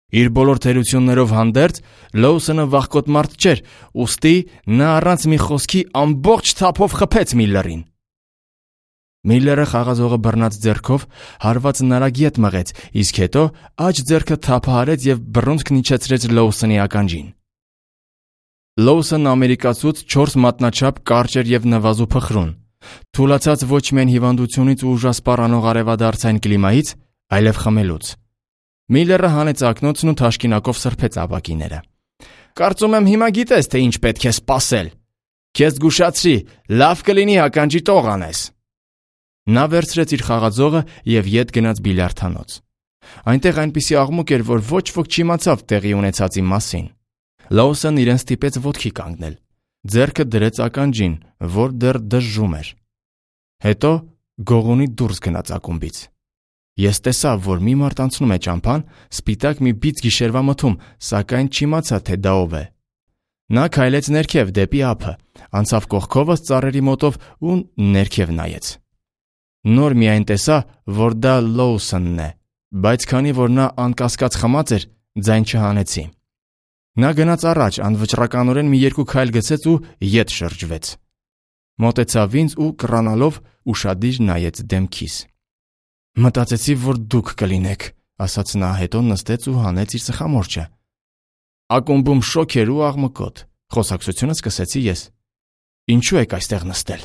Իր բոլոր թերություններով հանդերձ Լոուսոնը վախկոտ մարդ չէր, ուստի նա առանց մի խոսքի ամբողջ թափով խփեց Միլլերին։ Միլլերը խաղազողը բռնած ձեռքով հարված նարագիետ մղեց, իսկ հետո աջ ձեռքը թափահարեց և բռունցքն իջեցրեց Լոուսոնի ականջին։ Լոուսոնն ամերիկացուց չորս մատնաչափ կարճ էր և նվազու փխրուն, թուլացած ոչ միայն հիվանդությունից ու ուժասպառ անող արևադարձային կլիմայից, այլև խմելուց։ Միլլերը հանեց ակնոցն ու թաշկինակով սրբեց ապակիները։ «Կարծում եմ հիմա գիտես, թե ինչ պետք է սպասել։ Քեզ զգուշացրի, լավ կլինի ականջի տող անես»։ Նա վերցրեց իր խաղաձողը և ետ գնաց բիլիարդանոց։ Այնտեղ այնպիսի աղմուկ էր, որ ոչ ոք չիմացավ տեղի ունեցածի մասին։ Լոուսոնն իրեն ստիպեց ոտքի կանգնել, ձեռքը դրեց ականջին, որ դեռ դժժում էր։ Հետո գողունի դուրս գնաց ակումբից։ Ես տեսա, որ մի մարդ անցնում է ճամփան, սպիտակ մի բիծ գիշերվա մթում, սակայն չիմացա, թե դա ով է։ Նա քայլեց ներքև դեպի ափը, անցավ կողքովս ծառերի մոտով ու ներքև նայեց։ Նոր միայն տեսա, որ դա Լոուսոնն է, բայց քանի որ նա անկասկած խմած էր, ձայն չհանեցի։ Նա գնաց առաջ, անվճռականորեն մի երկու քայլ գցեց ու ետ շրջվեց։ Մոտեցավ ինձ ու կռանալով ուշադիր նայեց դեմքիս։ «Մտածեցի, որ դուք կլինեք», ասաց նա, հետո նստեց ու հանեց իր ծխամորճը։ Ակումբում շոգ էր ու աղմկոտ, խոսակցությունը սկսեցի ես։ «Ինչու եք այստեղ նստել»։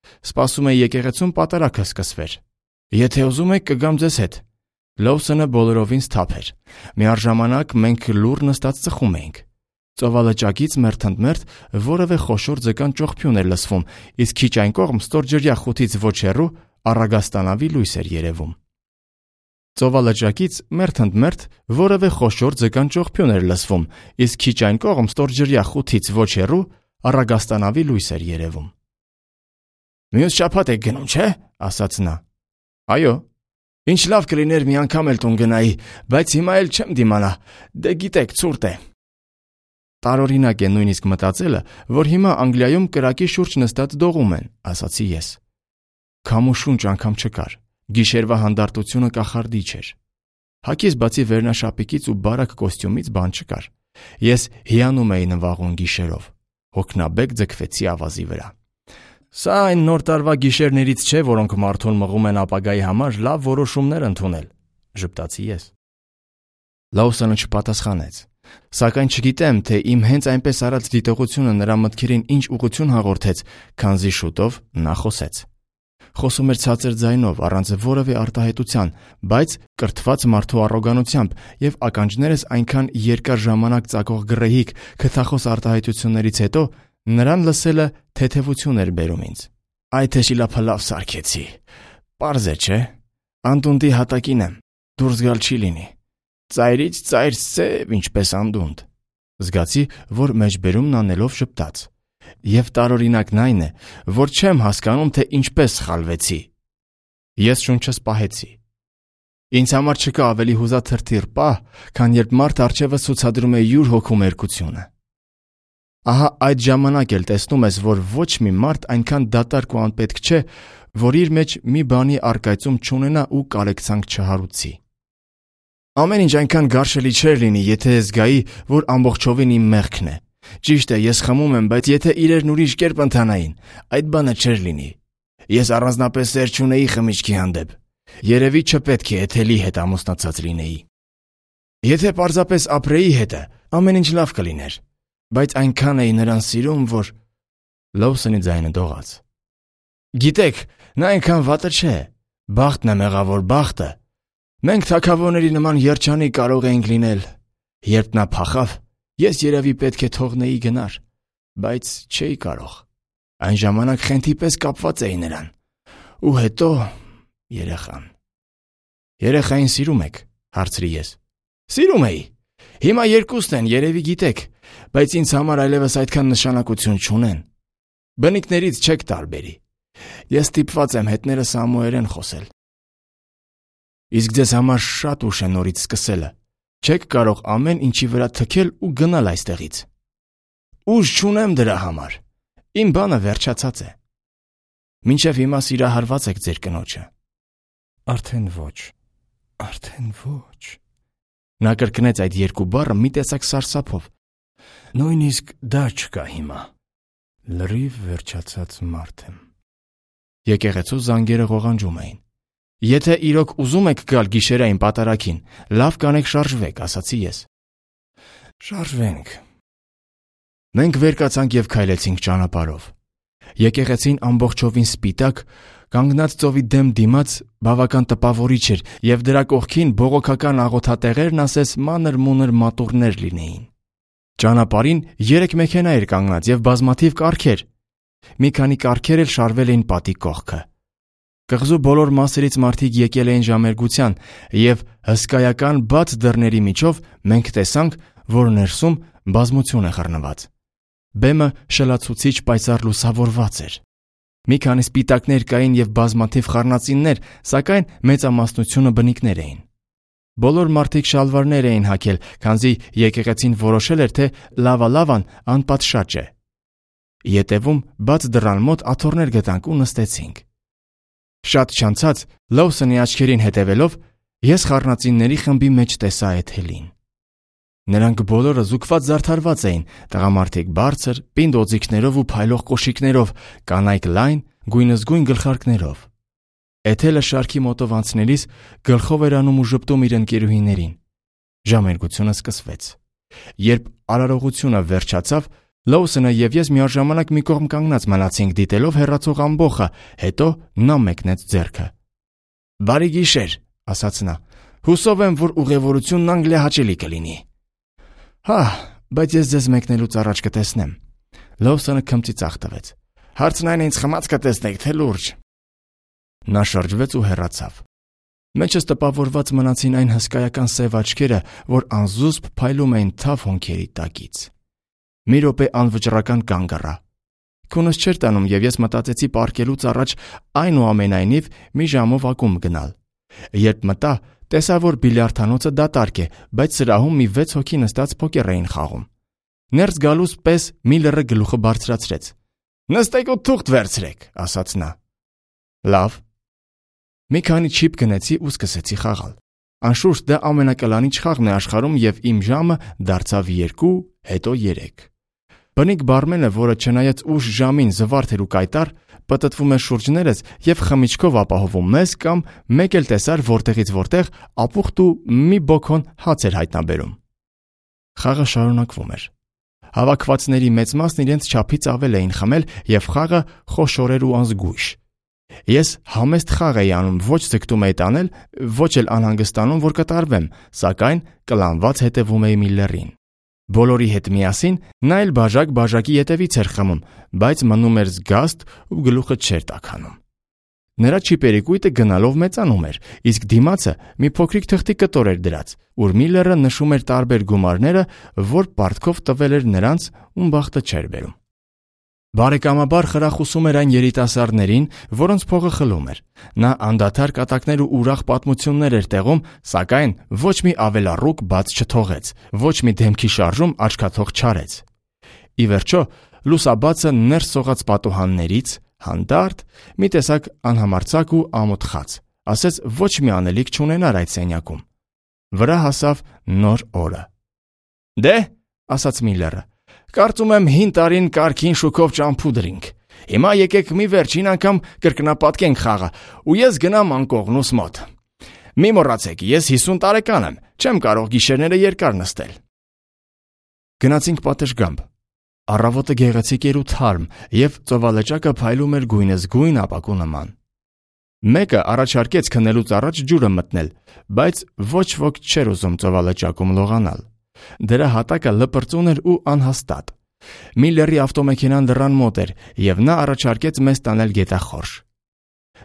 «Սպասում էի եկեղեցում պատարագը սկսվեր։ Եթե ուզում եք, կգամ ձեզ հետ»։ Լոուսոնը բոլորովին սթափ էր։ Միառժամանակ մենք լուռ նստած ծխում էինք։ Ծովալճակից մերթընդմերթ որևէ խոշոր ձկան ճողփյուն էր լսվում, իսկ քիչ այն կողմ ստորջրյա խութից ոչ հեռու առագաստանավի լույս էր երևում։ Ծովալճակից մերթընդմերթ որևէ խոշոր ձկան ճողփյուն էր լսվում, իսկ քիչ այն կողմ ստորջրյա խութից ոչ հեռու առագաստանավի լույս էր երևում։ «Մյուս շաբաթ եք գնում, չէ՞, ասաց նա։ «Այո»։ «Ինչ լավ կլիներ մի անգամ էլ տուն գնայի, բայց հիմա էլ չեմ դիմանա, դե գիտեք, ցուրտ է»։ Տարօրինակ է նույնիսկ մտածելը, որ հիմա Անգլիայում կրակի շուրջ նստած դողում են, ասացի ես։ Քամ ու շունչ անգամ չկար, գիշերվա հանդարտությունը կախարդիչ էր։ Հագիս բացի վերնաշապիկից ու բարակ կոստյումից բան չկար։ Ես հիանում էի նվաղուն գիշերով, հոգնաբեկ ձգվեցի ավազի վրա։ Սա այն նոր տարվա գիշերներից չէ, որոնք մարդուն մղում են ապագայի համար լավ որոշումներ ընդունել, ժպտացի ես։ Լոուսոնը չպատասխանեց, սակայն չգիտեմ, թե իմ հենց այնպես արած դիտողությունը նրա մտքերին ինչ ուղղություն հաղորդեց, քանզի շուտով նա խոսեց։ Խոսում էր ցածր ձայնով, առանց որևէ արտահայտության, բայց կրթված մարդու առոգանությամբ և ականջներս այնքան երկար ժամանակ ծակող գռեհիկ քթախոս արտահայտություններից հետո նրան լսելը թեթևություն էր բերում ինձ։ «Այ թե շիլափլավ սարքեցի, պարզ է, չէ՞, անդունդի հատակին եմ, դուրս գալ չի լինի, ծայրից ծայր սև ինչպես անդունդ»։ Զգացի, որ մեջբերումն անելով ժպտաց։ Եվ տարօրինակն այն է, որ չեմ հասկանում, թե ինչպես սխալվեցի։ Ես շունչս պահեցի։ Ինձ համար չկա ավելի հուզաթրթիռ պահ, քան երբ մարդ առջևս ցուցադրում է յուր հոգու մերկությունը։ Ահա այդ ժամանակ էլ տեսնում ես, որ ոչ մի մարդ այնքան դատարկ ու անպետք չէ, որ իր մեջ մի բանի առկայծում չունենա ու կարեկցանք չհարուցի։ Ամեն ինչ այնքան գարշելի չէր լինի, եթե զգայի, որ ամբողջովին իմ մեղքն է։ Ճիշտ է, ես խմում եմ, բայց եթե իրերն ուրիշ կերպ ընթանային, այդ բանը չէր լինի։ Ես առանձնապես սեր չունեի խմիչքի հանդեպ։ Երևի չպետք է Էթելի հետ ամուսնացած լինեի։ Եթե պարզապես ապրեի հետը, ամեն ինչ լավ կլիներ, բայց այնքան էի նրան սիրում, որ… Լոուսոնի ձայնը դողաց։ Գիտեք, նա այնքան վատը չէ, բախտն է մեղավոր բախտը։ Մենք թագավորների նման երջանիկ կարող էինք լինել։ Երբ նա փախավ, ես երևի պետք է թողնեի գնար, բայց չէի կարող։ Այն ժամանակ խենթի պես կապված էի նրան։ Ու հետո երեխան։ Երեխային սիրում եք, հարցրի ես։ Սիրում էի։ Հիմա երկուսն են, երևի գիտեք, բայց ինձ համար այլևս այդքան նշանակություն չունեն։ Բնիկներից չեք տարբերի։ Ես ստիպված եմ հետները սամուերեն խոսել։ Իսկ ձեզ համար շատ ուշ է նորից սկսելը։ Չեք կարող ամեն ինչի վրա թքել ու գնալ այստեղից։ Ուժ չունեմ դրա համար։ Իմ բանը վերջացած է։ Մինչև հիմա սիրահարված եք ձեր կնոջը։ Արդեն ոչ։ Արդեն ոչ։ Նա կրկնեց այդ երկու բառը մի տեսակ սարսափով։ Նույնիսկ դա չկա հիմա։ Լրիվ վերջացած մարդ եմ։ Եկեղեցու զանգերը ղողանջում էին։ Եթե իրոք ուզում եք գալ գիշերային պատարագին, լավ կանեք շարժվեք, ասացի ես։ Շարժվենք։ Մենք վեր կացանք եւ քայլեցինք ճանապարհով։ Եկեղեցին ամբողջովին սպիտակ, կանգնած ծովի դեմ դիմաց բավական տպավորիչ էր եւ դրա կողքին բողոքական աղոթատեղերն ասես մանր-մունր մատուռներ լինեին։ Ճանապարհին երեք մեքենա էր կանգնած եւ բազմաթիվ կառքեր։ Մի քանի կառքեր էլ շարվել էին պատի կողքը։ Կղզու բոլոր մասերից մարդիկ եկել էին ժամերգության եւ հսկայական բաց դռների միջով մենք տեսանք, որ ներսում բազմություն է խռնված։ Բեմը շլացուցիչ պայծառ լուսավորված էր։ Մի քանի սպիտակներ կային եւ բազմաթիվ խառնածիններ, սակայն մեծամասնությունը բնիկներ էին։ Բոլոր մարդիկ շալվարներ էին հագել, քանզի եկեղեցին որոշել էր, թե լավալավան անպատշաճ է։ Ետևում բաց դռան մոտ աթոռներ գտանք ու նստեցինք։ Շատ չանցած Լոուսոնի աչքերին հետևելով ես խառնածինների խմբի մեջ տեսա Էթելին։ Նրանք բոլորը զուգված զարդարված էին, տղամարդիկ բարձր, պինդ օձիքներով ու փայլող կոշիկներով, կանայք լայն, գույնզգույն գլխարկներով։ Էթելը շարքի մոտով անցնելիս գլխով էր անում ու ժպտում իր ընկերուհիներին։ Ժամերգությունը սկսվեց։ Երբ արարողությունը վերջացավ, Լոուսոնը եւ ես միաժամանակ մի կողմ կանգնած մնացինք դիտելով հեռացող ամբոխը, հետո նա մեկնեց ձեռքը։ Բարի գիշեր, ասաց նա։ Հուսով եմ, որ ուղևորությունն անգլիահաճելի կլինի։ Հա, բայց ես ձեզ մեկնելուց առաջ կտեսնեմ։ Լոուսոնը քմծի ծախ տվեց։ Հարցն այն է, ինձ խմած կտեսնեք, թե լուրջ։ Նա շրջվեց ու հեռացավ։ Մեջս տպավորված մնացին այն հսկայական սև աչքերը, որ անզուսպ փայլում էին թավ հոնքերի տակից։ Մի րոպե անվճռական կանգ առա։ Քունս չէր տանում եւ ես մտածեցի պառկելուց առաջ այնուամենայնիվ մի ժամով ակումբ գնալ։ Երբ մտա, տեսա, որ բիլիարդանոցը դատարկ է, բայց սրահում մի վեց հոգի նստած փոկեր էին խաղում։ Ներս գալուց պես Միլլերը գլուխը բարձրացրեց։ Նստեք ու թուղթ վերցրեք, ասաց նա։ Լավ։ Մի քանի չիպ գնեցի ու սկսեցի խաղալ։ Անշուշտ դա ամենակլանիչ խաղն է աշխարհում եւ իմ ժամը դարձավ երկու, հետո երեք։ Բնիկ բարմենը, որը չնայած ուշ ժամին զվարթ էր ու կայտար, պտտվում էր շուրջներս եւ խմիչքով ապահովում մեզ կամ մեկ էլ տեսար որտեղից որտեղ ապուխտ ու մի բոքոն հաց էր հայտնաբերում։ Խաղը շարունակվում էր։ Հավաքվածների մեծ մասն իրենց չափից ավել էին խմել եւ խաղը խոշոր էր ու անզգույշ։ Ես համեստ խաղ էի անում, ոչ ձգտում էի տանել, ոչ էլ անհանգստանում, որ կտարվեմ, սակայն կլանված հետևում էի Միլլերին։ Բոլորի հետ միասին նա էլ բաժակ-բաժակի ետևից էր խմում, բայց մնում էր զգաստ ու գլուխը չէր տաքանում։ Նրա չիպերի կույտը գնալով մեծանում էր, իսկ դիմացը մի փոքրիկ թղթի կտոր էր դրած, ուր Միլլերը նշում էր տարբեր գումարները, որ պարտքով տվել էր նրանց, ում բախտը չէր բերում։ Բարեկամաբար խրախուսում էր այն երիտասարդներին, որոնց փողը խլում էր։ Նա անդադար կատակներ ու ուրախ պատմություններ էր տեղում, սակայն ոչ մի ավելառուկ բաց չթողեց, ոչ մի դեմքի շարժում աչքաթող չարեց։ Ի վերջո, լուսաբացը ներս սողաց պատուհաններից, հանդարտ, մի տեսակ անհամարցակ ու ամոթխած, ասեց ոչ մի անելիք չունենար այդ սենյակում։ Վրա հասավ նոր օրը։ Դե, ասաց Միլլերը, կարծում եմ հին տարին կարգին շուքով ճամփուդրինք։ Հիմա եկեք մի վերջին անգամ կրկնապատկենք խաղը, ու ես գնամ անկողնուս մոտ։ Մի մոռացեք, ես հիսուն տարեկան եմ, չեմ կարող գիշերները երկար նստել։ Գնացինք պատշգամբ։ Առավոտը գեղեցիկ էր ու թարմ, եւ ծովալճակը փայլում էր գույնզգույն ապակու նման։ Մեկը առաջարկեց քնելուց առաջ ջուրը մտնել, բայց ոչ ոք չէր ուզում ծովալճակում լողանալ։ Դրա հատակը լպրծուն էր ու անհաստատ։ Միլլերի ավտոմեքենան դռան մոտ էր, եւ նա առաջարկեց մեզ տանել գետախորշ։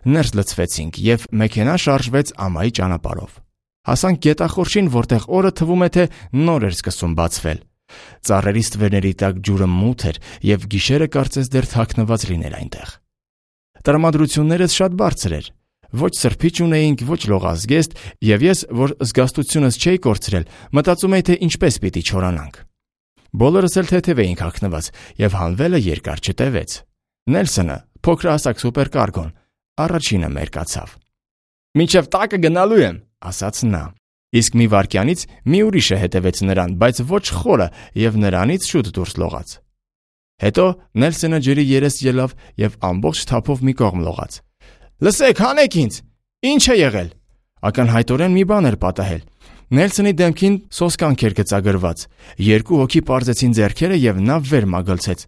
Ներս լցվեցինք, եւ մեքենան շարժվեց ամայի ճանապարհով։ Հասանք գետախորշին, որտեղ օրը թվում է թե նոր էր սկսում բացվել։ Ծառերի ստվերների տակ ջուրը մութ էր և գիշերը կարծես դեռ թաքնված լիներ այնտեղ։ Տրամադրություններս շատ բարձր էր։ Ոչ սրբիչ ունեինք, ոչ լողազգեստ, և ես, որ զգաստությունս չէի կորցրել, մտածում էի, թե ինչպես պիտի չորանանք։ Բոլորս էլ թեթև էինք հագնված, և հանվելը երկար չտևեց։ Նելսոնը, փոքրահասակ սուպերկարգոն, առաջինը մերկացավ։ «Մինչև տակը գնալու եմ», ասաց նա։ Իսկ մի վայրկյանից մի ուրիշը հետևեց նրան, բայց ոչ խորը, և նրանից շուտ դուրս լողաց։ Հետո Նելսոնը ջրի երես ելավ և ամբողջ թափով մի կողմ լողաց։ «Լսեք, հանեք ինձ, ի՞նչ է եղել»։ Ակնհայտորեն մի բան էր պատահել։ Նելսոնի դեմքին սոսկանք էր գծագրված։ Երկու հոգի պարզեցին ձեռքերը, և նա վեր մագլցեց։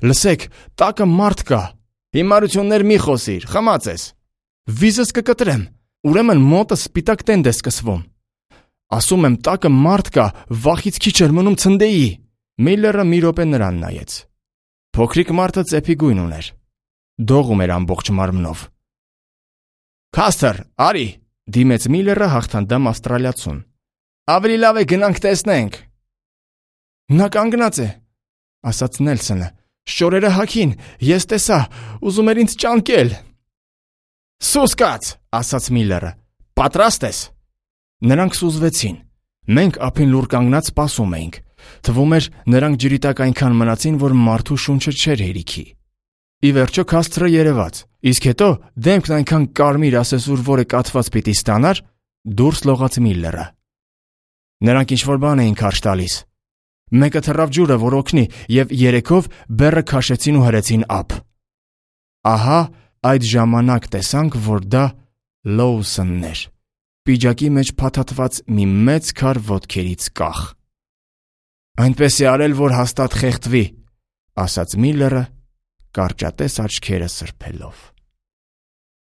«Լսեք, տակը մարդ կա»։ «Հիմարություններ մի խոսիր, խմած ես»։ «Վիզս կկտրեմ, ուրեմն մոտս սպիտակ տենդ է սկսվում»։ «Ասում եմ, տակը մարդ կա, վախից քիչ էր մնում ցնդեի»։ Միլլերը մի րոպե նրան նայեց։ Փոքրիկ մարդը ծեփի գույն ուներ։ Դողում էր ամբողջ մարմնով։ «Քասթր, արի», դիմեց Միլլերը հաղթանդամ ավստրալիացուն։ «Ավելի լավ է գնանք տեսնենք»։ «Նա կանգնած է», ասաց Նելսոնը։ «Շորերը հագին, ես տեսա, ուզում էր ինձ ճանկել»։ «Սուս կաց», ասաց Միլլերը։ «Պատրաստ ես»։ Նրանք սուզվեցին։ Մենք ափին լուռ կանգնած սպասում էինք։ Թվում էր, նրանք ջրի տակ այնքան մնացին, որ մարդու շունչը չէր հերիքի։ Ի վերջո Քասթրը երևաց, իսկ հետո դեմքն այնքան կարմիր ասեսուր, որը կաթված պիտի ստանար, դուրս լողաց Միլլերը։ Նրանք ինչ-որ բան էին քարշ տալիս։ Մեկը թռավ ջուրը, որ օգնի, և երեքով բեռը քաշեցին ու հրեցին ափ։ Ահա այդ ժամանակ տեսանք, որ դա Լոուսոնն էր, պիջակի մեջ փաթաթված մի մեծ քար ոտքերից կախ։ «Այնպես է արել, որ հաստատ խեղդվի», ասաց Միլլերը, կարճատես աչքերը սրբելով։